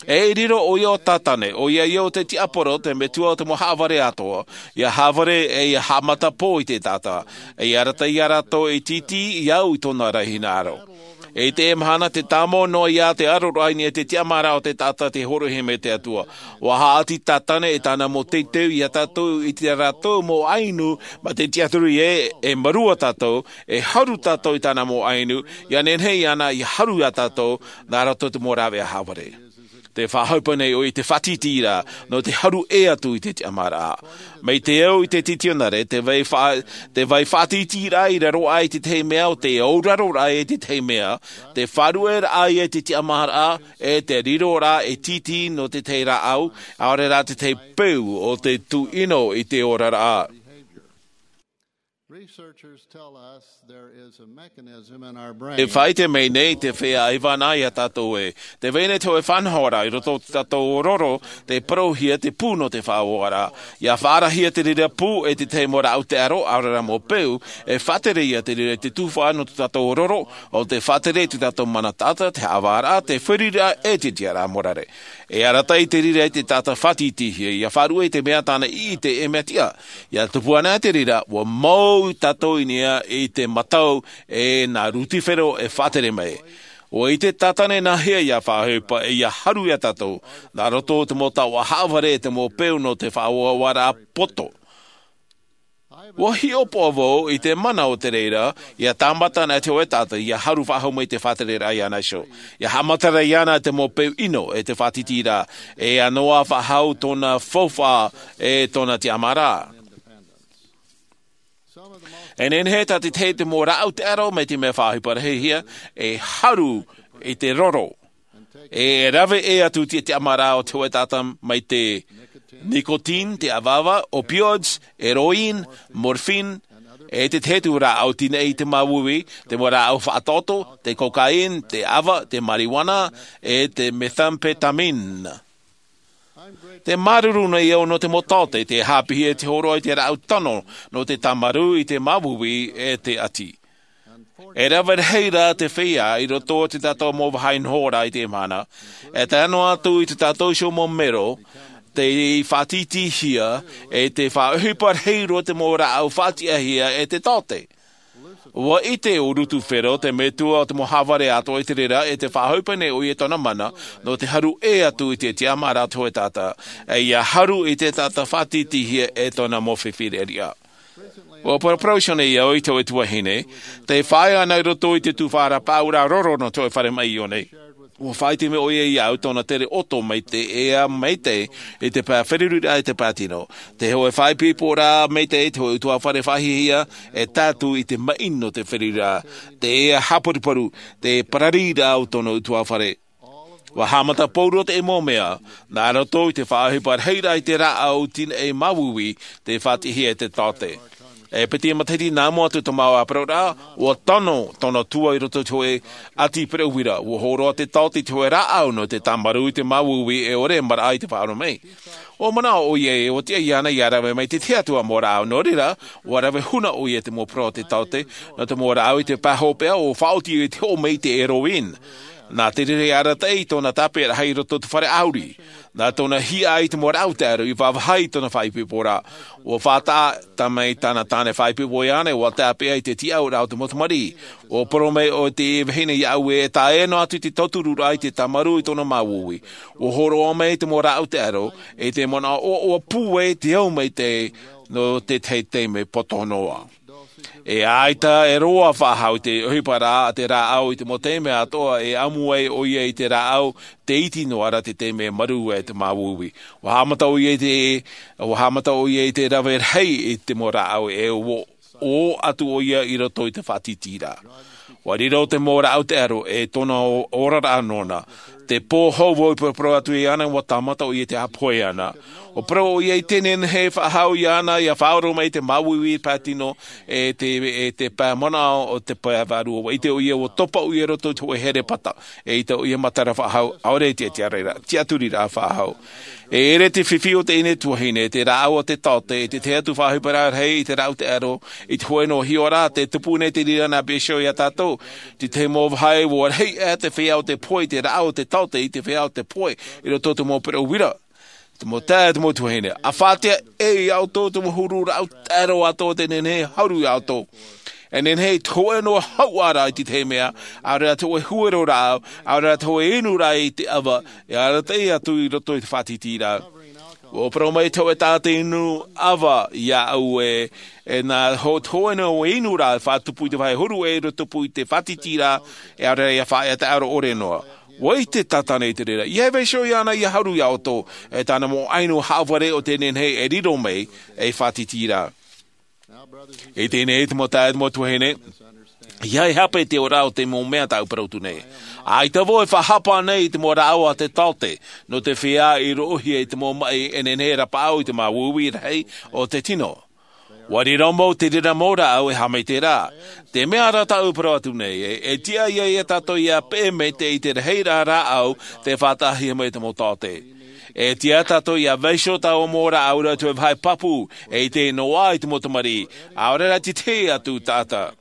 E riro ʻoia ʻo Tātane, ʻoia ia ʻo te tiaporo, te metua o te mau haʻavare atoʻa, ia haʻavare e ia haʻamatapō i te taʻata. E ia arataʻi ia rātou e tītī i au i tōna ra hinaʻaro. I teie mahana tē tāmau noa ia te aroraʻa i niʻa i te tiʻamāraʻa o te taʻata tei hōroʻahia mai te Atua. ʻUa haʻati Tātane e tāna mau teitei ia tātou i tā rātou mau ʻainu, mā te tiʻaturi ē, e marua tātou, e haru tātou i tāna mau ʻainu, ia nehenehe iāna ia haru ia tātou, nā roto i te mau rāveʻa haʻavare. Tē faʻaʻohipa nei ʻoia i te faʻatītīraʻa, nō te haru ʻē atu i te tiʻamāraʻa. Mai te au i te titionare, te vai fa-, te vai faʻatītīraʻa i raro aʻe i te tahi mea ʻo te auraroraʻa i te tahi mea, te faʻarueraʻa ia i te tiʻamāraʻa, e te riroraʻa e tītī nō te tahi rāʻau, ʻaore rā te tahi peu o te tuʻino i te oraraʻa. Researchers tell us there is a mechanism in our brain. E faʻaʻite mai nei te feiā ʻaivana ia tātou ē, tē vai nei te hōʻē faʻanahoraʻa i roto i tō tātou ororo, tē parauhia te pū nō te faʻaoaraʻa. ʻIa faʻaarahia te reira pū e te tahi mau rāʻau taʻero, ʻaore rā mau peu, e faʻatere ia te reira i te tuhaʻa nō tō tātou ororo, ʻo tē faʻatere i tō tātou mana taʻata, te haʻavāraʻa, te fāriiraʻa, e te tiʻaraʻa morare. E arataʻi te reira i te taʻata faʻatītīhia, ʻia faʻaruʻe i te mea tāna i ʻite e mea tiʻa. ʻIa tupu ana te reira, ʻua mau tātou i niʻa i te matau e nā Rutifero e faʻatere mai. ʻUa ʻite Tātane nāhea ʻia faʻaʻohipa e ʻia haru ia tātou, nā roto i te mau taoʻa haʻavare e te mau peu nō te faʻaoaoaraʻa poto. Ua hiʻopoʻa vau i te mana o te reira, ia tāmata ana te hōʻē taʻata ia haru faʻahou mai te faʻatereraʻa iāna iho, ia haʻamatara iāna te mau peu ʻino e te faʻatītīraʻa, e ia noa faʻahou tōna faufaʻa e tōna tiʻamāraʻa. E nehenehe tā te tahi te mau rāʻau taʻero mai te mea faʻaohiparaʻahia, e haru i te roro, e rave ʻē atu te tiʻamāraʻa o te hōʻē taʻata mai te nicotine, te ʻavaʻava, opioids, heroin, morphine, e te tahi atu rāʻau tinaʻi i te māuiui, te mau rāʻau faʻaotoʻoto, te cocaine, te ʻava, te marijuana, e te methamphetamine. Te māuruuru nei au nō te mau taote, te haʻapiʻi e te hōroʻa i te rāʻau tano nō te tāmarū i te māuiui e te ʻati. E rave rahi rā te feiā i roto i tā tātou mau vāhi nohoraʻa i te mahana, e tae noa atu i tā tātou iho mau mero, tei faʻatītīhia, e tei faʻaohipa rahi roa te mau rāʻau faʻatiʻahia e te taote. Ua ʻite ʻo Lūtufero, te metua o te mau hāvare atoʻa i te reira, e tei faʻaohipa nei ʻoia i tōna mana, nō te haru ʻē atu i te tiʻamāraʻa o te hōʻē taʻata, e ia haru i te taʻata faʻatītīhia e tōna mau fifi reʻareʻa. Ua paraparau iho nei au i te hōʻē tuahine, tei faʻaea ana i roto i te tuhaʻa paʻauraʻa roro nō te hōʻē fare maʻi i ʻō nei. Ua faʻaʻite mai ʻoia iāʻu tōna tere ʻoto mai te ea maitaʻi i te pae feruriraʻa i te pae tino. Te hōʻē faʻaipoiporaʻa maitaʻi, te hōʻē ʻutuāfare faʻahiahia, e tae atu i te maʻi nō te feruriraʻa, te ea haparuparu, te parariraʻa o tōna ʻutuāfare. Ua haʻamata pauroa te mau mea, nā roto i te faʻaohipa rahiraʻa i te rāʻau tinaʻi māuiui, tei faʻatiʻahia e te taote. E piti matahiti nā mua atu te mau ʻāparauraʻa, ua tano tōna tua i roto i te hōʻē ʻati pereʻuira, ua hōroʻa te taote i te hōʻē rāʻau nō te tāmarū i te māuiui e ʻore maraʻa i te faʻaroʻo mai. Ua manaʻo ʻoia ē, ua tiʻa iāna ia rave mai te tahi atu mau rāʻau, nō reira, ua rave huna ʻoia i te mau parau a te taote, nō te mau rāʻau i te pae hopeʻa, ua faʻaoti i te hoʻo mai i te heroin. Nā te reira e arataʻi tōna tāpeʻaraʻa i roto i te fare ʻāuri. Nā tōna hiaʻai i te mau rāʻau taʻero i vāvāhi i tōna faʻaipoiporaʻa. Ua faʻataʻa mai tāna tāne faʻaipoipo iāna, ua tāpeʻa i te tiʻauraʻa o te mau tamariʻi. Ua parau mai ʻo te vahine iāʻu ē, e tae noa atu i te tautururaʻa i te tāmarū i tōna māuiui. Ua hōroʻa mai te mau rāʻau taʻero, e te manaʻo ʻoaʻoa pūai te au maitaʻi nō te tahi taime poto noa. E ʻaita e roa faʻahou te ʻohiparaʻa a te rāʻau i te mau taime atoʻa e ʻamu ai ʻoia i te rāʻau, tē iti noa ra te taime e marū ai te māuiui. Ua haʻamata ʻoia i te, ua haʻamata ʻoia i te rave rahi i te mau rāʻau e ʻō, ʻō atu ʻoia i roto i te faʻatītīraʻa. Ua riro te mau rāʻau taʻero e tōna o-, oraraʻa nōna. Te pō hou vau i paraparau atu iāna, ua tāmata ʻoia i te ʻāpohe ana. Ua parau ʻoia i te nehenehe e faʻahou iāna ia faʻaora mai te māuiui pae tino, e te, e te pae manaʻo o te pae vārua. Ua ʻite ʻoia ua topa ʻoia i roto i te hōʻē here pata, e ʻaita ʻoia matara faʻahou, ʻaore i te tiʻaturiraʻa, tiʻaturiraʻa faʻahou. E ʻere te fifi o teie tuahine, te rāʻau a te taote, e te tahi atu faʻaohiparaʻa rahi i te rāʻau taʻero, i te hōʻē noa hiʻoraʻa, tē tupu nei te reira nā Beiseo iā tātou, te tahi mau vāhi, ua rahi aʻe te feiā o te pohe i te rāʻau o te taote i te feiā o te pohe, i roto i te mau pereʻuira. Te mau taeaʻe, te mau tuahine, ʻa faʻaʻite ē iā ʻoutou te mau huru rāʻau taʻero atoʻa tē nehenehe e haru iā ʻoutou. E nehenehe te hōʻē noa hauʻa ra i te tahi mea, ʻaore rā te hōʻē huero rāʻau, ʻaore rā te hōʻē inu ra i te ʻava, e arataʻi atu i roto i te faʻatītīraʻa. Ua parau mai te hōʻē taʻata inu ʻava iāʻu ē, e nā hō-, te hōʻē noa inu ra e faʻatupu i te vāhi huru ʻē i roto pū i te faʻatītīraʻa, e ʻaore rā ia faʻaea taʻero ʻore noa. Ua ʻite tātana i te reira. ʻEiaha e vaiiho iāna ia haru iā ʻoutou, e tāna mau inu haʻavare ʻo tē nehenehe e riro mai ei faʻatītīraʻa. I teie nei te mau taeaʻe, te mau tuahine, ʻeiaha e hape i te oraraʻa o te mau mea tāʻu e parau atu nei. ʻAita vau e faʻahapa nei i te mau rāʻau a te taote, nō te feiā i roʻohia i te mau maʻi e nehenehe e rapaʻau i te māuiui rahi o te tino. Ua riro mau te reira mau rāʻau e haʻamaitaʻi ra. Te mea ra tāʻu e parau atu nei, e, e tiʻa ia, ia tātou ia peʻe maitaʻi i te rahiraʻa rāʻau tē faʻataʻahia mai te mau taote. E tiʻa tātou ia vaiiho taua mau rāʻau ra i te vāhi pāpū, e ʻite noa i te mau tamariʻi, ʻaore rā te tahi atu taʻata.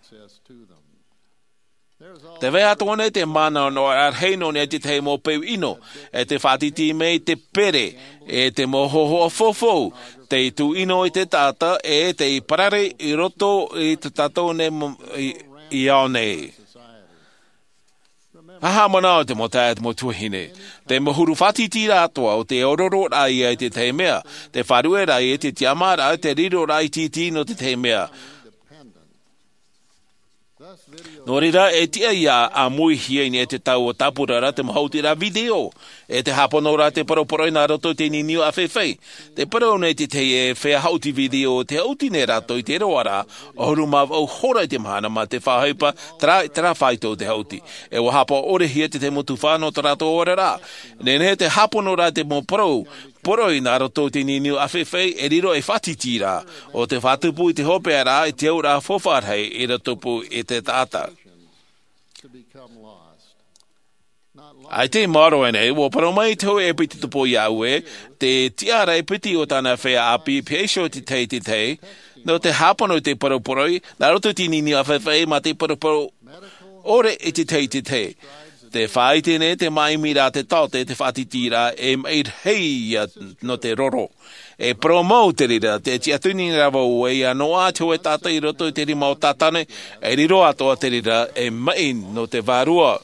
Tē vai atoʻa nei te mana nō te rahi nō niʻa i te tahi mau peu ʻino, e tē faʻatītī mai te pere, e te mau hōhoʻa faufaʻa, tei tūʻino i te taʻata, e tei parare i roto i tā tātou nei mo-, i, i ao nei. Haʻamanaʻo te mau taeaʻe, te mau tuahine. Te mau huru faʻatitiraʻa atoʻa o te ororoʻa ia i te tahi mea, te faʻarueraʻa i te tiʻamāraʻa, te riroraʻa tītī nō te tahi mea. Nō reira, e tiʻa ia ʻāmuihia i niʻa i te taua tāpura ra te mau haʻutiraʻa video, e te hāpono ra te poroporoʻi nā roto i te niuniu ʻāfaifai. Te parau nei te tahi e feiā haʻuti video, te haʻuti nei rātou i te roaraʻa ʻahuru mā vaʻu hora i te mahana mā te faʻaʻohipa, terā, terā faito o te haʻuti. E ua hāpaʻo-ʻore-hia te tahi mau tuhaʻa nō tō rātou oraraʻa. Nehenehe te hāpono ra te mau parau, poroʻi nā roto i te niuniu ʻāfaifai, e riro ei faʻatitiraʻa, ʻo te faʻatupu i te hopeʻaraʻa, i te auraʻa faufaʻa rahi, i rātou pū i te taʻata. ʻAita i maoro aʻe nei, ua parau mai te hōʻē ʻēpiti tupou iāʻu ē, te tiʻaraʻa ʻēpiti o tāna feiā ʻāpī, pea iho te tahi, te tahi, nō te hāpono i te poroporoʻi, nā roto i te niuniu ʻāfaifai mā te poroporoʻi ʻore i te tahi, te tahi. Te faʻaʻite nei te māʻimiraʻa te taote, te faʻatitiraʻa e maʻi rahi ia nō te roro. E parau mau te reira, te tiʻaturi nei rā vau ē, ʻia noaʻa te hōʻē taʻata i roto i te rima o Tātane, e riro atoʻa te reira, e maʻi nō te vārua.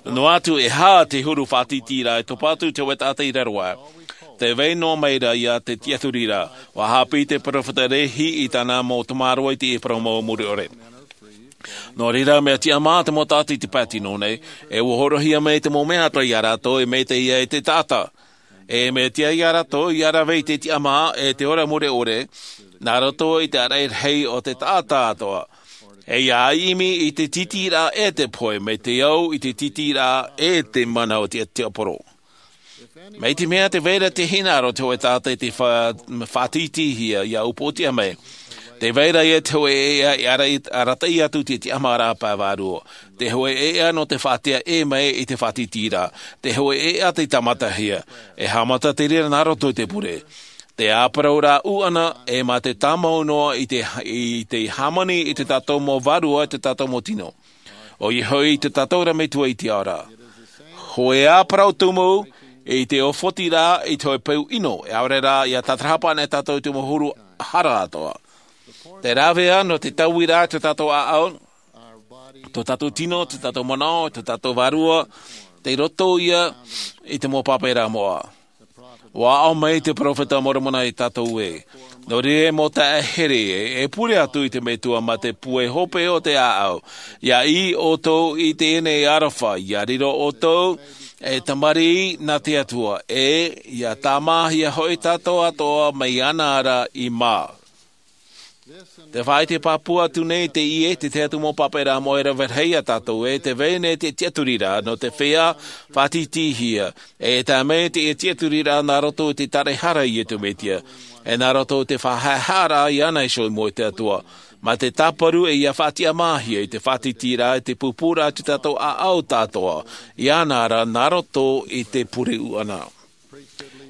Noa atu e aha te huru faʻatitiraʻa e topa atu te hōʻē taʻata i raro aʻe, tē vai noa mai ra ia te tiʻaturiraʻa. ʻUa haʻapiʻi te peropheta Lehi i tāna mau tamaroa i te parau mau muri ʻore. Nō reira, mea tiʻamā te mau taʻata i te pae tino nei, e ʻua hōroʻahia mai te mau mea atoʻa ia rātou e maitaʻi ai te taʻata. E mea tiʻa ia rātou ʻia rave i te tiʻamā e te ora mure ʻore, nā roto i te ʻāraʻi rahi o te taʻata atoʻa. E ʻia ʻimi i te tītīraʻa e te pohe, mai te au i te tītīraʻa e te mana o te tiaporo. Mai te mea tē vai ra te hinaʻaro te hōʻē taʻata i te fa-, faʻatītīhia ʻia upoʻotiʻa mai. Tē vai ra ia te hōʻē ʻēʻa i araʻi-, arataʻi atu te tiʻamāraʻa pae vārua. Te hōʻē ʻēʻa nō te faʻaʻite mai i te faʻatītīraʻa. Te hōʻē ʻēʻa tei tāmatahia. E haʻamata te reira nā roto i te pure. Te āparauraʻa ʻūʻana, e mā te tāmau noa i te, i te hāmani i te tātou mau vārua, i te tātou mau tino. ʻOia hoʻi te tātou ra Metua i te ao ra. Hōʻē āparau tumu, i te ʻōfoti ra, i te hōʻē peu ʻino, e ʻaore rā, ʻia tātarahapa ana e tātou i te mau huru hara atoʻa. Te rāveʻa nō te taui ra te tātou ʻāʻau, tō tātou tino, tō tātou manaʻo, tō tātou vārua, tei roto ia i te mau pāpaʻiraʻa moʻa. ʻUa aʻo mai te peropheta Moromona ia tātou ē. Nō reira e mau taeaʻe here, e pure atu i te Metua mā te pūai hope o te ʻāʻau. ʻIa ʻī ʻoutou i teie nei aroha, ʻia riro ʻoutou ei tamariʻi nā te Atua, e ʻia tāmāhia hoʻi tātou atoʻa mai iāna ra i mā. Te faʻaʻite pāpū atu nei teie, te tahi atu mau pāpaʻiraʻa moʻa e rave rahi ia tātou ē, tē vai nei te tiʻaturiraʻa nō te feiā faʻatītīhia, e tae mai teie tiʻaturiraʻa nā roto i te taraehara a Iesu Mesia, e nā roto i te faʻahaʻehaʻaraʻa iāna iho i mua i te Atua. Mā te tāparu e ʻia faʻatiʻamāhia i te faʻatītīraʻa, i te pūpūraʻa i tō tātou ʻāʻau atoʻa, iāna ra nā roto i te pure ʻūʻana.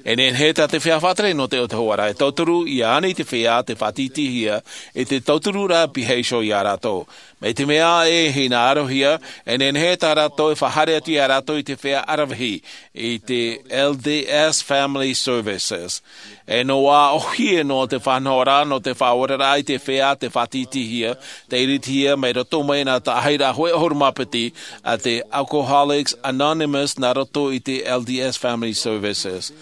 E nehenehe tā te feiā faʻatere nō te ʻōtahua ra e tauturu, ʻia ani te feiā tei faʻatītīhia, i te tautururaʻa piha iho ia rātou. Mai te mea e hinaʻarohia, e nehenehe tā rātou e faʻahaere atu ia rātou i te feiā ʻaravihi, i te L D S Family Services. E noa ʻōhie noa te faʻanahoraʻa nō te faʻaoraraʻa i te feiā tei faʻatītīhia, tei iritihia mai roto mai nā tāʻahiraʻa hōʻē ʻahuru mā piti a te Alcoholics Anonymous nā roto i te L D S Family Services.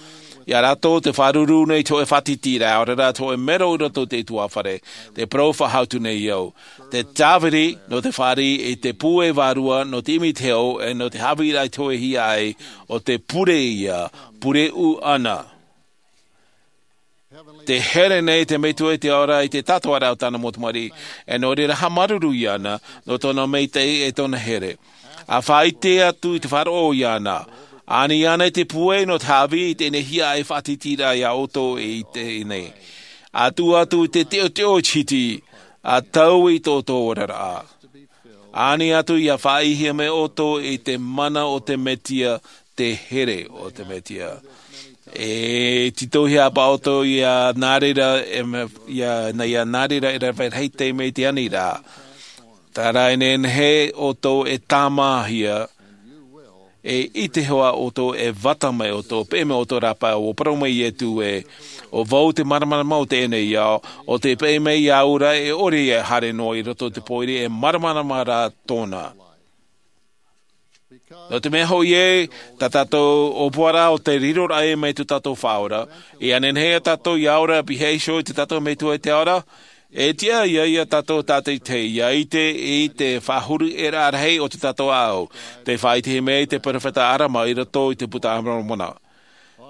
Ia rātou tē faʻaruru nei i te hōʻē faʻatītīraʻa, ʻaore rā te hōʻē mero i roto i te ʻutuāfare, te parau faʻahou atu nei au. Te tāviri nō te fāriʻi i te pūai vārua, nō te ʻimi i te hau, e nō te haʻavīraʻa i te hōʻē hiaʻai, ʻo te pure ia, pure ʻūʻana. Tē here nei te Metua i te ao ra i te tātaraʻa o tāna mau tamariʻi, e nō reira haʻamāuruuru iāna, nō tōna maitaʻi e tōna here. ʻA faʻaʻite atu i te faʻaroʻo iāna. Ani iāna i te pūai nō te haʻavī i teie nei hiaʻai faʻatītīraʻa ia ʻoutou i teie nei. ʻA tuʻu atu i te teʻoteʻo i te hiti, ʻa taui i tō ʻoutou oraraʻa. Ani atu ia faʻaʻitehia mai ʻoutou i te mana o te Mesia, te here o te Mesia. E tītauhia paʻi ʻoutou ia nā reira, e me-, ia, nā, ia nā reira e rave rahi te mea i te aniraʻa. Terā e nehenehe ʻoutou e tāmāhia, E ʻite hoʻi ʻoutou e vata mai ʻoutou, peʻe mai ʻoutou rāpae, ʻua parau mai Iesu ē, ʻo vau te māramarama o teie nei ao, ʻo tē peʻe mai iāʻu ra e ʻore ia e haere noa i roto i te pōiri e māramarama rā tōna. Nō te mea hoʻi ē, tā tātou ʻōpuaraʻa ʻo te riroraʻa mai tō tātou Faʻaora, ʻia nehenehe tātou ʻia ora, pihaʻi iho i tō tātou Metua i te ao ra, e tiʻa ia ia tātou tātaʻitahi ʻia ʻite i te faʻahuruʻaraʻa rahi o tō tātou ʻāʻau, tei faʻaʻitehia mai e te peropheta Arama i roto i te Buka a Moromona.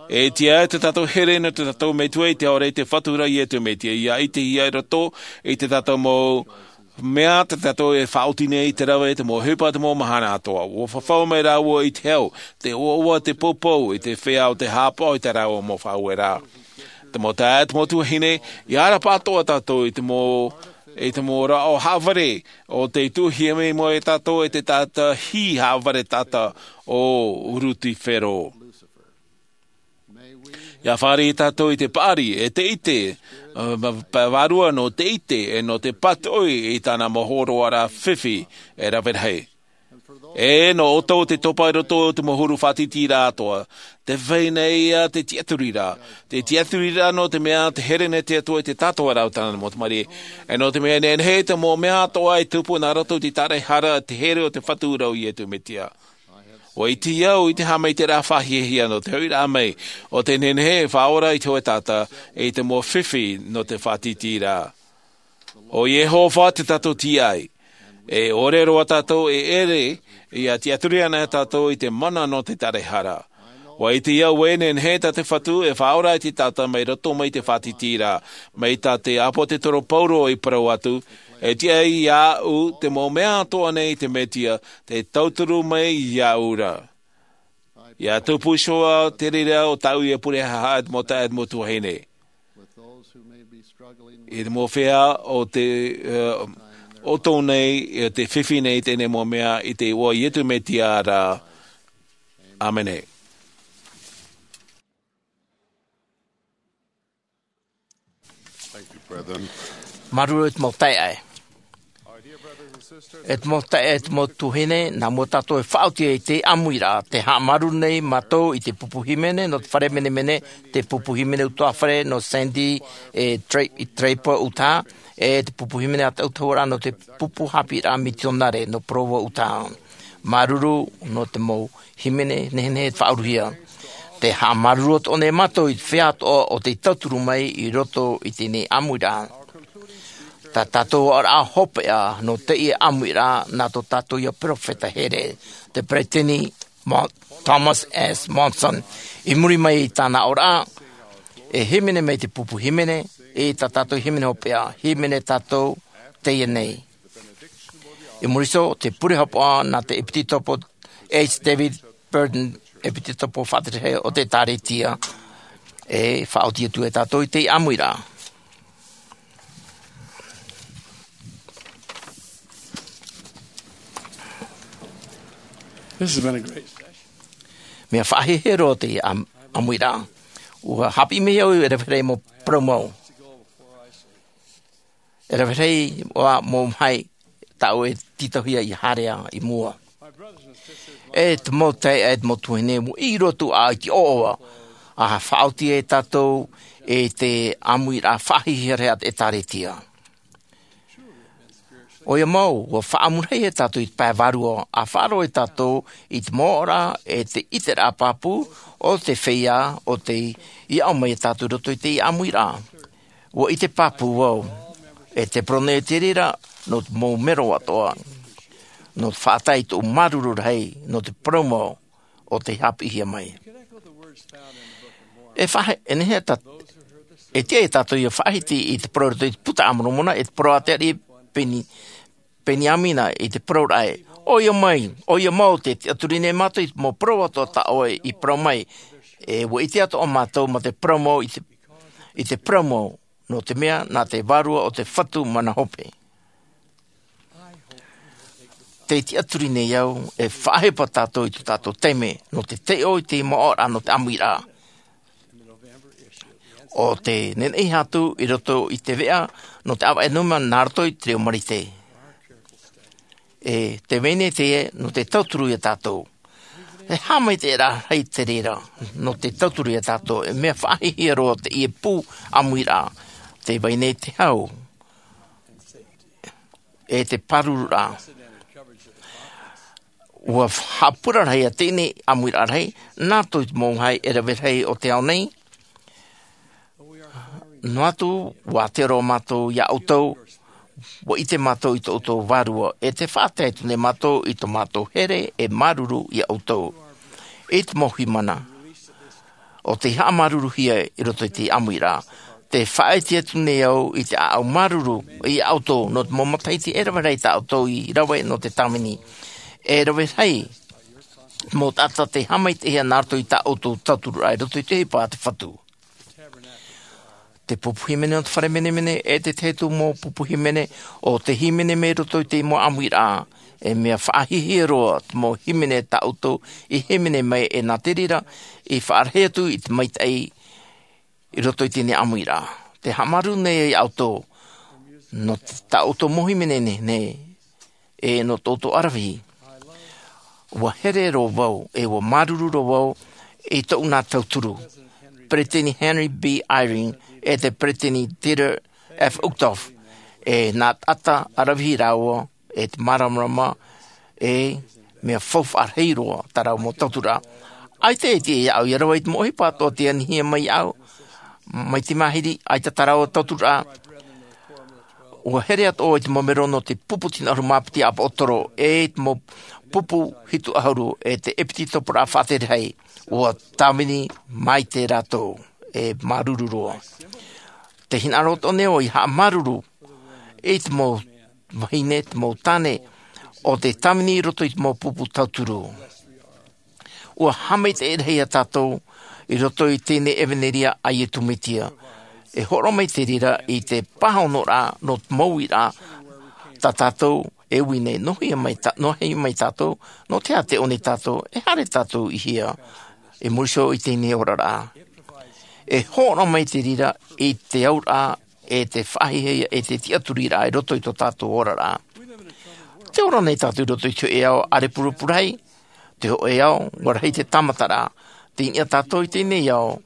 E tiʻa tō tātou here nō tō tātou Metua i te ao ra, i te Fatu ra Iesu Mesia, ʻia ʻitehia i roto i tō tātou mau mea tā tātou e faʻaoti nei i te rave, te mau ʻohipa, te mau mahana atoʻa. ʻUa fafau mai rāua i te hau, te ʻoaʻoa, te poupou, i te feiā ʻo tē haʻapaʻo i tā rāua mau faʻaueraʻa. Te mau taeaʻe, te mau tuahine, ʻia ʻarapaʻa atoʻa tātou i te mau, i te mau rāʻau haʻavare, ʻo tē tuʻuhia mai iā tātou e te taʻata hī haʻavare taʻata ʻo Rusifero. ʻIa fāriʻi tātou i te paʻari, e te ʻite, ā, ma-, pa-, vārua nō te ʻite, e nō te pātoʻi i tāna mau hōroʻaraʻa fifi, e rave rahi. E nō ʻoutou tē topa i roto i te mau huru faʻatītīraʻa atoʻa, tē vai nei ia te tiʻaturiraʻa, te tiʻaturiraʻa nō te mea tē here nei te Atua i te tātara o tāna mau tamariʻi, e nō te mea nehenehe te mau mea atoʻa e tupu nā roto i te tāraʻehara, te here o te Fatu ra ʻo Iesu Mesia. ʻUa ʻite au i te haʻamaitaʻiraʻa faʻahiahia nō te hoʻiraʻa mai o te nehenehe e faʻaora i te hōʻē taʻata, i te mau fifi nō te faʻatītīraʻa. ʻO Iehova te tātou tīaʻi, e ʻore roa tātou e ʻere, ʻia tiʻaturi ana tātou i te mana nō te tāraʻehara. ʻUa ʻite au ē nehenehe tā te Fatu e faʻaora i te taʻata mai roto mai te faʻatītīraʻa, mai tā te ʻāpōsetolo Paulo i parau atu, e tiʻa iāʻu te mau mea atoʻa nei te Mesia, tē tauturu mai iāʻu ra. ʻIa tupu iho te reira o tāʻu ʻia pure haʻahaʻa i te mau taeaʻe, te mau tuahine. I te mau feiā ʻo tē, ā, ʻoto nei, ā, tē fifi nei i teie nei mau mea i te iʻoa o Iesu Mesia ra. ʻĀmene. Thank you, brethren. Māuruuru e te mau taeaʻe. E te mau taeaʻe, e te mau tuahine, nā mua tātou e faʻaoti i te ʻāmuiraʻa, tē haʻamāuruuru nei mātou i te pupu hīmene nō te fare menemene, te pupu hīmene ʻutuāfare nō Sandy e Tra-, e Draper, Utah, e te pupu hīmene ʻātaʻutauraʻa nō te pupu haʻapiʻiraʻa mitionare nō Provo, Utah. Māuruuru nō te mau hīmene nehenehe e faʻauruhia. Tē haʻamāuruuru atoʻa nei mātou i te feiā atoʻa ʻo tē tauturu mai i roto i teie nei ʻāmuiraʻa. Tā tātou oraraʻa hopeʻa nō teie ʻāmuiraʻa nā tō tātou ia peropheta here, te peresideni Mo-, Thomas S. Monson. I muri mai i tāna oraraʻa, e hīmene mai te pupu hīmene, e tā tātou hīmene hopeʻa, hīmene tātou teie nei. I muri iho, te pure hopeʻa nā te ʻEpitopo H. David Burton, ʻEpitopo Faʻatere o te ʻĒtārētia, e faʻaoti atu e tātou i te ʻāmuiraʻa. This has been a great session. Mea faʻahiahia roa te ʻām-, ʻāmuiraʻa. ʻUa haʻapiʻi mai au e rave rahi mau parau mau. E rave rahi ā mau mahi tāʻu e tītauhia ʻia haere i mua. E te mau taeaʻe, e te mau tuahine, ʻua ʻī roa atu ā i te ʻoaʻoa, ʻa faʻaoti e tātou i te ʻāmuiraʻa faʻahiahia rahi a te ʻĒtārētia. ʻOia mau, ʻua faʻaʻamuraʻa e tātou i te pae vārua, ʻa faʻaroʻo e tātou i te mau oraraʻa, e te ʻiteraʻa pāpū o te feiā, ʻo tei aʻo mai e tātou i roto i te ʻāmuiraʻa. ʻUa ʻite pāpū vau, e te parau nei te reira, nō te mau mero atoʻa, nō te faʻatae i tōʻu māuruuru rahi, nō te parau mau, ʻo tei haʻapiʻihia mai. E faʻahi-, e nehenehe tā-, e tiʻa ia tātou ʻia faʻahiti i te parau i roto i te Buka a Moromona, e te parau a te ariʻi Peni-, Peniamina i te parau ra ē. ʻOia mai, ʻoia mau tē tiʻaturi nei mātou i te mau parau atoʻa tā ʻoe i parau mai. E ʻua ʻite atoʻa mātou mā te parau mau i te, i te parau mau, nō te mea, nā te Vārua ʻo te Fatu mana hope. Tē tiʻaturi nei au, e faʻahepo tātou i tō tātou taime, nō te taiʻo i te mau oraraʻa nō te ʻāmuiraʻa. ʻO tē nehenehe atu i roto i te veʻa, nō te ʻāvaʻe nō mea nā roto i te reo Marite. E te vai nei teie, nō te tauturu ia tātou. E haʻamaitaʻiraʻa rahi te reira nō te tauturu ia tātou, e mea faʻahiahia roa teie pū ʻāmuiraʻa, tē vai nei te hau, e te pārururaʻa. Ua haʻapuraraʻa teie ʻāmuiraʻa rahi, nā roto i te mau vāhi e rave rahi o te ao nei. Noa atu, ʻua ʻite roa mātou ia ʻoutou, ʻua ʻite mātou i tō ʻoutou vārua, e tē faʻatae atu nei mātou i tō mātou here e māuruuru ia ʻoutou. I te mau hīmene, ʻo tei haʻamāuruuruhia i roto i te ʻāmuiraʻa, tē faʻaʻite atu nei au i te ʻāʻau māuruuru ia ʻoutou, nō te mau matahiti e rave rahi tā ʻoutou i rave nō te tāvini. E rave rahi mau taʻata tei haʻamaitaʻihia nā roto i tā ʻoutou tautururaʻa i roto i te ʻohipa a te Fatu. Te pupu hīmene o te fare menemene, e te tahi atu mau pupu hīmene, ʻo te hīmene mai roto i te mau ʻāmuiraʻa, e mea faʻahiahia roa te mau hīmene tā ʻoutou i hīmene mai, e nā te reira, i faʻarahi atu i te maitaʻi i roto i teie ʻāmuiraʻa. Tē haʻamāuruuru nei ia ʻoutou, nō tā ʻoutou mau hīmene nei, e nō tō ʻoutou ʻaravihi. ʻUa here roa vau, e ʻua māuruuru roa vau i tōʻu nā tauturu, Peresideni Henry B. Eyring, e te Peresideni Dieter F. Uchtdorf, e nā taʻata ʻaravihi rāua, e te māramarama, e mea faufaʻa rahi roa tā rāua mau tauturu. ʻAita e tiʻa iāʻu ia rave i te mau ʻohipa atoʻa tei anihia mai iāʻu, mai te mahiri, ʻaita tā rāua tauturu. ʻUa here atoʻa i te mau mero nō te pupu tino ʻahuru mā piti ʻāpōsetolo, e te mau pupu hitu ʻahuru, e te ʻepisekopo faʻatere rahi, ʻua tāvini maitaʻi rātou, e māuruuru roa. Tē hinaʻaro atoʻa nei au ia haʻamāuruuru i te mau vahine, te mau tāne, ʻo tē tāvini i roto i te mau pupu tauturu. ʻUa haʻamaitaʻi rahi ia tātou i roto i teie ʻevanelia a Iesu Mesia. E hōroʻa mai te reira i te pāhonoraʻa nō te mau uiraʻa tā tātou e ui nei, nō hea mai tā-, nō hea mai tātou, nō te aha tē ʻō nei tātou, e haere tātou i hea, i muri iho i teie oraraʻa. E hōroʻa mai te reira i te auraʻa, e te faʻahiahia, e te tiʻaturiraʻa i roto i tō tātou oraraʻa. Tē ora nei tātou i roto i te hōʻē ao ʻārepurepurahi, te hōʻē ao, ʻua rahi te tāmataraʻa, tei niʻa tātou i teie ao,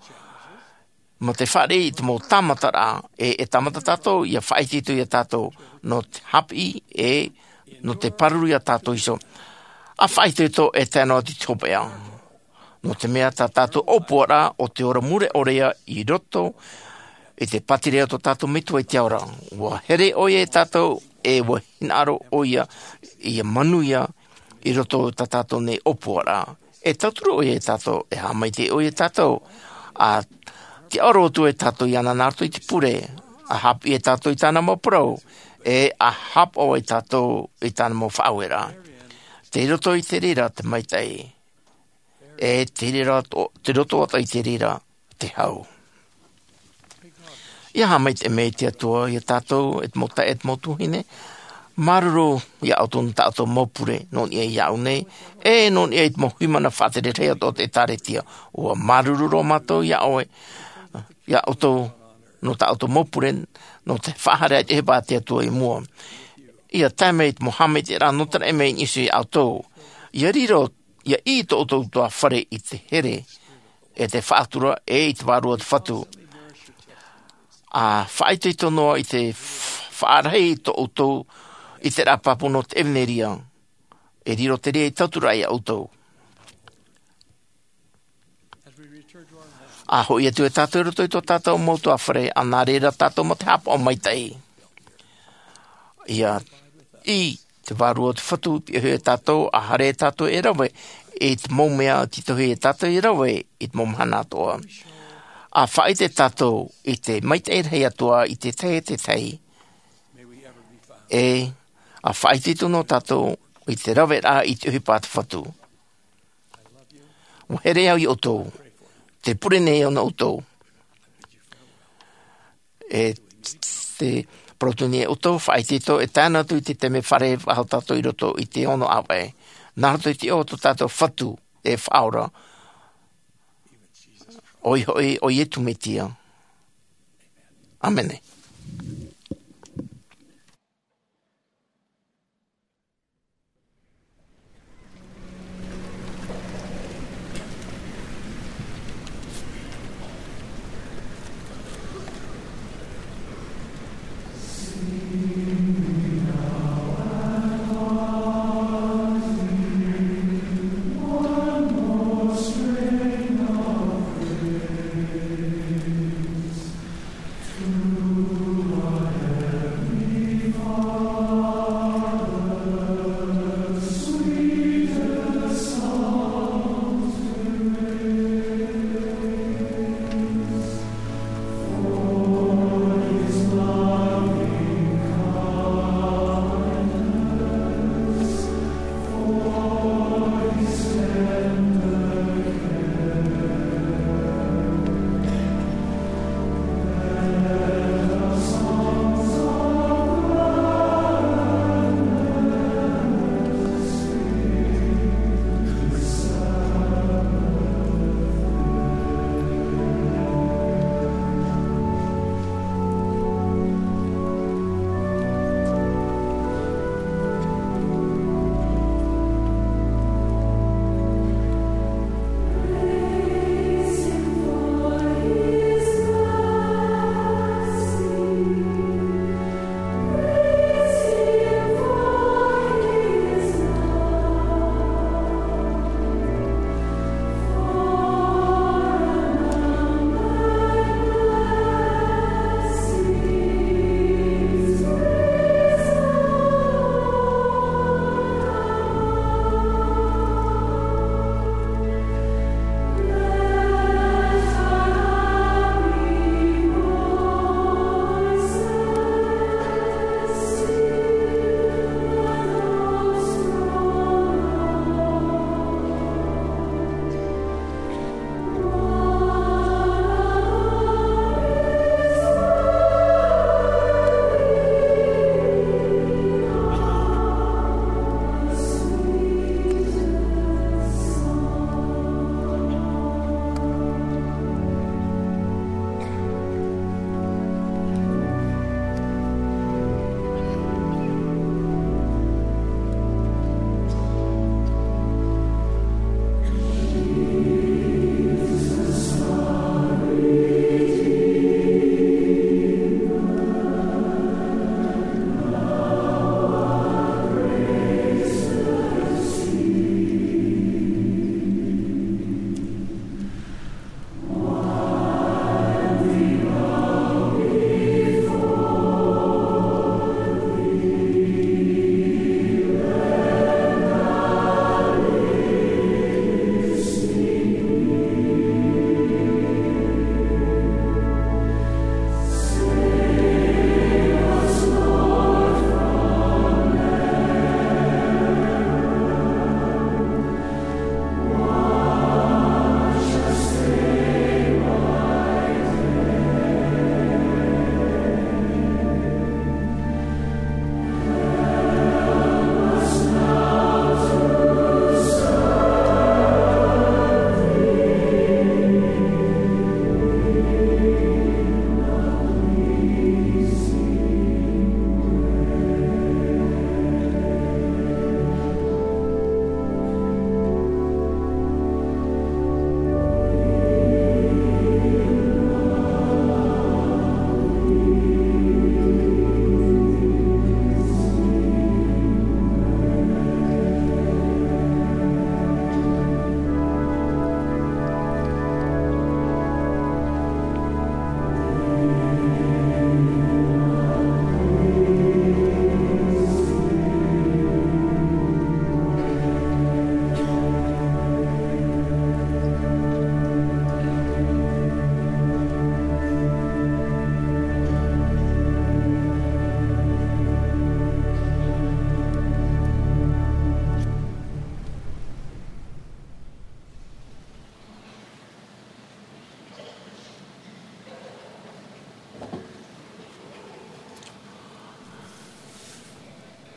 mā te fāriʻi i te mau tāmataraʻa, e, e tāmata tātou, ia faʻaitoito ia tātou, nō te haʻapiʻi, e, nō te pāruru ia tātou iho. ʻA faʻaitoito e tae noa atu i te hopeʻa. Nō te mea tā tātou ʻōpuaraʻa ʻo te ora mure ʻore ia i roto i te pātireia o tō tātou Metua i te ao ra. ʻUa here ʻoia ia tātou, e ʻua hinaʻaro ʻoia ia manuia i roto i tā tātou nei ʻōpuaraʻa. E tauturu ʻoia ia tātou, e haʻamaitaʻi ʻoia ia tātou, ʻa tiʻaoro atu ia tātou iāna nā roto i te pure, ʻa haʻapiʻi ia tātou i tāna mau parau, e ʻa haʻapaʻo ia tātou i tāna mau faʻaueraʻa. Tei roto i te reira te maitaʻi. E te reira to-, te roto atoʻa i te reira te hau. ʻIa haʻamaitaʻi mai te Atua ia tātou, e te mau taeaʻe, e te mau tuahine. Māuruuru ia ʻoutou nō tā ʻoutou mau pure, nō niʻa iāʻu nei, e nō niʻa i te mau hīmene faʻatere rahi atoʻa o te ʻĒtārētia. ʻUa māuruuru roa mātou ia ʻoe, ia ʻoutou, nō tā ʻoutou mau pure, nō te faʻahaere i te ʻohipa a te Atua i mua. ʻIa tae mai te mau haʻamaitaʻiraʻa nō te raʻi mai i niʻa iho ia ʻoutou. ʻIa riro, ʻia ʻī tō ʻoutou ʻutuāfare i te here, e te faʻatura, e i te vārua o te Fatu. ʻA faʻaitoito noa i te f-, faʻarahi tō ʻoutou i te rāpapu nō te ʻevanelia. E riro te reira ei tauturu ia ʻoutou. ʻA hoʻi atu e tātou i roto i tō tātou mau ʻutuāfare, ʻa nā reira tātou mā te haʻapaʻo maitaʻi. ʻIa ʻī te vārua o te Fatu i pihaʻi ia tātou, ʻa haere ia tātou e rave i te mau mea i titauhia ia tātou e rave i te mau mahana atoʻa. ʻA faʻaʻite tātou i te maitaʻi rahi atoʻa i te tahi, te tahi. E, ʻa faʻaitoito noa tātou i te raveraʻa i te ʻohipa a te Fatu. ʻUa here au ia ʻoutou. Tē pure nei au nō ʻoutou. E te parau atu nei ia ʻoutou, faʻaitoito, e tae noa atu i te taime e fārerei faʻahou tātou i roto i te ono ʻāvaʻe. Nā roto i te iʻoa o tō tātou Fatu e Faʻaora. ʻOia hoʻi, ʻo Iesu Mesia. ʻĀmene.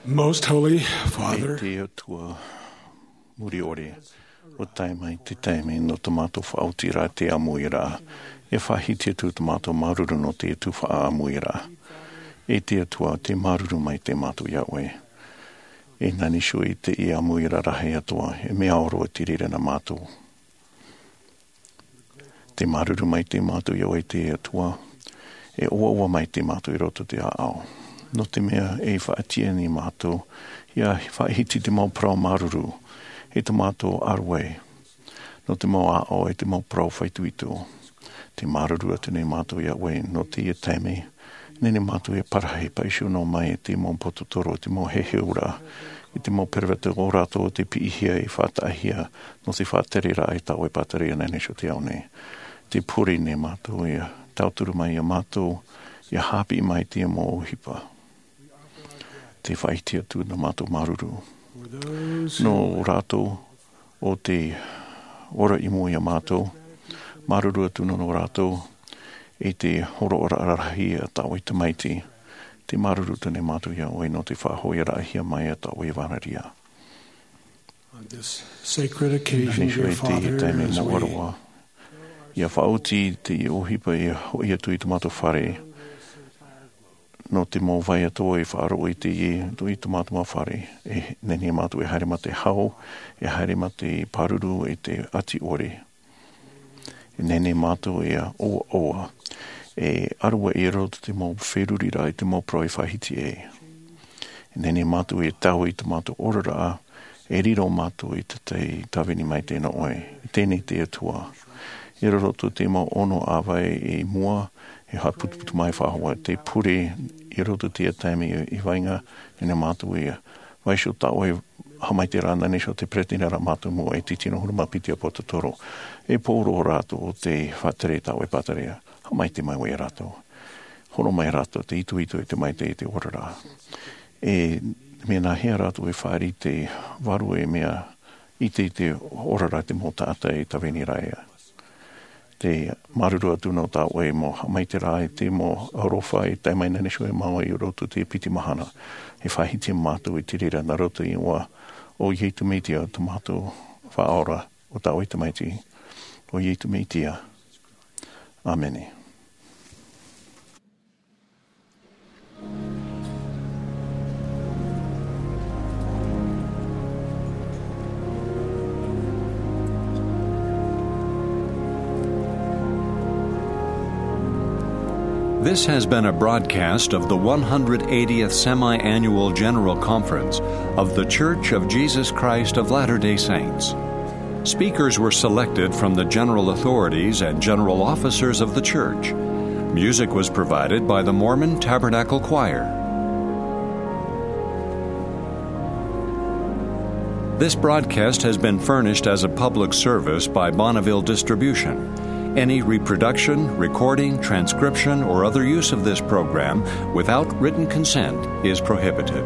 Most Holy Father, e te Atua muri ʻore, ʻua tae mai te taime nō tō mātou faʻaotiraʻa te ʻāmuiraʻa, e faʻahiti atu tō mātou māuruuru nō te tuhaʻa ʻāmuiraʻa. E te Atua, tē māuruuru mai te mātou iā ʻoe. E nāniu i te ʻāmuiraʻa rahi atoʻa, e mea ʻore te reira nā mātou. Tē māuruuru mai te mātou iā ʻoe te Atua, e ʻoaʻoa mai te mātou i roto te ʻāʻau. Nō te mea e faʻatiʻa nei mātou, ʻia faʻahiti te mau parau māuruuru, e tō mātou ʻāruai, nō te mau ʻāʻau e te mau parau faʻaitoito. Tē māuruuru atu nei mātou iā ʻoe, nō teie taime, nehenehe mātou e parahi, paʻi iho noa mai te mau pōtotoro, te mau heheuraʻa, e te mau peroveta ʻo rātou te piʻihia e faʻataʻahia, nō te faʻatereraʻa i tā ʻoe pātireia nāniu i te ao nei. Tē pure nei mātou ʻia tauturu mai iā mātou, ʻia haʻapiʻi mai te mau ʻohipa. Tē faʻahiti atu nā mātou māuruuru. Nō rātou ʻo tē ora i mua iā mātou, māuruuru atu nō, nō rātou, i te hōroʻaraʻa rahi a tā ʻoe Tamaiti, tē māuruuru atu nei mātou iā ʻoe nō te faʻahoʻiraʻahia mai a tā ʻoe vānaria. On this sacred occasion, dear Father, as we, ʻia faʻaoti te ʻohipa e hoʻi atu i tō mātou fare, nō te mau vai atoʻa e faʻaroʻo i te, i tō mātou mau fare, e nehenehe mātou e haere mā te hau, e haere mā te pāruru e te ʻati ʻore. E nehenehe mātou e ʻoaʻoa, e ʻāruai i roto te mau feruriraʻa i te mau parau e faʻahiti ai. E nehenehe mātou e taui i tō mātou oraraʻa, e riro mātou i te tahi tāvini maitaʻi nō ʻoe. E teie nei te Atua. I roto te mau ono ʻāvae i mua, e haʻaputuputu mai faʻahou te pure, i roto te taime i, i vainga, nehenehe mātou e vaiiho tā ʻoe haʻamaitaʻiraʻa nāniu i te peretiteni ra mātou mua e te tino huru mā piti ʻāpōsetolo. E pōroʻo rātou ʻo tē faʻatere i tā ʻoe pātireia. Haʻamaitaʻi mai ʻoe iā rātou. Hōroʻa mai rātou te itoito e te maitaʻi i te oraraʻa. E mea nāhea rātou e fāriʻi i te vārua e mea ʻite i te oraraʻa te mau taʻata e tāvini ra ia. Tē māuruuru atu nō tā ʻoe mau haʻamaitaʻiraʻa i te mau aroha e tae mai nāniu i mua i roto i te piti mahana. E faʻahiti mātou i te reira nā roto i te iʻoa o Iesu Mesia tō mātou Faʻaora, ʻo tā ʻoe Tamaiti, ʻo Iesu Mesia. ʻĀmene. This has been a broadcast of the one hundred eightieth Semi-Annual General Conference of The Church of Jesus Christ of Latter-day Saints. Speakers were selected from the general authorities and general officers of the church. Music was provided by the Mormon Tabernacle Choir. This broadcast has been furnished as a public service by Bonneville Distribution. Any reproduction, recording, transcription, or other use of this program without written consent is prohibited.